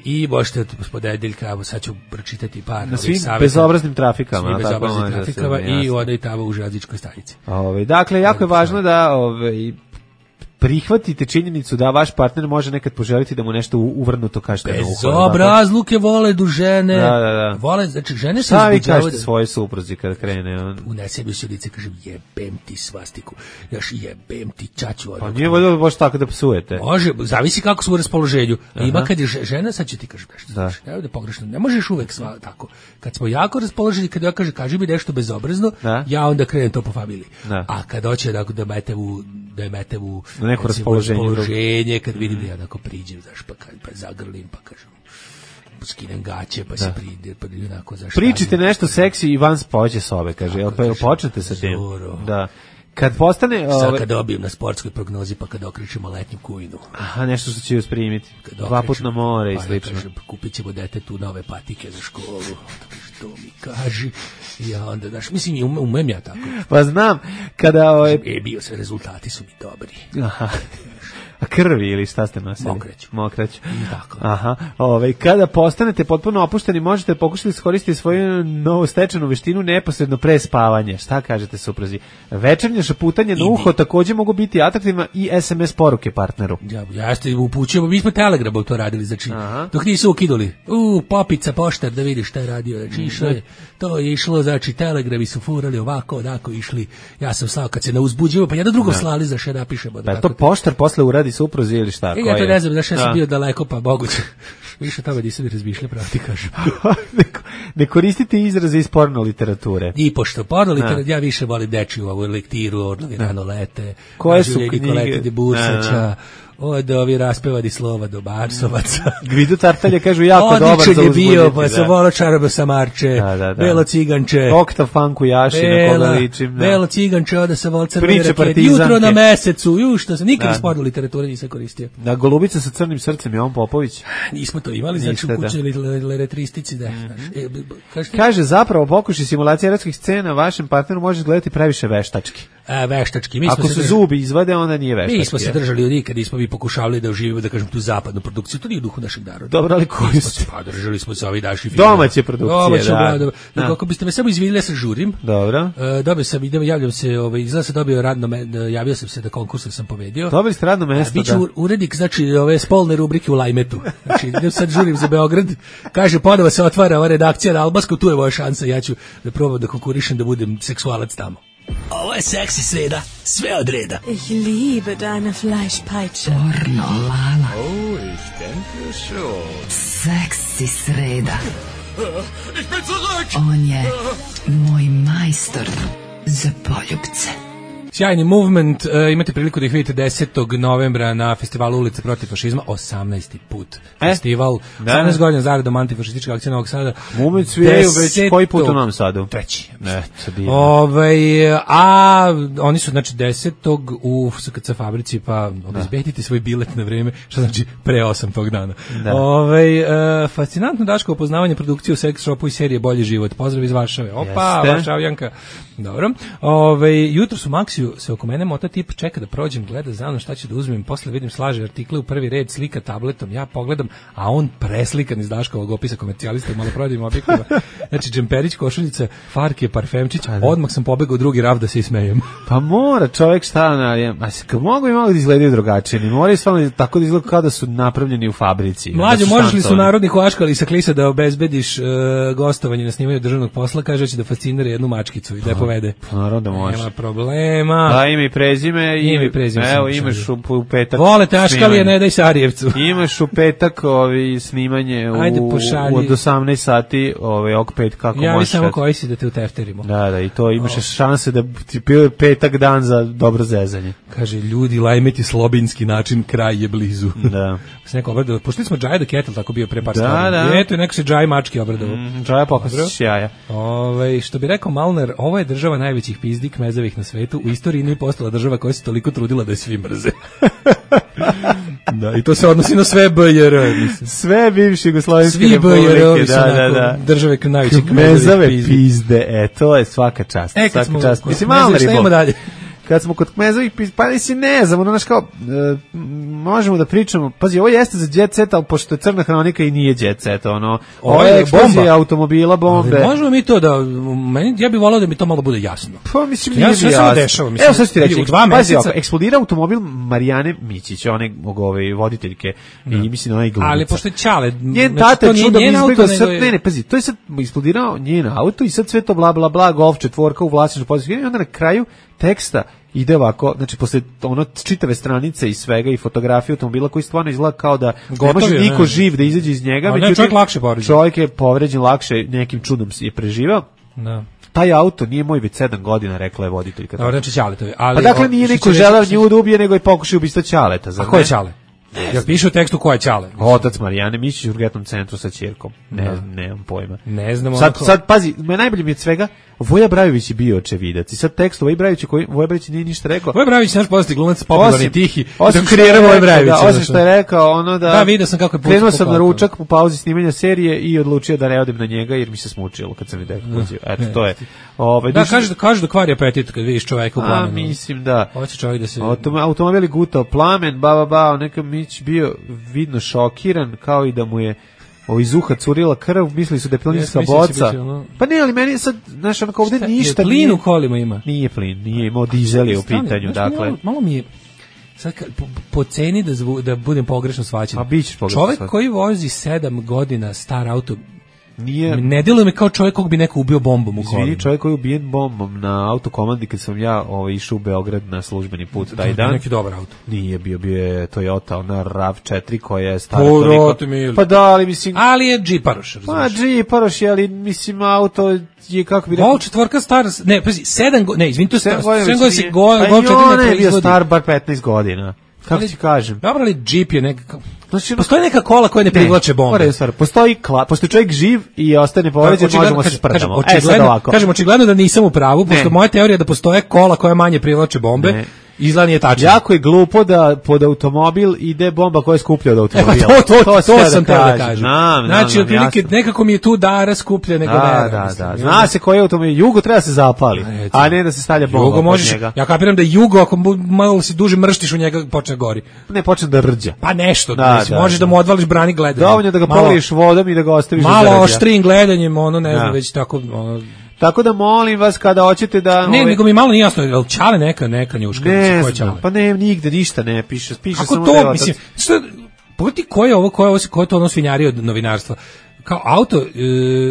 I možete od ponedeljka, sad ću pročitati par na svim bezobraznim trafikama. Svim bezobraznim trafikama i onda i tamo u železničkoj stanici. Dakle, jako je važno da prihvatite činjenicu da vaš partner može nekad poželiti da mu nešto uvrnuto kažete na uho. Bezobrazluke vole du žene. Da. Vole, znači žene se šta vi kažete svoje supruzi kada krene? Unese mi se u lice, kažem, jebem ti svastiku, još jebem ti čaču. Pa nije voljelo baš tako da psujete. Može, zavisi kako su u raspoloženju. Ima kad je žena, sad će ti kažem nešto. Da pogrešno, ne možeš uvek tako. Kad smo jako raspoloženi, kad ja kažem, kaži mi nešto bezobrazno, ja onda krenem to po familiji. A kad hoće da mete u neko raspoloženje, kad vidim da ja tako priđem, znaš, pa zagrlim, pa kažem, skinem gaće, pa se pride, pa onako, znaš. Pričite nešto seksi i van spođe sobe, kaže, jel počnete sa tim? Da. Kad postane... Sad kad dobijem na sportskoj prognozi, pa kad okrećemo letnju kujnu. Aha, nešto što će joj sprimiti. 2 puta na more i slično. Kupit ćemo detetu nove patike za školu. Što mi kaži. Ja onda, znaš, mislim, umem ja tako. Pa znam, kada... bio se, rezultati su mi dobri. Aha. A krvi ili šta ste nosili? Mokraću. Aha. Kada postanete potpuno opušteni, možete pokušati iskoristiti svoju novu stečenu veštinu neposredno pre spavanja. Šta kažete supruzi? Večernje šaputanje na uho također mogu biti atraktivna i SMS poruke partneru. Ja ste upućujemo, mi smo Telegramom to radili, znači, dok nisu ukiduli. Popica, poštar, da vidiš šta je radio. Znači, to je išlo, znači, Telegrami su furali ovako, onako išli. Ja sam slao kad se ne uzbuđivo, pa jedan drugom slali za še napišemo. Pa to poštar posle uradi supruzi ili šta? Ja to ne znam, znaš, ja sam bio daleko, pa moguće. Više tome nisam i razmišljao, pravo ti kažem. Ne koristite izraze iz porno literature. I pošto porno literature, ja više volim dečiju ovu lektiru, Orlovi rano lete, koje su knjige? Nikolete de Bursača, od ovi raspevani slova do Barsovaca. Gvido Tartalje kažu jako dobar za uzbuditi. Odličan je bio, pa sam volao Čarobio Samarče, Belo Ciganče, Oktav Fanku Jaši, na koga ličim. Belo Ciganče, onda sam volao Crvene rakete, Jutro na mesecu, što sam nikad iz porno literature nisam koristio. Da, Golubica sa crnim srcem, Jovan Popović. Nismo to imali, znači u kućnoj letristici, da. Kaže, zapravo pokušaj simulacije erotskih scena vašem partneru može izgledati previše veštački. veštački. Ako se zubi izvade, onda nije veštački. Mi smo se držali od nikad, nismo mi pokušavali da uživimo, da kažem, tu zapadnu produkciju, to nije u duhu našeg naroda. Dobro, ali koji ste? Pa držali smo se ovi naši filmi. Domaće produkcije, da. Kako biste me samo izvinili, ja se žurim. Dobro. Dobio sam, javljam se, izgleda se dobio radno, javio sam se da konkursu sam pobedio. Dobili ste radno mesto, biću urednik, znači, ove spolne rubrike u Lajmetu. Znači, idem sad žurim za Beograd, kaže, ponovo se otvara ova redakcija na Albansku, tu je moja šansa, ja ću da probam da konkurišem da budem seksualac tamo. Ovo je seksi sreda, sve od reda. Ich liebe deine Fleischpeitsche. Pornolala. Oh, ich denke schon. Seksi sreda. Ich bin zurück! On je moj majstor za poljupce. Sjajni movement, imate priliku da ih vidite 10. novembra na festivalu Ulice protiv fašizma, 18. put. Festival, 18 godina zaredom antifašistička akcija Novog Sada. Movement sviraju već koji put u Novom Sadu? Treći. A oni su znači 10. u SKC fabrici, pa obezbedite svoj bilet na vreme, što znači pre 8 tog dana. Fascinantno Daško upoznavanje produkcije u sex shopu i serije Bolji život. Pozdrav iz Varšave. Opa, Varšavljanka. Dobro. Jutro su Maksiju se oko mene mota tip čeka da prođem, gleda za mnom šta ću da uzmem, posle vidim slaže artikle u prvi red, slika tabletom, ja pogledam, a on preslikan iz Daškovog opisa komercijalista u maloprodajnim objektima. Znači džemperić, košuljica, farke, parfemčić, odmah sam pobegao u drugi rav da se ismejem. Pa mora čovjek šta kad mogu i malo da izgledaju drugačije, ne moraju stvarno tako da izgledaju kao da su napravljeni u fabrici. Mlađo, možeš li su narodni huaškali sa klisa da obezbediš gostovanje na snimanju državnog posla, kaže će da fascinira jednu mačkicu i da je povede. Pa naravno da može. Nema problema. Da, ime i prezime. Evo, imaš u petak. Volete Aškalije, ne daj Sarijevcu. Imaš u petak snimanje od 18 sati ovog petka. Kako ja možeš. Samo koji si da te utefterimo. Da, i to imaš šanse da ti bio petak dan za dobro zezanje. Kaže, ljudi, Lajmeti slobinski način, kraj je blizu. Da. Se neko obradao. Puštili smo Džaj the Kettle, tako bio pre par stvari. Da. Eto, neko se Džaj mački obradao. Džaja pokasiš jaja. Što bi rekao Malner, ovo je država najvećih pizdi kmezavih na svetu. U istoriji nije postala država koja se toliko trudila da je svi mrze. Da, i to se odnosi na sve BJR. Sve bivše jugoslovenske republike, da. Države najvećih kmezave pizde. To je svaka čast. Svaka čast. Mislim, Malner je bol. Dalje. Kad smo kod kmezovih, pa ne znam, znaš kao, možemo da pričamo, pazi, ovo jeste za jet set, ali pošto je crna hronika i nije jet set, ovo je eksplozija automobila, bombe. Ali možemo mi to ja bih volao da mi to malo bude jasno. Pa mislim, nije mi jasno. Evo sad ću ti reći, pazi, eksplodira automobil Marijane Mićić, one voditeljke, i mislim onaj glumica. Ali pošto je Ćale, njen tata čudom izbjegao sad, ne, pazi, to je sad eksplodirao njen auto i sad sve to bla bla bla, Golf 4 u vlasništvu područja, i onda na kraju teksta ide ovako, znači posle čitave stranice i svega i fotografije automobila koji stvarno izgleda kao da ne može niko živ da izađe iz njega, čovjek je povređen lakše, nekim čudom je preživao. Da. Taj auto nije moj već 7 godina, rekla je voditeljka. Znači Ćaletovi. Pa dakle nije niko želeo nju da ubije, nego je pokušao ubistva Ćaleta. A ko je Ćale? Ja piše u tekstu ko je Ćale. Otac Marijane Mićić u urgentnom centru sa ćerkom. Nemam pojma. Ne znamo. Sad pazi, najbolje mi je od svega, Voja Brajović je bio očevidac. I sad tekst Voja Brajović koji Voja Brajović nije ništa rekao. Voja Brajović naš poznati glumac, popularni tihi. Osim kreirao Voja Brajović. Osim što je rekao da vidio sam kako je krenuo sam na ručak u pauzi snimanja serije i odlučio da ne odem na njega jer mi se smučilo kad sam vidio. Eto to je. Kažu da kvari apetit kad vidiš čoveka u plamenu. Mislim da. Hoće čovjek da se automobili gutao plamen, neka Mić bio vidno šokiran, kao i da mu je iz uha curila krv, mislili su da je plinska boca. Pa ne, ali meni sad, znaš, onako ovdje ništa nije. Plin u kolima ima? Nije plin, nije imao dizel je u pitanju, dakle. Malo mi je, sad po ceni da budem pogrešno shvaćen. Pa bićeš pogrešno shvaćen. Čovjek koji vozi 7 godina star auto, ne djeluje mi kao čovjek kog bi neko ubio bombom u kolima. Izvini, čovjek koji je ubijen bombom na autokomandi kad sam ja išao u Beograd na službeni put taj dan. Neki dobar auto. Nije bio je Toyota, ona RAV4 koja je stara toliko. Pa da, ali mislim... Ali je džiparoš, razumiješ. Pa džiparoš je, ali mislim auto je kako bi rekao... Vol četvorka star, ne, pazi, 7 godina, ne, izvini, to je 7 godina se Vol 4 ne je bio star bar 15 godina. Kako ti kažem? Dobro, ali džip je nekako... Postoji neka kola koja ne privlače bombe. Postoji čovjek živ i ostane povređen, možemo se sprdamo. Kažem, očigledno da nisam u pravu, pošto moja teorija je da postoje kola koja manje privlače bombe. Izgleda nije tačno. Jako je glupo da pod automobil ide bomba koja je skuplja od automobila. To sam teo da kažem. Znači, otprilike, nekako mi je tu dara skuplja nego vera. Da. Zna se koji automobil. Jugo treba se zapali, a ne da se stavlja bomba Jugo možeš, njega. ja kapiram da Jugo, ako malo si duže mrštiš u njega, počne gori. Ne, počne da rđa. Pa nešto, možeš da mu odvališ brani gledanjem. Dovoljno da ga poliješ vodom i da ga ostaviš da malo rđa. oštrijim gledanjem, ono, ne znam, već tako... Tako da molim vas kada hoćete da... Ne, nego mi malo nije jasno, je li Čale neka njuška? Ne znam, pa ne, nigde ništa ne piše. Piše kako samo to, da je mislim, pogledaj ko je to ono svinjarije od novinarstva? Kao auto...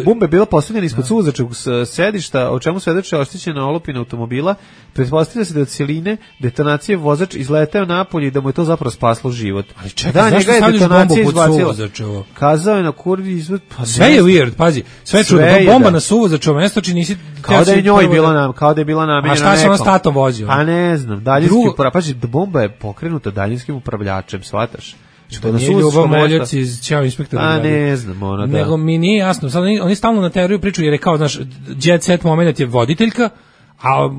Bomba je bila postavljena ispod suvozačkog sedišta, o čemu svedoče oštećena olupina automobila. Pretpostavlja se da od cijeline detonacije vozač izleteo napolje i da mu je to zapravo spaslo život. Ali čekaj, zašto stavljaš bombu pod suvozačevo? Kazao je na kurdi izvod... Pa sve je weird, pazi. Sve je čudno. Bomba na suvozačevo mesto, či nisi... Kao da je njoj bila kao da je bila namenjena nekom. A šta se on s tatom vozio? Pa ne znam. Pazi, bomba je pokrenuta daljinskim upravilačem, shvataš? To nije Ljubav Moljac iz Ćao inspektora. A ne znam, ona da. Nego mi nije jasno. Sad oni stalno na teoriju pričaju jer je kao, znaš, jet set moment je voditeljka, a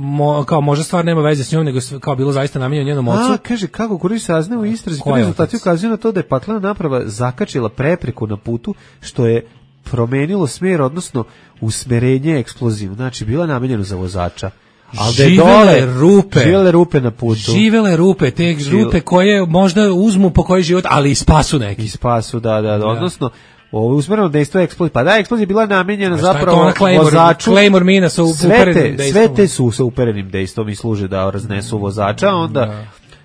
kao možda stvar nema veze s njom, nego kao bilo zaista namenjeno njenom ocu. Kaže, kako Kuriš saznaje u istrazi, rezultati ukazuju na to da je paklena naprava zakačila prepreku na putu, što je promenilo smjer, odnosno usmerenje eksploziju. Znači, bila namenjena za vozača. Živele rupe na putu. Živele rupe, te rupe koje možda uzmu po koji život, ali i spasu neki. I spasu, da. Odnosno, ovo usmereno dejstvo eksplozije. Pa da, eksplozija bila namenjena zapravo vozaču. Claymore mina sa uperenim dejstvom. Sve te su sa uperenim dejstvom i služe da raznesu vozača, onda...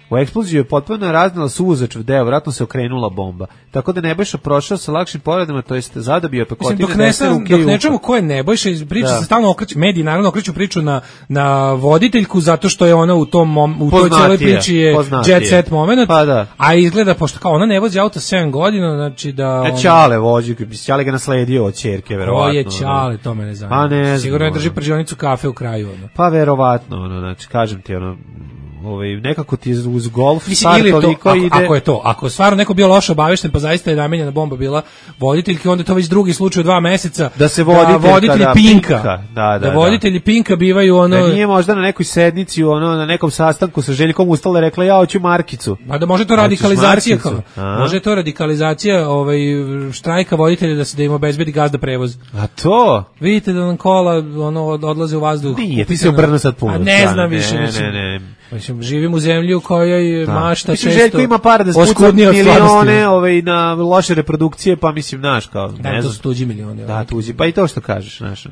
U eksploziju je potpuno raznala suvozačev deo, vjerojatno se okrenula bomba. Tako da Nebojša prošao sa lakšim povredama, to jest zadobio pekotine desne ruke i uho. Dok ne čujemo ko je Nebojša, priča se stalno okreće, mediji naravno okreću priču na voditeljku, zato što je ona u toj cijeloj priči je jet set moment, pa a izgleda, pošto kao ona ne vozi auto 7 godina, znači da... Ćale vozi, Ćale ga nasledio od ćerke, verovatno. Ko je Ćale, to me ne zanima. Pa ne znam. Sigurno je drži pržionicu kafe u kraju. Pa verovatno, znači, kažem ti, nekako ti uz golf stvar toliko ide... Ako stvarno neko bio loše obavešten, pa zaista je namenjena bomba bila voditeljki, onda je to već drugi slučaj u 2 meseca. Da se voditelji Pinka. Da, voditelji Pinka bivaju ono... Da nije možda na nekoj sednici, na nekom sastanku sa Željkom ustala rekla ja hoću markicu. Pa da može to radikalizacija. Može to radikalizacija štrajka voditelja da im obezbedi gazda prevoz. A to? Vidite da nam kola odlaze u vazduh. Nije, ti se obrnu sad puno. Ne znam više. Mislim, živim u zemlji u kojoj mašta često... Željko ima par da spuca milione na loše reprodukcije, pa mislim, znaš, kao... Da, to su tuđi milioni. Da, tuđi, pa i to što kažeš, znaš.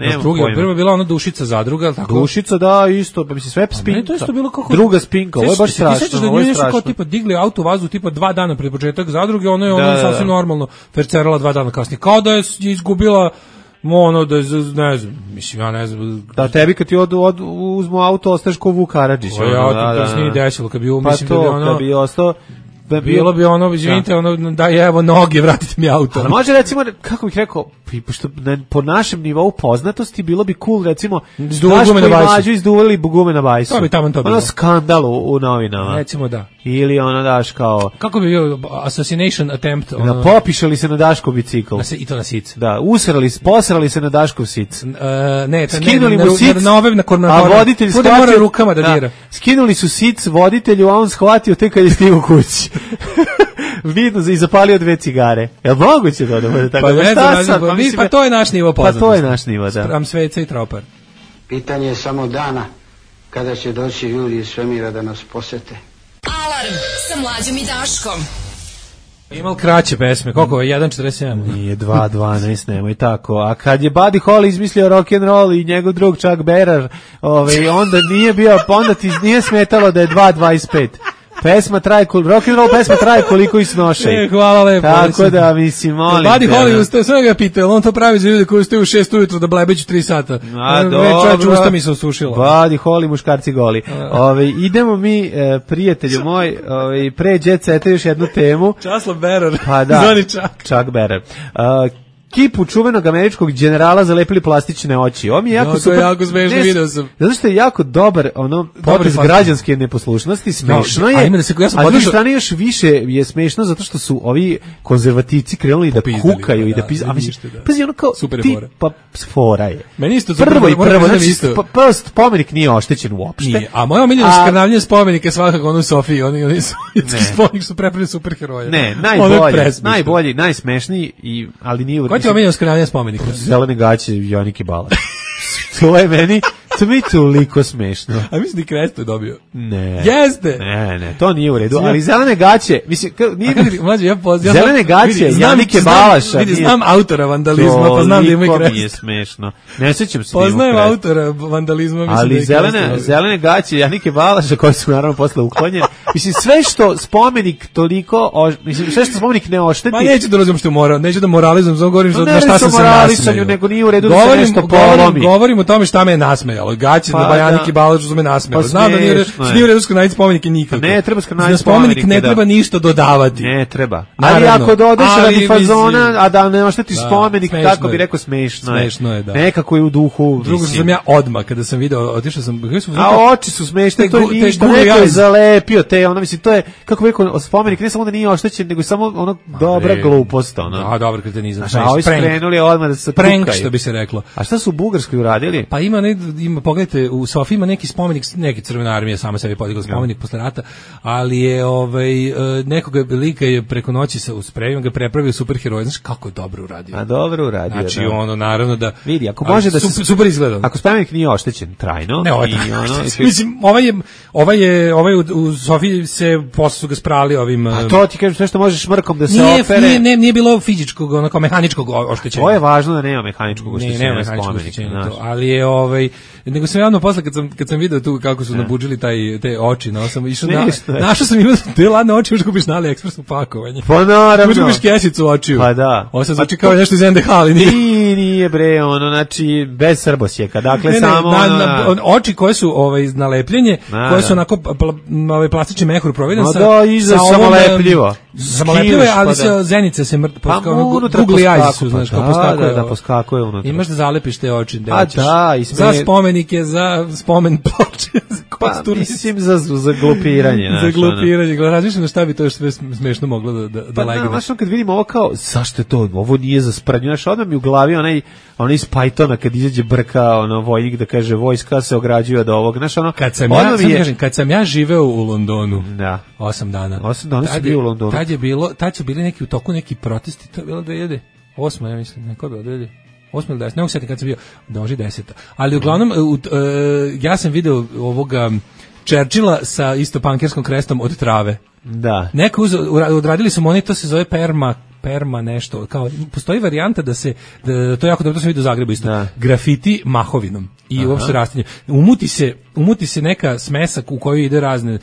Prvo je bila ona Dušica zadruga, tako? Dušica, da, isto, pa mislim, sve spinka. To isto bilo kako... Druga spinka, ovo je baš strašno. Ti sećaš da njoj nešto kao tipa digli auto u vazduh tipa 2 dana pred početak zadruge, ona je ono sasvim normalno fercerala 2 dana kasnije. Kao da je izgubila... da je, ne znam, mislim, ja ne znam... Da, tebi kad ti uzmu auto, ostaješ ko Vuk Karadžić. To se nije desilo, kad bi pa mislim to, da bi ono... kad bi ostao... Bilo bi ono, izvinite, da je evo noge, vratite mi auto. Ali može recimo, kako bih rekao, pošto po našem nivou poznatosti bilo bi cool, recimo, Daško i Mlađu izduvali gume na bajsu. To bi tamo to bilo. Ono skandal u novinama. Recimo da. Ili ono daš kao... Kako bi bio assassination attempt? Popišali se na Daškov bicikl. I to na sic. Da, posrali se na Daškov sic. Ne, skinuli mu sic, a voditelj shvatio rukama da dira. Skinuli su sic voditelju, a on shvatio tek kad je stigao kući. Vidno i zapalio 2 cigare. Jel moguće to da bude tako? Pa to je naš nivo poznatosti. Pa to je naš nivo, da. Spram sveca i tropar. Pitanje je samo dana kada će doći ljudi iz svemira da nas posete. Alarm sa Mlađom i Daškom. Imao kraće pesme, koliko je 1.47? Nije 2.12, nemoj tako. A kad je Buddy Holly izmislio rock'n'roll i njegov drug Chuck Berry, onda nije bio, onda ti nije smetalo da je 2.25. Pesma traje, rock'n'roll pesma traje koliko i snošaj. Hvala lepo. Tako da, mislim, molim. Buddy Holly ustaje, sve ga pitao, on to pravi za ljude koji ustaju u 6 ujutru da blebeću 3 sata. A, dobro. Usta mi se osušila. Buddy Holly, muškarci goli. Idemo mi, prijatelju moj, pre Jet Seta još jednu temu. Časlav Berer. Pa da. Zvani Čak. Čak Berer. kipu čuvenog američkog generala zalepili plastične oči. Ovo mi je jako super. To je jako smešno, video sam. Zato što je jako dobar potez građanske neposlušnosti, smešno je. A s druge strane još više je smešno zato što su ovi konzervativci krenuli da kukaju i da pizdaju. A mislim, pazi, ono kao ti, pa fora je. Meni isto prvo, znači, spomenik nije oštećen uopšte. Nije, a moja omiljena skrnavljanje spomenika svakako ono u Sofiji, oni spomenik su prepravili superheroje. Ne, najbolji, najsmešniji, ali nije... Ko ti omiljeno skrnavljanje spomenika? Zelene gaće Jonike Balaš. To je meni toliko smešno. A mislim da Kresto je dobio. Ne. Jeste. Ne, to nije u redu. Ali zelene gaće, mislim, nije... Mlađe, zelene gaće Janike Balaša. Znam autora vandalizma, pa znam da ima i Kresto. Toliko mi je smešno. Ne sećam se da ima Poznajem autora vandalizma, mislim ali da je zelene gaće Janike Balaša, koje su naravno posle uklonjene. Mislim, sve što spomenik toliko, mislim, sve što spomenik ne ošteti... Ma neću da razumem što mora, neću da moralizujem, samo govorim na šta sam se nasmejao. Nego nije u redu da se nešto polomi. Govorim o tome šta me je nasmejalo. Gaće na Bajaniki Balašu su me nasmejalo. Znam da nije u redu skrnaviti spomenike nikako. Ne treba skrnaviti spomenik, ne treba ništa dodavati. Ne treba. Ali ako dodaš radi fazona, a da ne oštetiš spomenik, tako bi rekao smešno je. Smešno je, da. Nekako je u duhu. Drugo sam ja odmah, kada sam video, otišao sam... A oči su smešne, to je ništa, neko je zalepio te, ono, mislim, to je, kako bi rekao, spomenik ne samo da nije oštećen, nego samo ono dobra glupost, ono. A, dobra kretenizam. A ovi skrenuli odmah da se prank, što bi se reklo. A šta su u Bugarskoj uradili? Pa ima, pogledajte, u Sofiji ima neki spomenik, neki Crvena armija sama sebi podigla spomenik posle rata, ali je nekoga lika je preko noći sa sprejom ga prepravio superheroj. Znaš kako je dobro uradio? A dobro uradio. Znači ono naravno da vidi, ako može da se super izgleda. Ako spomenik nije oštećen trajno, ne, mislim ovaj u Sofiji se posle su ga sprali ovim. A to ti kažem sve što možeš mrkom da se opere. Nije bilo fizičkog, onako mehaničkog oštećenja. To je važno da nema mehaničkog oštećenja spomenika. Ali je nego sam javno posle kad sam video tu kako su nabudžili te oči, no sam išao našao sam ima te ladne oči, možeš kupiš na AliExpressu pakovanje. Pa naravno. Možeš kupiš kesicu očiju. Pa da. Ovo se zvuči kao nešto iz NDH, ali nije bre, ono, znači bez srbosjeka. Dakle samo oči koje su nalepljenje, koje su onako plastični mehur proveden sa samolepljivo. Samolepljivo je, ali se zenice se Google eyes su, znaš, kao poskakuje. Da, poskakuje unutra. Imaš da zalepiš te oči. Za spomenike, za spomen ploče, pa mislim za glupiranje. Za glupiranje. Razmišljam šta bi to sve smešno moglo da legne. Znaš, kad vidim ovo kao, zašto je to, ovo nije za sprdnju, znaš, odmah mi u glavi onaj iz Pythona kad izađe brka, vojnik da kaže vojska se ograđuje od ovog, znaš, kad sam ja živeo u Londonu, 8 dana. 8 dana si bio u Londonu. Tad su bili neki u toku neki protesti, to je bilo 2008, ja mislim, neko je bilo 2008 ili 10, ne mogu sjetiti kad sam bio, može 10. Ali uglavnom, ja sam video ovoga Churchilla sa isto pankerskom krestom od trave. Da. Neko odradili su oni, to se zove perma nešto, kao postoji varijanta da to je jako dobro, to sam vidio u Zagrebu isto, grafiti mahovinom i uopšte rastinje. Umuti se neka smesak u kojoj ide razne,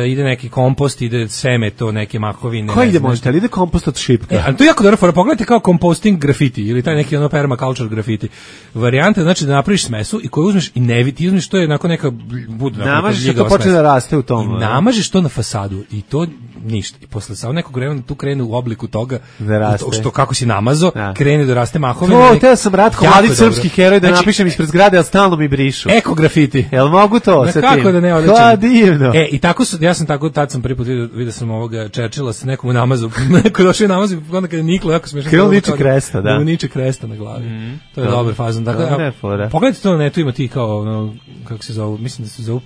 ide neki kompost, ide seme, to neke mahovine. Ko ide možete, ali ide kompost od šipka? Ali to je jako dobro fora, pogledajte kao composting grafiti ili taj neki permaculture grafiti. Varijanta znači da napraviš smesu i koju uzmeš i ti uzmeš, to je nakon neka namažeš to počne da raste u tom. I namažeš to na fasadu i to ništa. I posle samo nekog vremena tu krene u obliku toga što kako si namazo, krene da raste mahovina. To sam Ratko, mladi srpski heroj, da napišem ispred zgrade, ali stalno mi brišu. Eko grafiti. Jel mogu to sa tim? Kako da ne odličan. Divno. I tako ja sam tako, tad sam prvi put vidio sam ovoga Churchilla sa nekom u namazu, neko došao u namazu, onda kada je niklo, jako smiješno. Krilo niče kresta, da. Niče kresta na glavi. To je dobar fazon. Pogledajte to na netu, ima ti kao, kako se zove, mislim da se zove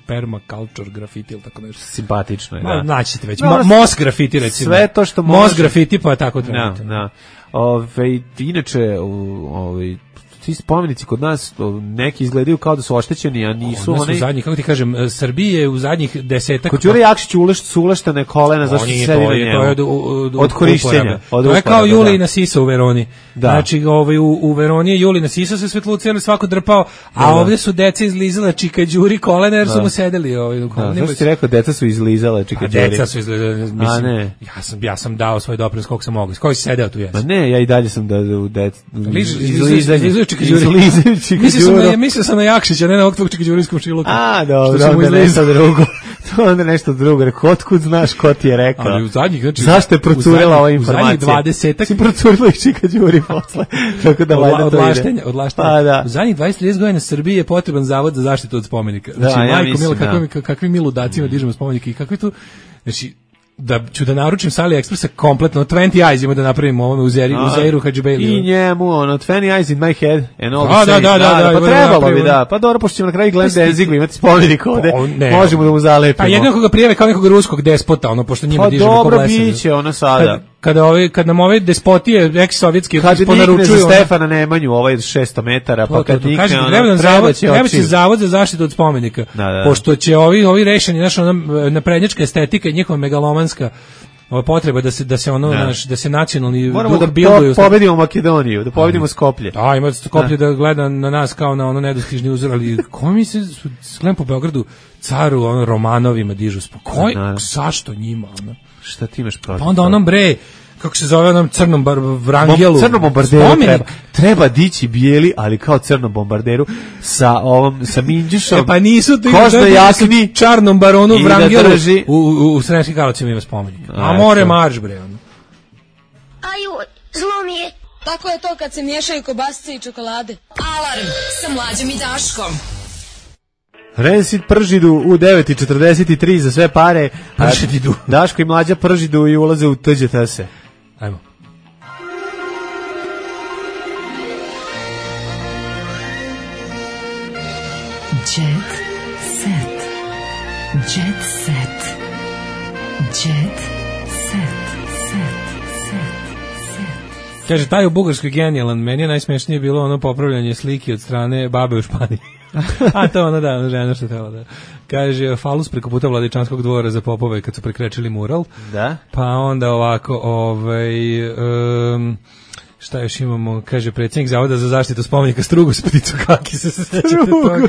permaculture grafiti ili tako nešto. Simpatično je, da. Naći ćete već. Mos grafiti, recimo. Sve to što može. Mos grafiti, pa je tako trebate. Da. Inače, ti spomenici kod nas neki izgledaju kao da su oštećeni, a nisu oni. Zadnjih, kako ti kažem, Srbije u zadnjih 10. Kod Đure Jakšić uleštene kolena, zašto se sedi na njemu? Od korišćenja. To je kao Julina sisa u Veroni. Znači, u Veroni je Julina sisa se svetluci, ali svako drpao, a ovdje su deca izlizala čika Đuri kolena, jer su mu sedeli u kolena. Zašto ti rekao, deca su izlizala čika Đuri? Deca su izlizala, mislim, ja sam dao svoj doprinos koliko sam mogao. Koji si sedeo tu jes? Ma ne, ja i dalje sam da Mislio sam na Jakšića, ne na ovog tvog Čikađurijskom šiluku. A, dobro, da ne sad drugo. To onda nešto drugo. Rekao, otkud znaš ko ti je rekao? Ali u zadnjih, znači, zašto je procurila ova informacija? U zadnjih 20-ak... Si procurila i Čika Đuri posle. Tako da odlaštenja. Pa, da. U zadnjih 20-30 godina Srbiji je potreban zavod za zaštitu od spomenika. Znači, da, majko mila, kakvim mi ludacima dižemo spomenike i kakvi tu... Znači, da ću da naručim sa AliExpressa kompletno 20 eyes ima da napravimo ovome u Zeiru Hadžibeli. I njemu, 20 eyes in my head and all the same. Da, pa trebalo bi, da. Pa dobro, pošto ćemo na kraju Glenn Danzigu imati spomenik ovde, možemo da mu zalepimo. Pa jednog ga prijeve kao nekog ruskog despota, pošto njima dižemo ko blesa. Pa dobro, biće ono sada. Kad nam ove despotije eks-sovjetski ponaručuju... Kad nikne za Stefana Nemanju, ovaj 600 metara, pa kad nikne, treba će zavod za zaštitu od spomenika. Pošto će ovi rešeni, naprednjačka estetika i njihova megalomanska potreba da se nacionalni duh bilduju. Moramo da pobedimo Makedoniju, da pobedimo Skoplje. Da, ima Skoplje da gleda na nas kao na ono nedostižni uzor, ali ko mi se gledam po Beogradu caru Romanovima dižu spokoj, zašto njima? Šta ti imaš protiv? Pa onda onom kako se zove onom crnom vrangelu. Crnom bombarderu treba dići bijeli, ali kao crnom bombarderu sa minđušom. Pa nisu ti jakni, čarnom baronu vrangelu u Sremskim Karlovcima ima spomenik. A more marš bre. Aju, zlo mi je. Tako je to kad se miješaju kobasice i čokolade. Alarm sa Mlađom i Daškom. Rensit pržidu u 9:43 za sve pare. Pržidu. Daško i Mlađa pržidu i ulaze u TGTS. Ajmo. Jet set. Jet set. Jet set. Kaže, taj u Bugarskoj genijalan, meni je najsmešnije bilo ono popravljanje slike od strane babe u Španiji. A to ono da, žena što tela da. Kaže, falus preko puta Vladičanskog dvora za popove kad su prekrečili mural. Da. Pa onda ovako, šta još imamo, kaže predsjednik Zavoda za zaštitu spomenika Strugus, pticu kaki se sećate toga.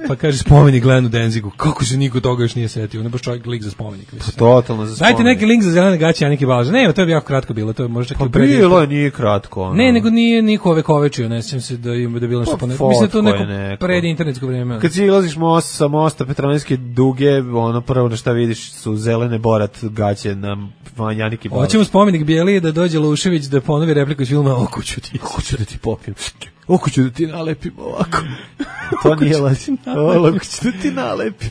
Pa kaže spomenik Glenu Denzigu, kako se niko toga još nije setio, ne baš čovjek lik za spomenik. Pa totalno za spomenik. Dajte neki link za zelene gaće, a neki balaže. Ne, to je jako kratko bilo, to je možda čak i predivno. Pa bilo je, nije kratko. Ono. Ne, nego nije niko vekovečio, ne sjećam se da ima da bilo nešto ponekako. Mislim da to neko pred internetsko vrijeme. Kad si ilaziš sa mosta Petrovaradinske duge, ono prvo na šta vidiš su zelene borat gaće na Janiki Balaž. Hoćemo spomenik Bijelije da dođe Lušević da ponovi repliku iz filma Oko ću da ti popijem. Oko ću da ti nalepim ovako. To nije lažno. Oko ću da ti nalepim.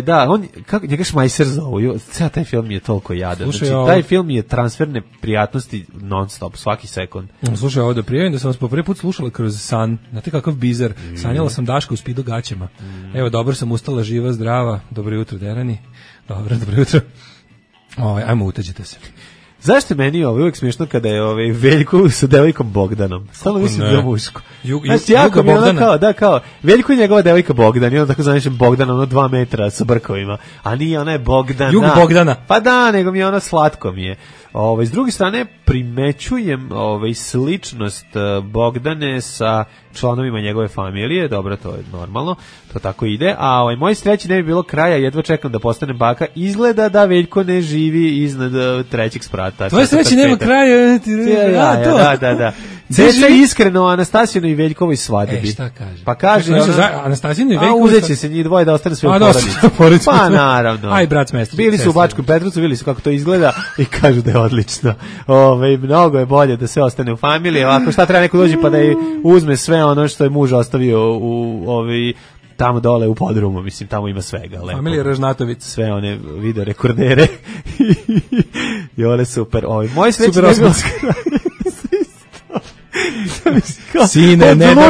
Da, njega Šmajser zovu. Cijel taj film je toliko jadan. Znači, taj film je transferne prijatnosti non stop, svaki sekund. Slušaj, ovo da prijavim da sam vas po prvi put slušala kroz san. Znate kakav bizar. Sanjala sam Daška u Spido gaćama. Evo, dobro sam ustala, živa, zdrava. Dobro jutro, Derani. Dobro jutro. Ajmo, utađite se. Zašto meni uvijek smiješno kada je Veljko sa devojkom Bogdanom? Stalno mislim da je muško. Znači, jako mi je ono kao, Veljko je njegova devojka Bogdan, i ono tako zanišem Bogdana, 2 metra sa brkovima, a nije, ona je Bogdana. Jug Bogdana. Pa da, nego mi je ono slatko mi je. S druge strane, primećujem sličnost Bogdane sa članovima njegove familije, dobro, to je normalno, to tako ide, a moj sreći ne bi bilo kraja, jedva čekam da postane baka, izgleda da Veljko ne živi iznad 3. sprata. Tvoje sreći nema kraja, da. Ceca je iskreno o Anastasijinoj i Veljkovoj svadbi. Šta kaže? Pa kaže Anastasijinoj i Veljkovoj uzet će se njih dvoje da ostane sve u porodici. Pa naravno. Aj, brat smestri. Bili su u Bačkom Petrovcu, vidjeli su kako to izgleda i kažu da je odlično. Mnogo je bolje da sve ostane u familiji. Ovako, šta treba neko dođi pa da uzme sve ono što je muž ostavio u tamo dole u podrumu, mislim, tamo ima svega. Familija Ražnatović. Sve one video rekordere. I one super. Moj sreći super Sine, ne damo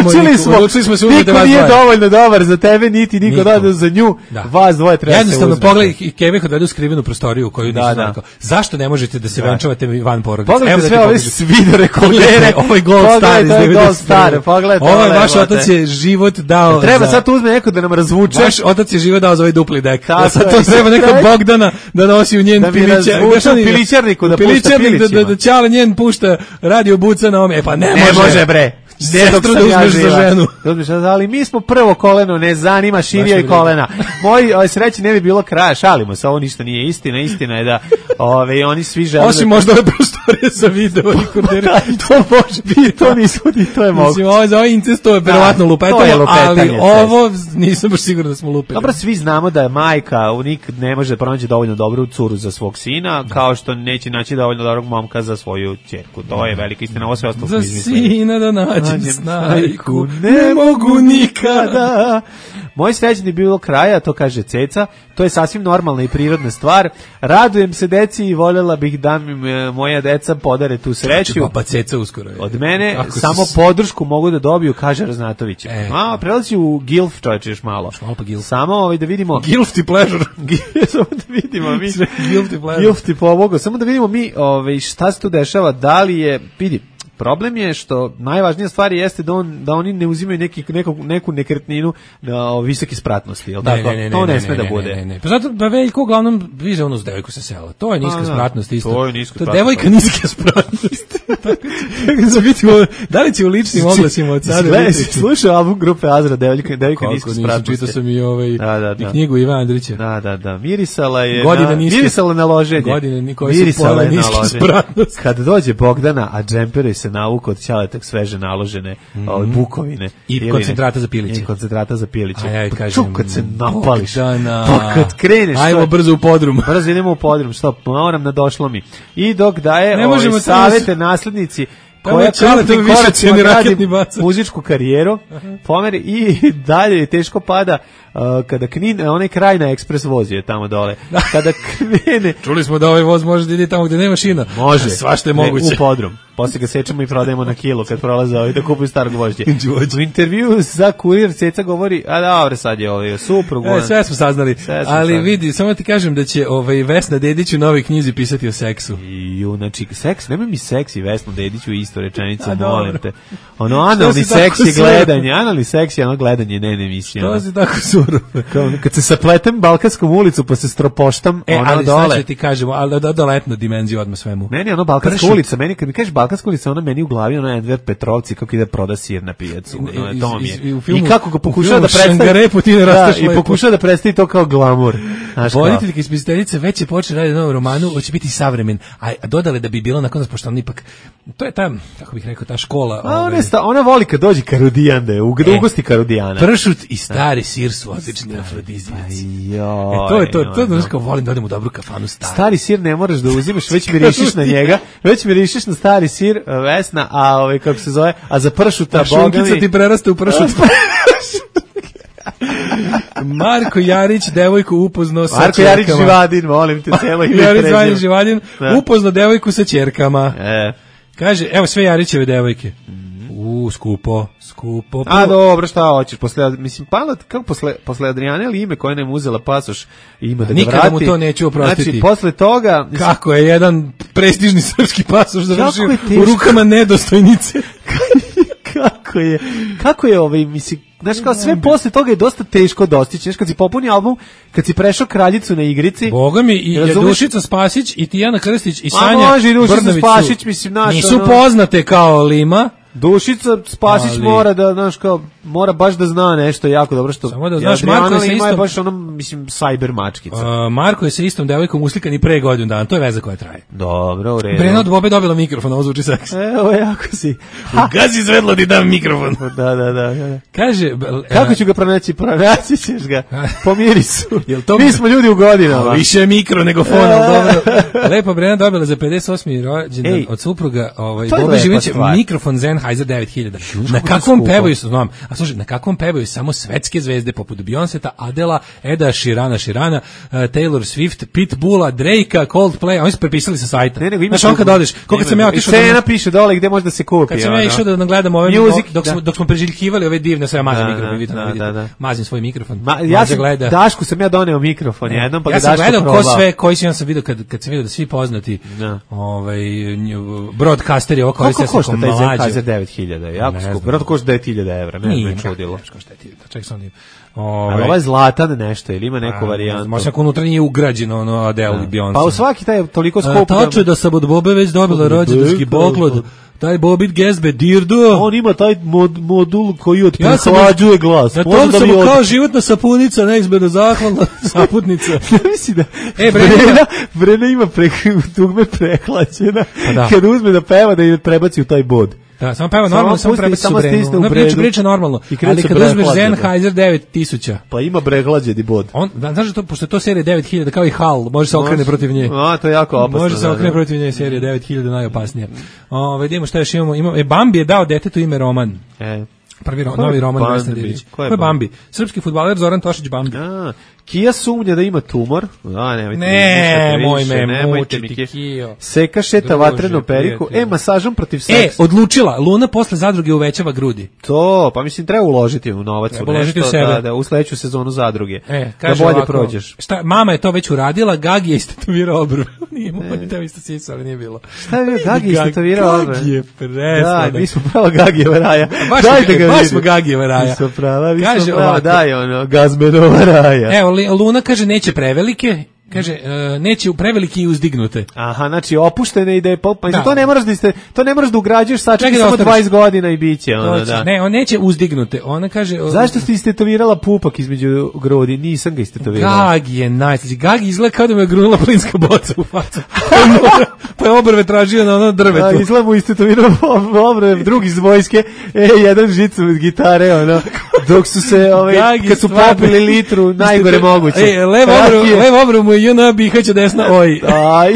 niko nije dovoljno dobar za tebe, niti niko dođe za nju, vas dvoje treba se uzmeti. Jednostavno pogledaj i Kevih odvedu skrivenu prostoriju u koju nisu znali. Zašto ne možete da se venčavate van porodice? Pogledajte sve ove video rekordere, ovaj Gold Star iz 90. Ovaj vaš otac je život dao. Treba sad uzme neko da nam razvuče. Vaš otac je život dao za ovaj dupli dek. Sad to treba neka Bogdana da nosi u njen pilićarniku, da Čale njen pušta radio buca na ome. E pa ne može bre. Sestru da uzmeš za ženu. Ali mi smo prvo koleno, ne zanima širija i kolena. Moj sreći ne bi bilo kraja, šalimo se, ovo ništa nije istina. Istina je da oni svi žele... Osim možda ove prostorije za video rekordere. To može biti. To nisu, to je moguće. Mislim, za ovaj incest to je verovatno lupetanje, ali ovo nisam baš siguran da smo lupili. Dobro, svi znamo da je majka nikad ne može pronaći dovoljno dobru curu za svog sina, kao što neće naći dovoljno dobrog momka za svoju ćerku. To je velika istina, ovo sve ostalo smo izmislili. Za sina da nađem snajku, ne mogu nikada. Moj srećni je bilo kraja, to kaže Ceca, to je sasvim normalna i prirodna stvar. Radujem se deci i voljela bih da mi moja deca podare tu sreću. Papa Ceca uskoro. Od mene samo podršku mogu da dobiju, kaže Raznatović. Prelazi u Gilf, čovječe, još malo. Samo da vidimo... Gilf ti pleasure. Samo da vidimo mi... Gilf ti pomogao. Samo da vidimo mi šta se tu dešava, da li je... Vidi, problem je što najvažnija stvar jeste da oni ne uzimaju neku nekretninu na visoke spratnosti, jel tako? To ne sme da bude. Pa zato da Veljko uglavnom viže onu s devojku sa sela. To je niska spratnost isto. To je niska spratnost. Devojka niska spratnost. Da li će u ličnim oglasima od sada biti? Slušao album grupe Azra, devojka niska spratnosti. Čitao sam i knjigu Iva Andrića. Da. Mirisala je na loženje. Mirisala je na loženje. Kad dođe Bogdana, a džemperi se navuku od ćaletak sveže naložene bukovine. I koncentrata za piliće. Kad se napališ. Pa kad kreneš. Ajmo brzo u podrum. Brzo idemo u podrum. Stop, moram da došlo mi. I dok daje savete naslednici koja krupnim koracima gradi muzičku karijeru, pomeri i dalje teško pada kada Knin, onaj kraj na ekspres voz je tamo dole. Kada krene... Čuli smo da ovaj voz može da ide tamo gde nema šina. Može. Svašta je moguće. U podrum. Posle ga sečemo i prodajemo na kilo kad prolaze ovaj da kupuju starog gvožđe. U intervju za Kurir Ceca govori, a dobro, sad je ovaj suprug. Sve smo saznali. Ali vidi, samo ti kažem da će Vesna Dedić u novoj knjizi pisati o seksu. Znači, seks, nemoj mi seks i Vesnu Dedić u isto rečenicu, molim te. Analni seks je gledanje, analni seks je gledanje, ne emisija. To si tako surov. Kad se sapletem Balkanskom ulicu pa se stropoštam, ali dole. Znači ti kažemo, ali da letnu dimenziju odmah svemu. Meni je Balkanska ulica, kad mi kažeš Balkanska ulica, ona meni u glavi, Enver Petrovci kako ide proda sir na pijacu. I kako ga pokušava da predstavi. I pokušava da predstavi to kao glamur. Voditeljka ispitateljica već je počela raditi novu romanu, hoće biti savremen, a dodale da bi bilo nakon nas, pošto on ipak, to je ta, kako bih rekao, ta škola. Ona voli kad dođe Karudijan, da je ugosti Karudijana. Pršut i stari sir su odlični afrodizijaci. To je to, znaš kao volim da odem u dobru kafanu stari sir ne moraš da uzimaš, već mirišiš na njega, već mirišiš na stari sir, Vesna, a kako se zove, a za pršuta šunkica ti preraste u pršut. Marko Jarić devojku upoznao sa Marko Jarić Živadin, molim te, celo ime Jarić Živadin upoznao devojku sa ćerkama. Kaže, evo sve Jarićeve devojke. Skupo. A dobro, šta hoćeš? Kako posle Adriane ili ime koje nam uzela pasoš ima da ga vrati? Nikada mu to neću oprostiti. Znači, posle toga... Kako je jedan prestižni srpski pasoš završio u rukama nedostojnice? Kako je mislim, znaš kao sve posle toga je dosta teško dostići, znaš kad si popuni album, kad si prešao Kraljicu na igrici. Boga mi i Dušica Spasić i Tijana Krstić i Sanja Brnavić Spasić, mislim, nisu poznate kao Lima. Dušica Spasić mora da, znaš, kao, mora baš da zna nešto jako dobro što... Samo da znaš, Marko je sa istom... baš mislim, cyber mačkica. Marko je sa istom devojkom uslikan i pre godinu dana, to je veza koja traje. Dobro, u redu. Brena od Bobe dobila mikrofon, ovo zvuči seks. Evo, jako si. Gazi zvedlo ti dam mikrofon. Da. Kaže... Kako ću ga pronaći? Pronaći ćeš ga. Pomiri su. To mi smo ljudi u godinama. Više mikro nego fon, ali dobro. Lepo, Brena dobila za 58. rođendan od supruga Bobe Živinića mikrofon Sennheiser 9000. Na kakvom pevaju, znam, a slušaj, na kakvom pevaju samo svetske zvezde poput Beyonceta, Adela, Eda Sheerana, Taylor Swift, Pitbulla, Drakea, Coldplay, oni su prepisali sa sajta. Znaš, on kad odeš, koliko sam ja otišao... Cena piše dole gde može da se kupi. Kad sam ja išao da gledam ove, dok smo preželjkivali ove divne, sve mazim mikrofon, vidite, mazim svoj mikrofon. Dašku sam ja doneo mikrofon jednom, pa ga Daško probao. Ja sam gledao koji si, ja sam vidio, kad sam vidio da svi poznati broadcaster je ovo koristio se kao mlađe. 9000, jako skupo. Vjerojatno košta 10.000 evra, ne znam, čudilo. Ček sam nije. Ali ovaj zlatan nešto, ili ima neku varijantu? Možda ako unutra nije ugrađeno Adele i Beyoncé. Pa u svaki taj toliko skupo. Tačno da sam od Bobe već dobila rođendanski poklon. Taj Bobit Gezbe, dirdo. On ima taj modul koji otprehlađuje glas. Na tom sam kao životna sapunica, neizmjerno zahvalna saputnica. Mislim da Brena ima dugme prehlađena. Kad uzme da peva da je prebaci u taj bod. Da, samo peva normalno, samo prebaci u Brenu. Priča normalno, ali kad uzmeš Sennheiser 9000. Pa ima prehlađeni bod. Znaš da to, pošto je to serija 9000, kao i HAL, može se okrene protiv nje. A, to je jako opasno. Može se okrene protiv nje, serija 9000 najopasnija. Vidimo šta još imamo. Bambi je dao detetu ime Roman. Prvi novi roman Vesne Dević. Ko je Bambi? Srpski fudbaler Zoran Tošić Bambi. Kija sumnja da ima tumor. Nemojte mi Kijo. Seka šeta vatrenu periku. Masažom protiv seksa. Odlučila. Luna posle zadruge uvećava grudi. To, pa mislim treba uložiti u novac. Treba uložiti u sebe. Da, u sledeću sezonu zadruge. Da bolje ovako, prođeš. Mama je to već uradila, Gagi je istetovirao obrv. Nije mu teo isto sisa, ali nije bilo. Šta je Gagi istetovirao obrv? Gagi je presla. Da, mi smo prava Gagijeva raja. Baš smo Gagijeva raja. Mi smo prava, daj ono, Gazmenova raja. Evo, Luna kaže neće prevelike, kaže neće prevelike i uzdignute. Aha, znači opuštene i da je to ne moraš da ugrađuješ, sačekaj samo 20 godina i biće ono, da. Ne, on neće uzdignute. Ona kaže zašto si istetovirala pupak između grudi? Nisam ga istetovirala. Gagi je najslađi. Gagi izgleda kao da mu je grunula plinska boca u facu. Pa je obrve tražio na ono drvetu. Izgleda mu istetovirao obrve drugi iz vojske. Jedan žicu od gitare, ono, dok su se, kad su popili litru, najgore moguće. Levo obrvu mu je JNA Bihać, desna oj. Aj,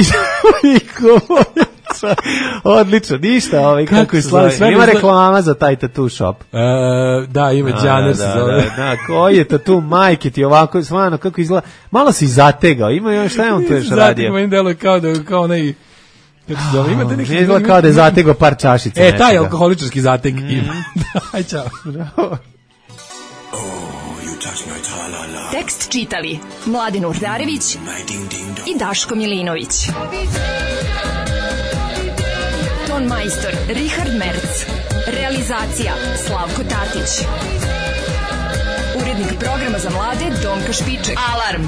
odlično, ništa, kako je slavno. Ima reklama za taj tattoo shop. Da, ima Džaner se zove. Da, koji je tattoo, majke ti ovako, stvarno, kako izgleda, malo si zategao, ima šta je on to još radio? Zategao, im deluje kao onaj, kako se zove, imate neki... Izgleda kao da je zategao par čašica. Taj alkoholičarski zateg ima. Aj, čao. Tekst čitali Mladin Urdarević i Daško Milinović. Ton majstor Richard Merc. Realizacija Slavko Tatić. Urednik programa za mlade Donka Špiček. Alarm!